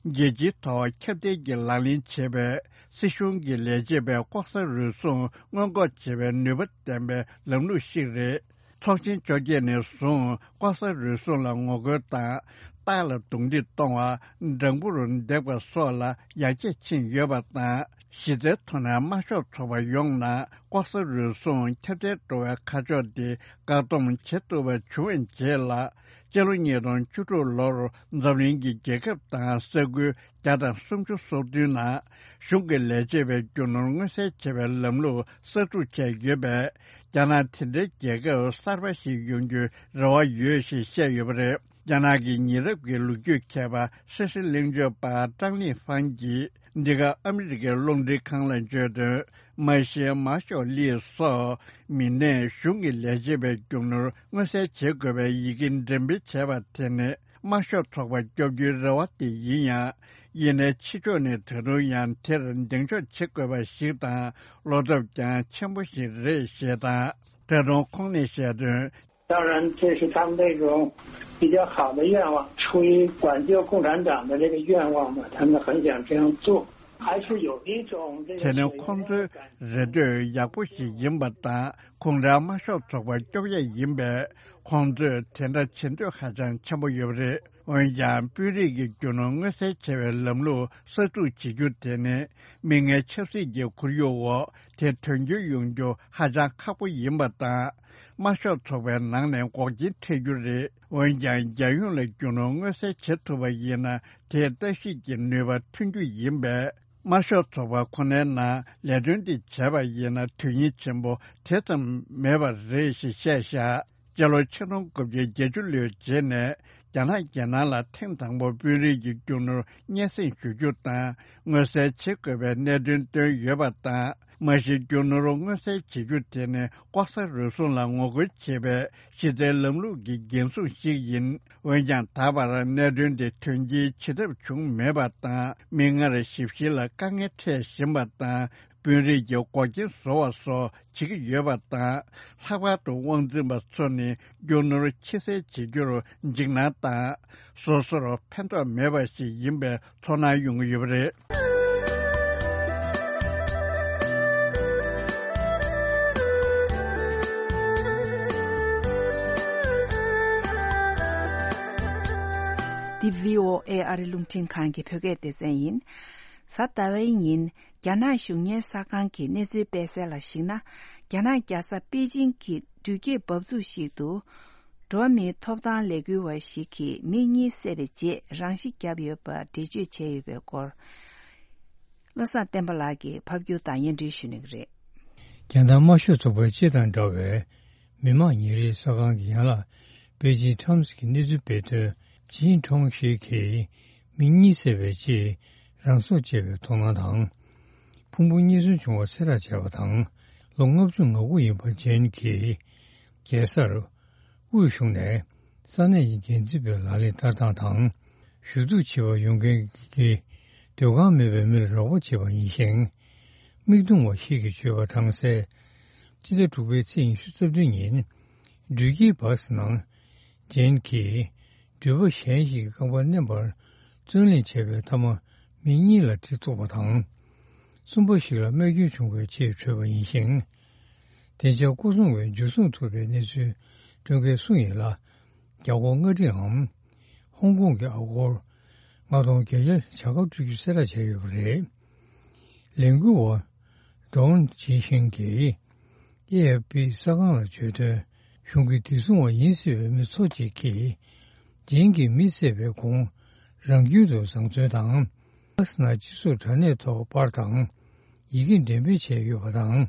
རྒྱལ་སྤྱིའི་ཐོག་ཁྱབ་གདལ་གྱི་ལག་ལེན་བྱེད་པའི་སྲིད་གཞུང་གི་ལས་བྱེད་པའི་ལྐོག་ཟ་རུལ་སུངས་སྔོན་འགོག་བྱེད་པའི་ནུས་པ་ལྡན་པའི་ལམ་ལུགས་ཤིག་རེད། ཚོགས་ཆེན་བཅོ་བརྒྱད་ནས་བཟུང་ལྐོག་ཟ་རུལ་སུངས་ལ་ངོ་རྒོལ་དང་། སྟག་ལ་རྡུང་རྡེག་གཏོང་བ། སྦྲང་བུར་འདེགས་པ་སོགས་ལ་ཡར་རྒྱས་ཕྱིན་ཡོད་པ་དང་། གཞི་རྩའི་ཐོག་ནས་དམར་ཤོག་ཚོགས་པ་ཡོངས་ནང་ལྐོག་ཟ་རུལ་སུངས་ཁྱབ་གདལ་འགྲོ་བའི་ཁ་ཕྱོགས་དེ་བཀག་སྡོམ་བྱེད་ཐུབ་པ་བྱུང་བའི་རྗེས་ལ། སྤྱི་ལོ་ཉིས་སྟོང་བཅུ་དྲུག་ལོར་འཛམ་གླིང་གི་རྒྱལ་ཁབ་དང་ས་ཁུལ་བརྒྱ་དང་སུམ་ཅུ་སོ་བདུན་ནང་གཞུང་གི་ལས་བྱེད་པའི་རྒྱུ་ནོར་མངོན་གསལ་བྱེད་པའི་ལམ་ལུགས་གསར་འཛུགས་བྱས་ཡོད་པས། རྒྱ་ནག་དེ་འདྲའི་རྒྱལ་ཁབ་གསར་པ་ཞིག་ཡོང་རྒྱུའི་རེ་བ་ཡོད་ཞེས་བཤད་ཡོད་པ་རེད། རྒྱ་ནག་གི་ཉེ་རབས་ཀྱི་ལོ་རྒྱུས་མཁས་པ་སྲིད་ཞི་གླེང་བརྗོད་པ་ཀྲང་ལི་ཧྥང་གིས། འདི་ག་ཨ་མི་རི་ཀའི་རླུང་འཕྲིན་ཁང་ལ་བརྗོད་དོན། མ་གཞི་མ་ཤོག་ལི་སོགས་མི་སྣས་གཞུང་གི་ལས་བྱེད་པའི་རྒྱུ་ནོར་མངོན་གསལ་བྱེད་དགོས་པའི་ཡི་གེ་འགྲེམས་སྤེལ་བྱས་པ་དེ་ནི་དམར་ཤོག་ཚོགས་པ་སྐྱོབ་རྒྱུའི་རེ་བ་དེ་ཡིན་ཡང་། ཡིན་ནའི་ཕྱི་ཕྱོགས་ནས་ད་དུང་ཡང་དེར་གདེང་འཇོག་བྱེད་དགོས་པ་ཞིག་དང་བློ་འཚབ་ཀྱང་ཆེན་པོ་ཞིག་རེད་ཞེས་དང་། ད་དུང་ཁོང་ནས་བཤད་དོན། 当然，这是他们那种比较好的愿望，出于挽救共产党的这个愿望嘛，他们很想这样做，还是有一种这个 དེ་ནི་ཁོང་ཚོའི་རེ་འདོད་ཡག་པོ་ཞིག་ཡིན་པ་དང་། ཁོང་རང་དམར་ཤོག་ཚོགས་པ་སྐྱོབ་ཡས་ཡིན་པས། ཁོང་ཚོས་དེ་འདྲ་བྱེད་འདོད་ཧ་ཅང་ཆེན་པོ་ཡོད་པ་རེད། འོན་ཀྱང་། དཔོན་རིགས་ཀྱི་རྒྱུ་ནོར་མངོན་གསལ་བྱེད་པའི་ལམ་ལུགས་གསར་འཛུགས་བྱེད་རྒྱུ་དེ་ནི། མིག་སྔའི་ཆབ་སྲིད་ཀྱི་ཁོར་ཡུག་འོག་དེ་དོན་འཁྱོལ་ཡོང་རྒྱུ་ཧ་ཅང་ཁག་པོ་ཡིན་པ་དང་། དམར་ཤོག་ཚོགས་པའི་ནང་ནས་འགོག་རྐྱེན་འཕྲད་རྒྱུ་རེད། འོན་ཀྱང་། རྒྱལ་ཡོངས་ལ་རྒྱུ་ནོར་མངོན་གསལ་བྱེད་ཐུབ་པ་ཡིན་ན། དེས་ལྟ་ཞིབ་ཀྱི་ནུས་པ་ཐོན་རྒྱུ་ཡིན་པས། དམར་ཤོག་ཚོགས་པ་ཁོ་ནའི་ནང་ལས་དོན་འདི་བྱས་པ་ཡིན་ན། དོན་སྙིང་ཆེན་པོ་དེ་ཙམ་མེད་པ་རེད་ཞེས་བཤད་བཞག་སྤྱི་ལོ་ཆིག་སྟོང་དགུ་བརྒྱ་བརྒྱད་ཅུ་ལོའི་རྗེས་ནས། རྒྱ་ནག་རྒྱལ་ནང་ལ་ཐེངས་དང་པོ་དཔོན་རིགས་ཀྱི་རྒྱུ་ནོར་སྙན་སེང་ཞུ་རྒྱུ་དང་། མངོན་གསལ་བྱེད་དགོས་པའི་གནད་དོན་བཏོན་ཡོད་པ་དང་། མ་གཞི་རྒྱུ་ནོར་མངོན་གསལ་བྱེད་རྒྱུ་དེ་ནི་ལྐོག་ཟ་རུལ་སུངས་ལ་ངོ་རྒོལ་བྱེད་པའི་གཞི་རྩའི་ལམ་ལུགས་ཀྱི་འགན་སྲུང་ཞིག་ཡིན། འོན་ཀྱང་། ད་བར་གནད་དོན་དེ་དོན་འཁྱོལ་བྱེད་ཐབས་བྱུང་མེད་པ་དང་། མིག་སྔར་ཞིབ་བཤེར་ལ་དཀའ་ངལ་འཕྲད་བཞིན་པ་དང་། དཔོན་རིགས་ཀྱི་འགོག་རྐྱེན་བཟོ་བ་སོགས་བྱེད་ཀྱི་ཡོད་པ་དང་། ལྷག་པར་དུ་དབང་འཛིན་པ་ཚོ་ནི་རྒྱུ་ནོར་ཕྱི་གསལ་བྱེད་རྒྱུར་འཇིགས་སྣང་དང་། སོ་སོར་ཕན་ཐོགས་མེད་པ་ཞིག་ཡིན་པའི་ཚོར་སྣང་ཡོང་གི་ཡོད་པ་རེད། འདི་བྷི་ཨོ་ཨེ་ཨ་རི་རླུང་འཕྲིན་ཁང་གི་བོད་སྐད་སྡེ་ཚན་ཡིན། གཟའ་ཟླ་བའི་ཉིན། རྒྱ་ནག་གཞུང་གཉེར་གསར་ཁང་གི་གནས་ཚུལ་སྤེལ་གསལ་ལ་གཞིགས་ན། རྒྱ་ནག་རྒྱལ་ས་པེ་ཅིང་གི་འགྲུལ་སྐྱེལ་འབབ་ཚུགས་ཤིག་ཏུ། འགྲོ་བ་མིའི་ཐོབ་ཐང་ལས་འགུལ་བ་ཞིག་གིས་མི་གཉིས་བསད་པའི་རྗེས་རང་ཤི་བརྒྱབ་ཡོད་པར་འགྲེལ་བརྗོད་བྱས་ཡོད་པའི་སྐོར། བློ་བཟང་བསྟན་པ་ལགས་ཀྱིས་ཕབ་སྒྱུར་དང་སྙན་སྒྲོན་ཞུ་གནང་གི་རེད། རྒྱ་ནག་དམར་ཤོག་ཚོགས་པའི་སྤྱི་དང་འདྲ་བའི་མི་དམངས་ཉིན་རེའི་གསར་ཁང་གི་ཡན་ལག་པེ་ཅིང་ཊའེམ་སི་གི་གནས་ཚུལ་སྤེལ་དོན། ཅིན་ཁྲོང་ཞིག་གིས་མི་གཉིས་བསད་པའི་རྗེས་རང་སྲོག་བཅད་པའི་དོགས་སྣང་དང་། ཕུང་པོ་རྙེད་སོན་བྱུང་བ་གསལ་བསྒྲགས་བྱས་པ་དང་། ལོ་ལྔ་བཅུ་ང་དགུ་ཡིན་པ་ཅན་གྱི་རྒྱལ་སར་དབུས་གཞུང་ནས་ས་གནས་ཀྱི་འགན་འཛིན་པའི་ལག་ལེན་བསྟར་སྟངས་དང་། ཞུ་གཏུག་བྱེད་པར་ཡོང་མཁན་གྱི་སྡོད་ཁང་མེད་པའི་མིར་རོགས་པ་བྱེད་པ་ཡིན་ཞིང་། མིག་མཐོང་བ་ཞིག་གིས་བརྗོད་པར་གྲངས་གསལ། སྤྱི་ཟླ་དྲུག་པའི་ཚེས་ཉི་ཤུ་རྩ་བདུན་ཉིན། འགྲུལ་སྐྱེལ་བཱ་སི་ནང་ཅན་གྱིས་ འདུས་པ་གཞན་ཞིག་གི་རྐང་པ་མནན་པར་བརྩོན་ལེན་བྱས་པའི་མཐའ་མ་མི་གཉིས་ལ་གྲི་བཙུགས་པ་དང་། གསུམ་པ་ཞིག་ལ་རྨས་སྐྱོན་བྱུང་བའི་ཆེད་བྲོས་པ་ཡིན་ཞིང་། བདེ་འཇགས་སྐོར་སྲུང་བས་འཇུ་བཟུང་ཐུབ་པའི་གནས་ཚུལ་སྤྲོད་མཁན་སུ་ཡིན་ལ། རྒྱ་སྒོར་ལྔ་ཁྲིའམ། ཧོང་ཀོང་གི་ཨ་སྒོར་ལྔ་སྟོང་བརྒྱད་བརྒྱ་བྱ་དགའ་སྤྲོད་རྒྱུ་གསལ་བསྒྲགས་བྱས་ཡོད་པ་རེད། ལས་འགུལ་བ་ཀྲོང་ཅི་ཤིང་གིས་ཨེ་ཨེཕ་པི་གསར་ཁང་ལ་བརྗོད་དོན། གཞུང་གི་བདེ་སྲུང་བ་ཡིན་སྲིད་པའི་མི་ཚོ་གཅིག་གིས་ཇིན་གྱིས་མི་བསད་པའི་གོང་རང་རྒྱུད་དུ་བཟང་བཙོན་དང་། ཨ་སི་ན་སྤྱི་ཚོགས་དྲ་གནས་ཐོག་པར་དང་ཡི་གེ་འགྲེམས་སྤེལ་བྱས་ཡོད་པ་དང་།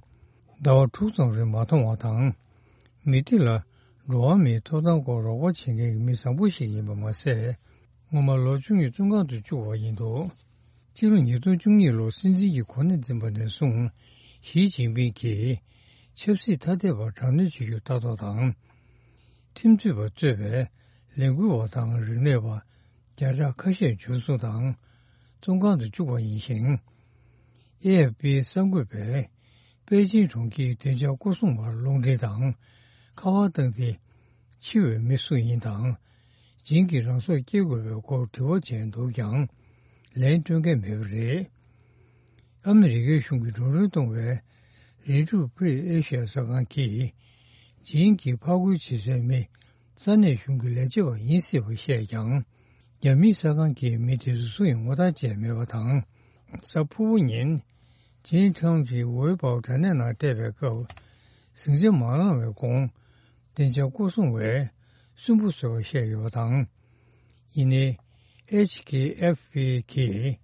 ཟླ་བ་དྲུག་ཙམ་རིང་མ་མཐོང་བ་དང་། མི་དེ་ལ་འགྲོ་བ་མིའི་ཐོབ་ཐང་སྐོར་རོགས་པ་བྱེད་མཁན་གྱི་མི་བཟང་པོ་ཞིག་ཡིན་པ་མ་ཟད། སྔོན་མ་ལོ་བཅུ་གཉིས་བཙོན་ཁང་དུ་བཅུག་པ་ཡིན་འདུག་སྤྱི་ལོ་ཉིས་སྟོང་བཅུ་གཉིས་ལོར་སྲིད་འཛིན་གྱི་གོ་གནས་འཛིན་པ་ནས་བཟུང་། ཞི་ཅིན་ཕིང་གིས་ཆབ་སྲིད་ཐ་དད་པར་དྲག་གནོན་བྱེད་རྒྱུར་ལྟ་རྟོག་དང་། ཁྲིམས་རྩོད་པ་གཙོས་པའི་ལས་འགུལ་བ་དང་རིག་གནས་པ་བརྒྱ་ཕྲག་ཁ་ཤས་འཇུ་བཟུང་དང་བཙོན་ཁང་དུ་བཅུག་པ་ཡིན་ཞིང་། ཨེ་ཨེཕ་པིའི་གསར་འགོད་པས་པེ་ཅིང་གྲོང་ཁྱེར་བདེ་འཇགས་སྐོར་སྲུང་བར་རླུང་འཕྲིན་དང་ཁ་པར་བཏང་སྟེ། འཆི་བའི་མི་སུ་ཡིན་དང་། ཇིན་གྱིས་རང་སྲོག་སྐྱེལ་དགོས་པའི་སྐོར་དྲི་བ་བྱས་འདུག་ཀྱང་། ལན་སྤྲོད་མཁན་མེད་པ་རེད། ཨ་མི་རི་ཀའི་གཞུང་གིས་འགྲོ་གྲོན་གཏོང་བའི་རི་ཀྲུ་པི་རི་ཨེ་ཤི་ཡ་གསར་ཁང་གིས། ཇིན་གྱིས་ཕར་རྒོལ་བྱེད་སའི་མི་ས་གནས་གཞུང་གི་ལས་བྱེད་པ་ཡིན་སྲིད་པ་བཤད་ཀྱང་། རྒྱ་མིའི་གསར་ཁང་གིས་མི་དེ་ཚོ་སུ་ཡིན་ངོ་རྟགས་བཅད་མེད་པ་དང་། གཟའ་ཕུར་བུ་ཉིན། ཇིན་ཁྲང་གིས་ཝེ་པའོ་དྲ་གནས་ནང་བལྟས་པའི་སྐབས། ཟིང་ཆ་མ་ལངས་བའི་གོང་། བདེ་འཇགས་སྐོར་སྲུང་བས་སུན་པོ་བཟོས་པ་བཤད་ཡོད་པ་དང་། ཡིན་ནའི། ཨེཆ་ཀེ་ཨེཕ་པི་གིས་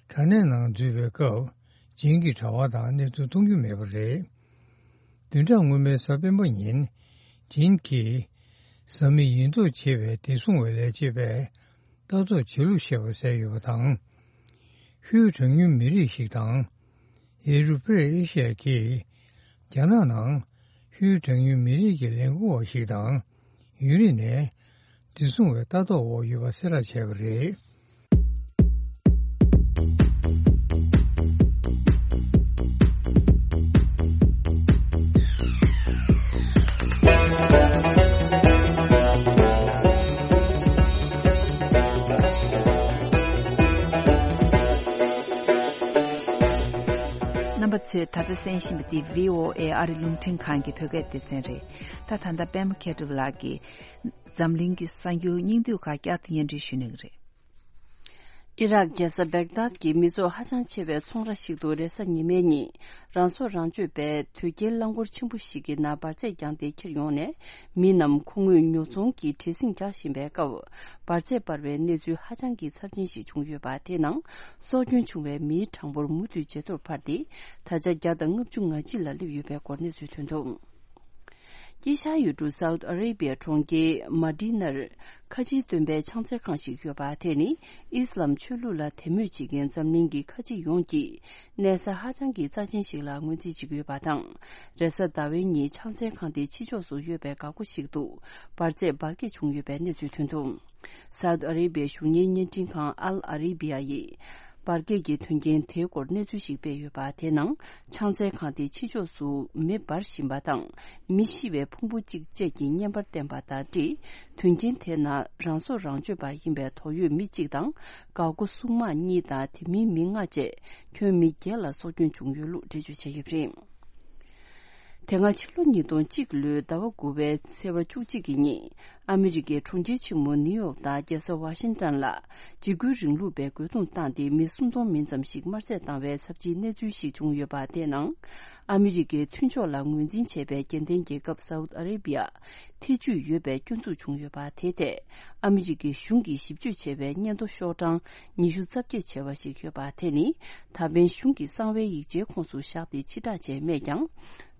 དྲ་གནས་ནང་འཛུལ་བའི་སྐབས། ཇིན་གྱི་དྲ་བ་དང་གནས་ཚུལ་མཐོང་རྒྱུ་མེད་པ་རེད། བདུན་ཕྲག་སྔོན་མའི་གཟའ་སྤེན་པ་ཉིན། ཇིན་གྱིས། བཟའ་མི་ཡིན་མདོག་བྱེད་པའི་བདེ་སྲུང་བའི་ལས་བྱེད་པས། ལྟ་རྟོག་བྱེད་ལུགས་བཤད་པ་གསལ་ཡོད་པ་དང་། ཧུའུ་གྲངས་ཉུང་མི་རིགས་ཤིག་དང་། ཨེ་རུ་པེ་ཨེ་ཤི་ཡ་གིས། རྒྱ་ནག་ནང་ཧུའུ་གྲངས་ཉུང་མི་རིགས་ཀྱི་ལས་འགུལ་བ་ཞིག་དང་། ཡུན་རིང་ནས་བདེ་སྲུང་བའི་ལྟ་རྟོག་འོག་ཡོད་པ་གསལ་བསྒྲགས་བྱས་པ་རེད། རྣམ་པ་ཚོས་ད་ལྟ་གསན་བཞིན་པ་འདི་བྷི་ཨོ་ཨེ་ཨ་རི་རླུང་འཕྲིན་ཁང་གི་བོད་སྐད་སྡེ་ཚན་རེད། ད་ད་ལྟ་པད་མ་མཁས་གྲུབ་ལགས་ཀྱིས་འཛམ་གླིང་གི་གསར་འགྱུར་སྙིང་བསྡུས་ཁག་བསྐྱར་དུ་སྙན་སྒྲོན་ཞུ་གནང་གི་རེད། ཨི་རག་རྒྱལ་ས་བེག་དཱད་ཀྱི་མི་ཚོགས་ཧ་ཅང་ཆེ་བའི་ཚོང་ར་ཞིག་ཏུ་རེས་གཟའ་ཉི་མའི་ཉིན། རང་སྲོག་རང་གཅོད་པས་དོས་སྐྱེལ་རླངས་འཁོར་ཆེན་པོ་ཞིག་གི་ནང་འབར་རྫས་བརྒྱངས་ཏེ་ཁྱེར་ཡོང་ནས། མི་རྣམས་ཁོ་ངོས་ཉོ་ཚོང་གི་བྲེལ་ཟིང་རྒྱག་བཞིན་པའི་སྐབས། འབར་རྫས་སྤར་བའི་གནས་ཚུལ་ཧ་ཅང་གི་ཚབས་ཆེན་ཞིག་བྱུང་ཡོད་པ། དེའི་ནང་སྲོག་སྐྱོན་བྱུང་བའི་མིའི་གྲངས་འབོར་མུ་མཐུད་ཇེ་མཐོར་འཕར་ཏེ། ད་ཆ་བརྒྱ་དང་ལྔ་བཅུ་ང་གཅིག་ལ་སླེབས་ཡོད་པའི་སྐོར་གནས་ཚུལ་ཐོན་འདུག་དཀྱིལ་ཤར་ཡུལ་གྲུ་སའུ་ཏི་ཨ་རེ་བྷི་ཡ་གྲོང་ཁྱེར་མ་ཏི་ནར་ཁ་ཆེའི་སྟོན་པའི་ཕྱག་འཚལ་ཁང་ཞིག་ཡོད་པ། དེ་ནི་ཨི་སི་ལམ་ཆོས་ལུགས་ལ་དད་མོས་བྱེད་མཁན་འཛམ་གླིང་གི་ཁ་ཆེ་ཡོངས་ཀྱི་གནས་ས་ཧ་ཅང་གི་རྩ་ཆེན་ཞིག་ལ་ངོས་འཛིན་བྱེད་ཀྱི་ཡོད་པ་དང་། རེས་གཟའ་ཟླ་བའི་ཉིན་ཕྱག་འཚལ་ཁང་དེའི་ཕྱི་ཕྱོགས་སུ་ཡོད་པའི་འགག་སྒོ་ཞིག་ཏུ་འབར་རྫས་འབར་གས་བྱུང་ཡོད་པའི་གནས་ཚུལ་ཐོན་འདུག་སའུ་ཏི་ཨ་རེ་བྷི་ཡའི་གཞུང་གཉེར་བརྙན་འཕྲིན་ཁང་ཨལ་ཨ་རེ་བྷི་ཡ་ཡིས། འབར་གས་ཀྱི་དོན་རྐྱེན་དེའི་སྐོར་གནས་ཚུལ་ཞིག་སྤེལ་ཡོད་པ། དེའི་ནང་ཕྱག་འཚལ་ཁང་དེའི་ཕྱི་ཕྱོགས་སུ་མེ་འབར་བཞིན་པ་དང་། མེ་ཤི་བའི་ཕུང་པོ་གཅིག་བཅས་ཀྱི་བརྙན་པར་བསྟན་པ་དང་འབྲེལ། དོན་རྐྱེན་དེའི་ནང་རང་སྲོག་རང་གཅོད་པ་ཡིན་པའི་དོགས་ཡོད་མི་གཅིག་དང་། འགག་སྒོ་སྲུང་དམག་གཉིས་དང་དེ་མིན་མི་ལྔ་བཅས་ཁྱོན་མི་བརྒྱད་ལ་སྲོག་སྐྱོན་བྱུང་ཡོད་ལུགས་འགྲེལ་བརྗོད་བྱས་ཡོད་པ་རེད། དེ་སྔ་ཕྱི་ལོ་ཉིས་སྟོང་གཅིག་ལོའི་ཟླ་བ་དགུ་པའི་ཚེས་པ་བཅུ་གཅིག་གི་ཉིན། ཨ་མི་རི་ཀའི་གྲོང་ཁྱེར་ཆེན་མོ་ནིའུ་ཡོག་དང་རྒྱལ་ས་ཝ་ཤིང་ཏན་ལ་འཇིགས་སྐུལ་རིང་ལུགས་པས་རྒོལ་རྡུང་བཏང་སྟེ་མི་སུམ་སྟོང་མིན་ཙམ་ཞིག་དམར་གསོད་བཏང་བའི་ཚབས་ཆེའི་གནས་ཚུལ་ཞིག་བྱུང་ཡོད་པ། དེའི་ནང་ཨ་མི་རི་ཀའི་མཐུན་ཕྱོགས་ལ་ངོས་འཛིན་བྱས་པའི་རྒྱལ་ལྡན་རྒྱལ་ཁབ་སའུ་ཏི་ཨ་རེ་བྷི་ཡ་ཐེ་ཇུས་ཡོད་པའི་སྐྱོན་འཛུགས་བྱུང་ཡོད་པ། དེའི་ཐད་ཨ་མི་རི་ཀའི་གཞུང་གིས་ཞིབ་དཔྱོད་བྱས་པའི་སྙན་ཐོ་ཤོག་གྲངས་ཉི་ཤུ་རྩ་བརྒྱད་བྱས་པ་ཞིག་ཡོད་པ། དེ་ནི་ད་ཕན་གཞུང་གི་གསང་བའི་ཡིག་ཆའི་ཁོངས་སུ་བཞག་སྟེ་ཕྱིར་བསྒྲགས་བྱས་མེད་ཀྱང་།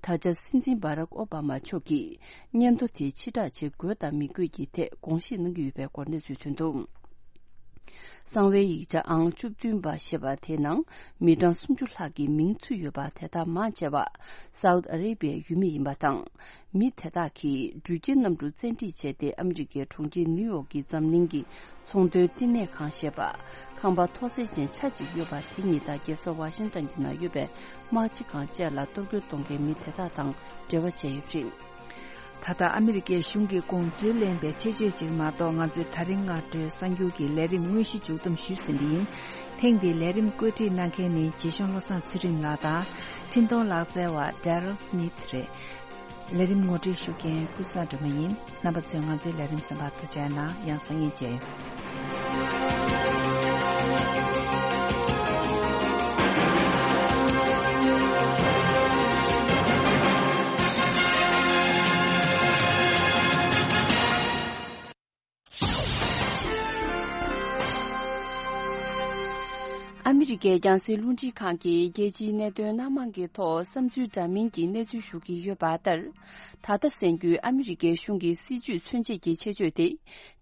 ད་ཆ་སྲིད་འཛིན་བྷ་རག་ཨོ་བྷ་མ་མཆོག་གིས་སྙན་ཐོ་དེ་ཕྱིར་བསྒྲགས་བྱེད་དགོས་དང་མི་དགོས་ཀྱི་ཐད་དགོངས་བཞེས་གནང་གི་ཡོད་པའི་སྐོར་གནས་ཚུལ་ཐོན་འདུག་གསང་བའི་ཡིག་ཆ་ཨང་བཅུ་བདུན་པ་ཞེས་པ་དེའི་ནང་མི་གྲངས་སུམ་ཅུ་ལྷག་གི་མིང་ཚུད་ཡོད་པ། དེ་དག་མང་ཆེ་བ་སའུ་ཏི་ཨ་རེ་བྷི་ཡའི་ཡུལ་མི་ཡིན་པ་དང་། མི་དེ་དག་གིས་འགྲུལ་སྐྱེལ་གནམ་གྲུ་བཙན་ཁྲིད་བྱས་ཏེ་ཨ་མི་རི་ཀའི་གྲོང་ཁྱེར་ནིའུ་ཡོག་གི་འཛམ་གླིང་གི་ཚོང་དོན་བསྟི་གནས་ཁང་ཞེས་པ། ཁང་པ་མཐོ་ཚད་ཅན་ཆ་གཅིག་ཡོད་པ་དེ་གཉིས་དང་རྒྱལ་ས་ཝ་ཤིང་ཏན་གྱི་ནང་ཡོད་པའི་དམག་སྤྱི་ཁང་བཅས་ལ་གཏོར་རྒོལ་གཏོང་མཁན་མི་དེ་དག་དང་འབྲེལ་བ་བྱས་ཡོད་པ་རེད། ད་ལྟ་ཨ་མི་རི་ཀའི་གཞུང་གི་དགོངས་ཚུལ་ལེན་པའི་ཆེད་བརྗོད་ཅིག་མ་གཏོགས། ང་ཚོས་ད་རིང་སྔ་དྲོའི་གསར་འགྱུར་གྱི་ལས་རིམ་དངོས་གཞི་མཇུག་བསྡོམས་ཞུས་ཟིན་པ་ཡིན། ཐེངས་འདིའི་ལས་རིམ་བཀོད་སྒྲིག་གནང་མཁན་ནི་རྗེ་གཞུང་བློ་བཟང་ཚུལ་ཁྲིམས་ལགས་དང་། འཕྲིན་གཏོང་ལག་རྩལ་བ་Daryl Smith་རེད། ལས་རིམ་ངོ་སྤྲོད་ཞུ་མཁན་ཀུན་བཟང་སྒྲོལ་མ་ཡིན། རྣམ་པ་ཚོས་ང་ཚོའི་ལས་རིམ་གསན་པར་ཐུགས་རྗེ་གནང་། ཡང་སང་ཉིན་མཇལ། ཨ་མི་རི་ཀའི་རྒྱང་སྲིང་རླུང་འཕྲིན་ཁང་གིས་རྒྱལ་སྤྱིའི་གནད་དོན་སྣ་མང་གི་ཐོག་བསམ་ཚུལ་འདྲ་མིན་གྱི་གནས་ཚུལ་ཞུ་གི་ཡོད་པ་ལྟར། ད་ལྟ་གསན་རྒྱུའི་ཨ་མི་རི་ཀའི་གཞུང་གི་སྲིད་བྱུས་མཚོན་བྱེད་ཀྱི་ཆེད་བརྗོད་དེ།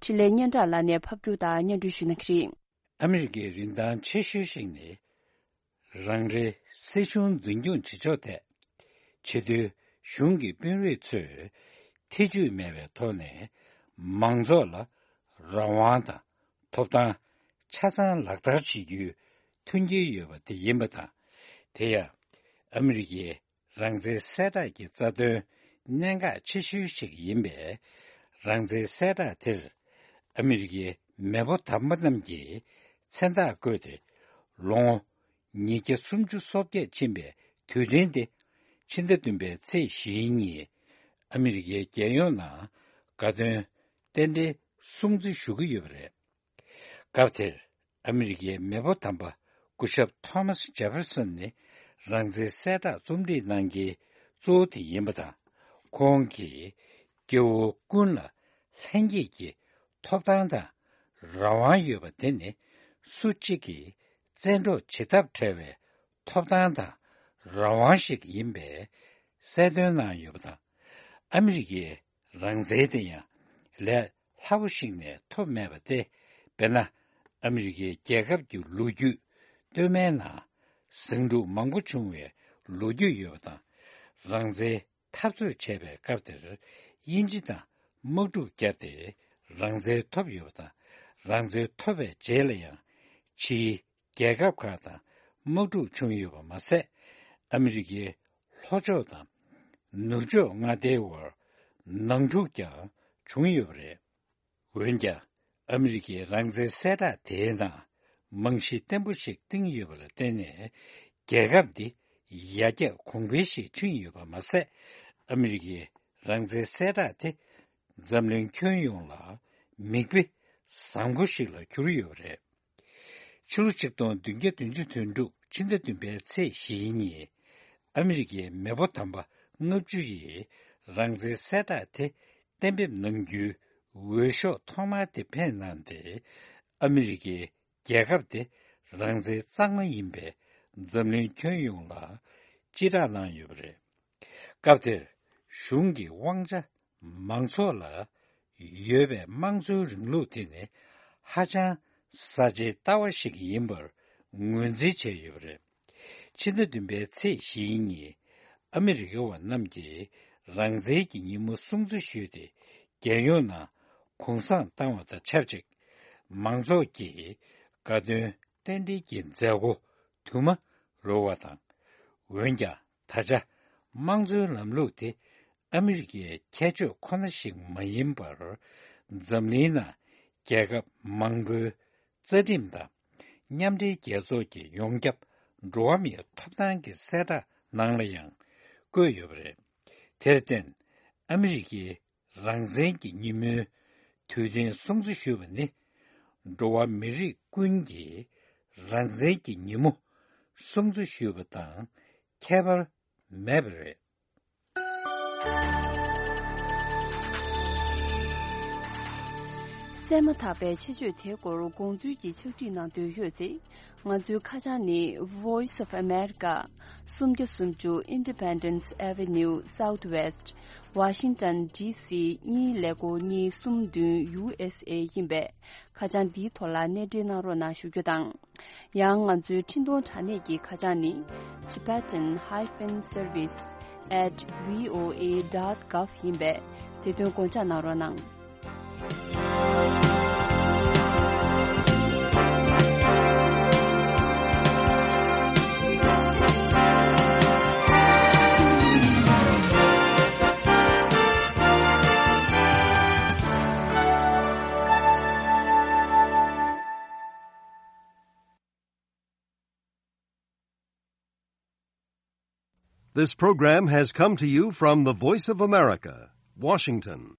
འཕྲིན་ལས་སྙན་གྲགས་ལགས་ནས་ཕབ་སྒྱུར་དང་སྙན་སྒྲོན་ཞུ་གནང་གི་རེད། ཨ་མི་རི་ཀའི་རིན་ཐང་ཆེ་ཤོས་ཤིག་ནི། རང་རེའི་སྲིད་གཞུང་འཛིན་སྐྱོང་བྱེད་ཕྱོགས་ཐད། ཕྱི་དོན་གཞུང་གི་དཔོན་རིགས་ཚོས་ཐེ་ཇུས་མེད་པའི་ཐོག་ནས་མང་ཚོགས་ལ་རང་དབང་དང་ཐོབ་ཐང་ཆ་ཚང་ལག་བསྟར་བྱེད་རྒྱུའི་མཐུན་རྐྱེན་ཡོད་པ་དེ་ཡིན་པ་དང་། དེ་ཡང་ཨ་མི་རི་ཀའི་རང་བཙན་གསལ་བསྒྲགས་ཀྱི་རྩ་དོན་གནད་འགག་ཆེ་ཤོས་ཤིག་ཡིན་པས། རང་བཙན་གསལ་བསྒྲགས་དེར་ཨ་མི་རི་ཀའི་མེས་པོ་དམ་པ་རྣམས་ཀྱིས་མཚན་རྟགས་བཀོད་དེ། ལོ་ངོ་ཉིས་བརྒྱ་སུམ་ཅུ་སོ་བརྒྱད་ཕྱིན་པའི་དུས་དྲན་དེ། ཕྱི་ཟླ་བདུན་པའི་ཚེས་བཞི་ཉིན་ཨ་མི་རི་ཀའི་རྒྱལ་ཡོངས་ནང་དགའ་སྟོན་རྟེན་འབྲེལ་སྲུང་བརྩི་ཞུ་གི་ཡོད་པ་རེད། སྐབས་དེར་ཨ་མི་རི་ཀའི་མེས་པོ་དམ་པ་སྐུ་ཞབས་ཐོ་མཱས་ཇེ་ཕེར་སོན་ནི་རང་བཙན་གསལ་བསྒྲགས་རྩོམ་སྒྲིག་གནང་མཁན་གཙོ་བོ་དེ་ཡིན་པ་དང་། ཁོང་གིས་སྐྱེ་བོ་ཀུན་ལ་ལྷན་སྐྱེས་ཀྱི་ཐོབ་ཐང་དང་རང་དབང་ཡོད་པ་དེ་ནི་སུ་གཅིག་གིས་བཙན་འཕྲོག་བྱེད་ཐབས་བྲལ་བའི་ཐོབ་ཐང་དང་རང་དབང་ཞིག་ཡིན་པའི་གསལ་སྟོན་གནང་ཡོད་པ་དང་། ཨ་མི་རི་ཀའི་རང་བཙན་དེ་ཡང་ལས་སླ་པོ་ཞིག་ནས་ཐོབ་མེད་པ་སྟེ། དཔེར་ན། ཨ་མི་རི་ཀའི་རྒྱལ་ཁབ་ཀྱི་ལོ་རྒྱུས་སྟོད་སྨད་ནང་ཟིང་འཁྲུག་མང་པོ་བྱུང་བའི་ལོ་རྒྱུས་ཡོད་པ་དང་། རང་བཙན་འཐབ་རྩོད་བྱས་པའི་སྐབས་དེར་དབྱིན་ཇི་དང་དམག་འཁྲུག་བརྒྱབ་སྟེ་རང་བཙན་ཐོབ་ཡོད་པ་དང་། རང་བཙན་ཐོབ་པའི་རྗེས་ལ་ཡང་ཕྱིའི་རྒྱལ་ཁབ་ཁག་དང་དམག་འཁྲུག་བྱུང་ཡོད་པ་མ་ཟད། ཨ་མི་རི་ཀའི་ལྷོ་ཕྱོགས་དང་ནུབ་ཕྱོགས་མངའ་སྡེའི་བར་ནང་འཁྲུག་ཀྱང་བྱུང་ཡོད་པ་རེད། འོན་ཀྱང་། ཨ་མི་རི་ཀའི་རང་བཙན་གསལ་བསྒྲགས་དེའི་ནང་རྨང་གཞི་བརྟན་པོ་ཞིག་བཏིང་ཡོད་པ་ལ་བརྟེན་ནས། རྒྱལ་ཁབ་འདི་ཡར་རྒྱས་གོང་འཕེལ་ཞིག་ཕྱིན་ཡོད་པ་མ་ཟད། ཨ་མི་རི་ཀའི་རང་བཙན་གསལ་བསྒྲགས་དེ་འཛམ་གླིང་ཁྱོན་ཡོངས་ལ་མིག་དཔེ་བཟང་པོ་ཞིག་ལ་གྱུར་ཡོད་པ་རེད། ཕྱི་ལོ་ཆིག་སྟོང་བདུན་བརྒྱ་བདུན་ཅུ་དོན་དྲུག་ཕྱི་ཟླ་བདུན་པའི་ཚེས་བཞི་ཉིན། ཨ་མི་རི་ཀའི་མེས་པོ་དམ་པ་ལྔ་བཅུ་ཡིས་རང་བཙན་གསལ་བསྒྲགས་དེ་གཏན་འབེབས་གནང་རྒྱུའི་འོས་ཤོག་ཐོག་མ་དེ་འཕེན་གནང་སྟེ། ཨ་མི་རི་ཀའི་རྒྱལ་ཁབ་དེ་རང་བཙན་གཙང་མ་ཡིན་པས་འཛམ་གླིང་ཁྱོན་ཡོངས་ལ་སྤྱི་བསྒྲགས་གནང་ཡོད་པ་རེད། སྐབས་དེར་གཞུང་གི་དབང་ཆ་མང་ཚོགས་ལ་ཡོད་པའི་དམངས་གཙོའི་རིང་ལུགས་དེ་ནི་ཧ་ཅང་གསར་བརྗེའི་ལྟ་བ་ཞིག་ཡིན་པར་ངོས་འཛིན་བྱས་ཡོད་པ་རེད། ཕྱི་ཟླ་བདུན་པའི་ཚེས་བཞི་ཉིན་ཨ་མི་རི་ཀ་བ་རྣམས་ཀྱིས་རང་བཙན་གྱི་ཉིན་མོ་སྲུང་བརྩི་ཞུས་ཏེ། རྒྱལ་ཡོངས་ནང་གུང་སེང་བཏང་བ་དང་ཆབས་ཅིག་མང་ཚོགས་ཀྱིས་དགའ་སྟོན་རྟེན་འབྲེལ་གྱི་མཛད་སྒོ་དུ་མ་རོལ་བ་དང་། འོན་ཀྱང་། ད་ཆ་དམངས་གཙོའི་ལམ་ལུགས་དེ་ཨ་མི་རི་ཀའི་ཁྱད་ཆོས་ཁོ་ན་ཞིག་མ་ཡིན་པར། འཛམ་གླིང་ནང་རྒྱལ་ཁབ་མང་པོའི་རྩ་ཁྲིམས་དང་། མཉམ་འབྲེལ་རྒྱལ་ཚོགས་ཀྱི་ཡོངས་ཁྱབ་འགྲོ་བ་མིའི་ཐོབ་ཐང་གི་གསལ་བསྒྲགས་ནང་ལ་ཡང་བཀོད་ཡོད་པ་རེད། དེར་བརྟེན། ཨ་མི་རི་ཀའི་རང་བཙན་གྱི་ཉིན་མོའི་དུས་དྲན་སྲུང་བརྩི་ཞུ་བ་ནི། འགྲོ་བ་མི་རིགས་ཀུན་གྱི་རང་བཙན་གྱི་ཉིན་མོ་སྲུང་བརྩི་ཞུ་བ་དང་ཁྱད་པར་མེད་པ་རེད། གསན་མ་ཐག་པའི་ཆེད་བརྗོད་དེའི་སྐོར་དགོངས་ཚུལ་གྱི་ཕྱག་བྲིས་གནང་འདོད་ཡོད་ཚེ། ང་ཚོའི་ཁ་བྱང་ནི། Voice of America། སུམ་བརྒྱ་སུམ་ཅུ། Independence Avenue Southwest། Washington D C། གཉིས་ཀླད་ཀོར་གཉིས་གསུམ་བདུན། U S A ཡིན་པས། ཁ་བྱང་འདིའི་ཐོག་ལ་གནས་འབྲེལ་གནང་རོགས་གནང་ཞུ་རྒྱུ་དང་། ཡང་ང་ཚོའི་འཕྲིན་གཏོང་དྲ་གནས་ཀྱི་ཁ་བྱང་ནི། Tibetan hyphen service at V O A dot gov ཡིན་པས། དེ་དོན་དགོངས་འཇགས་གནང་རོགས་གནང་། This program has come to you from the Voice of America, Washington.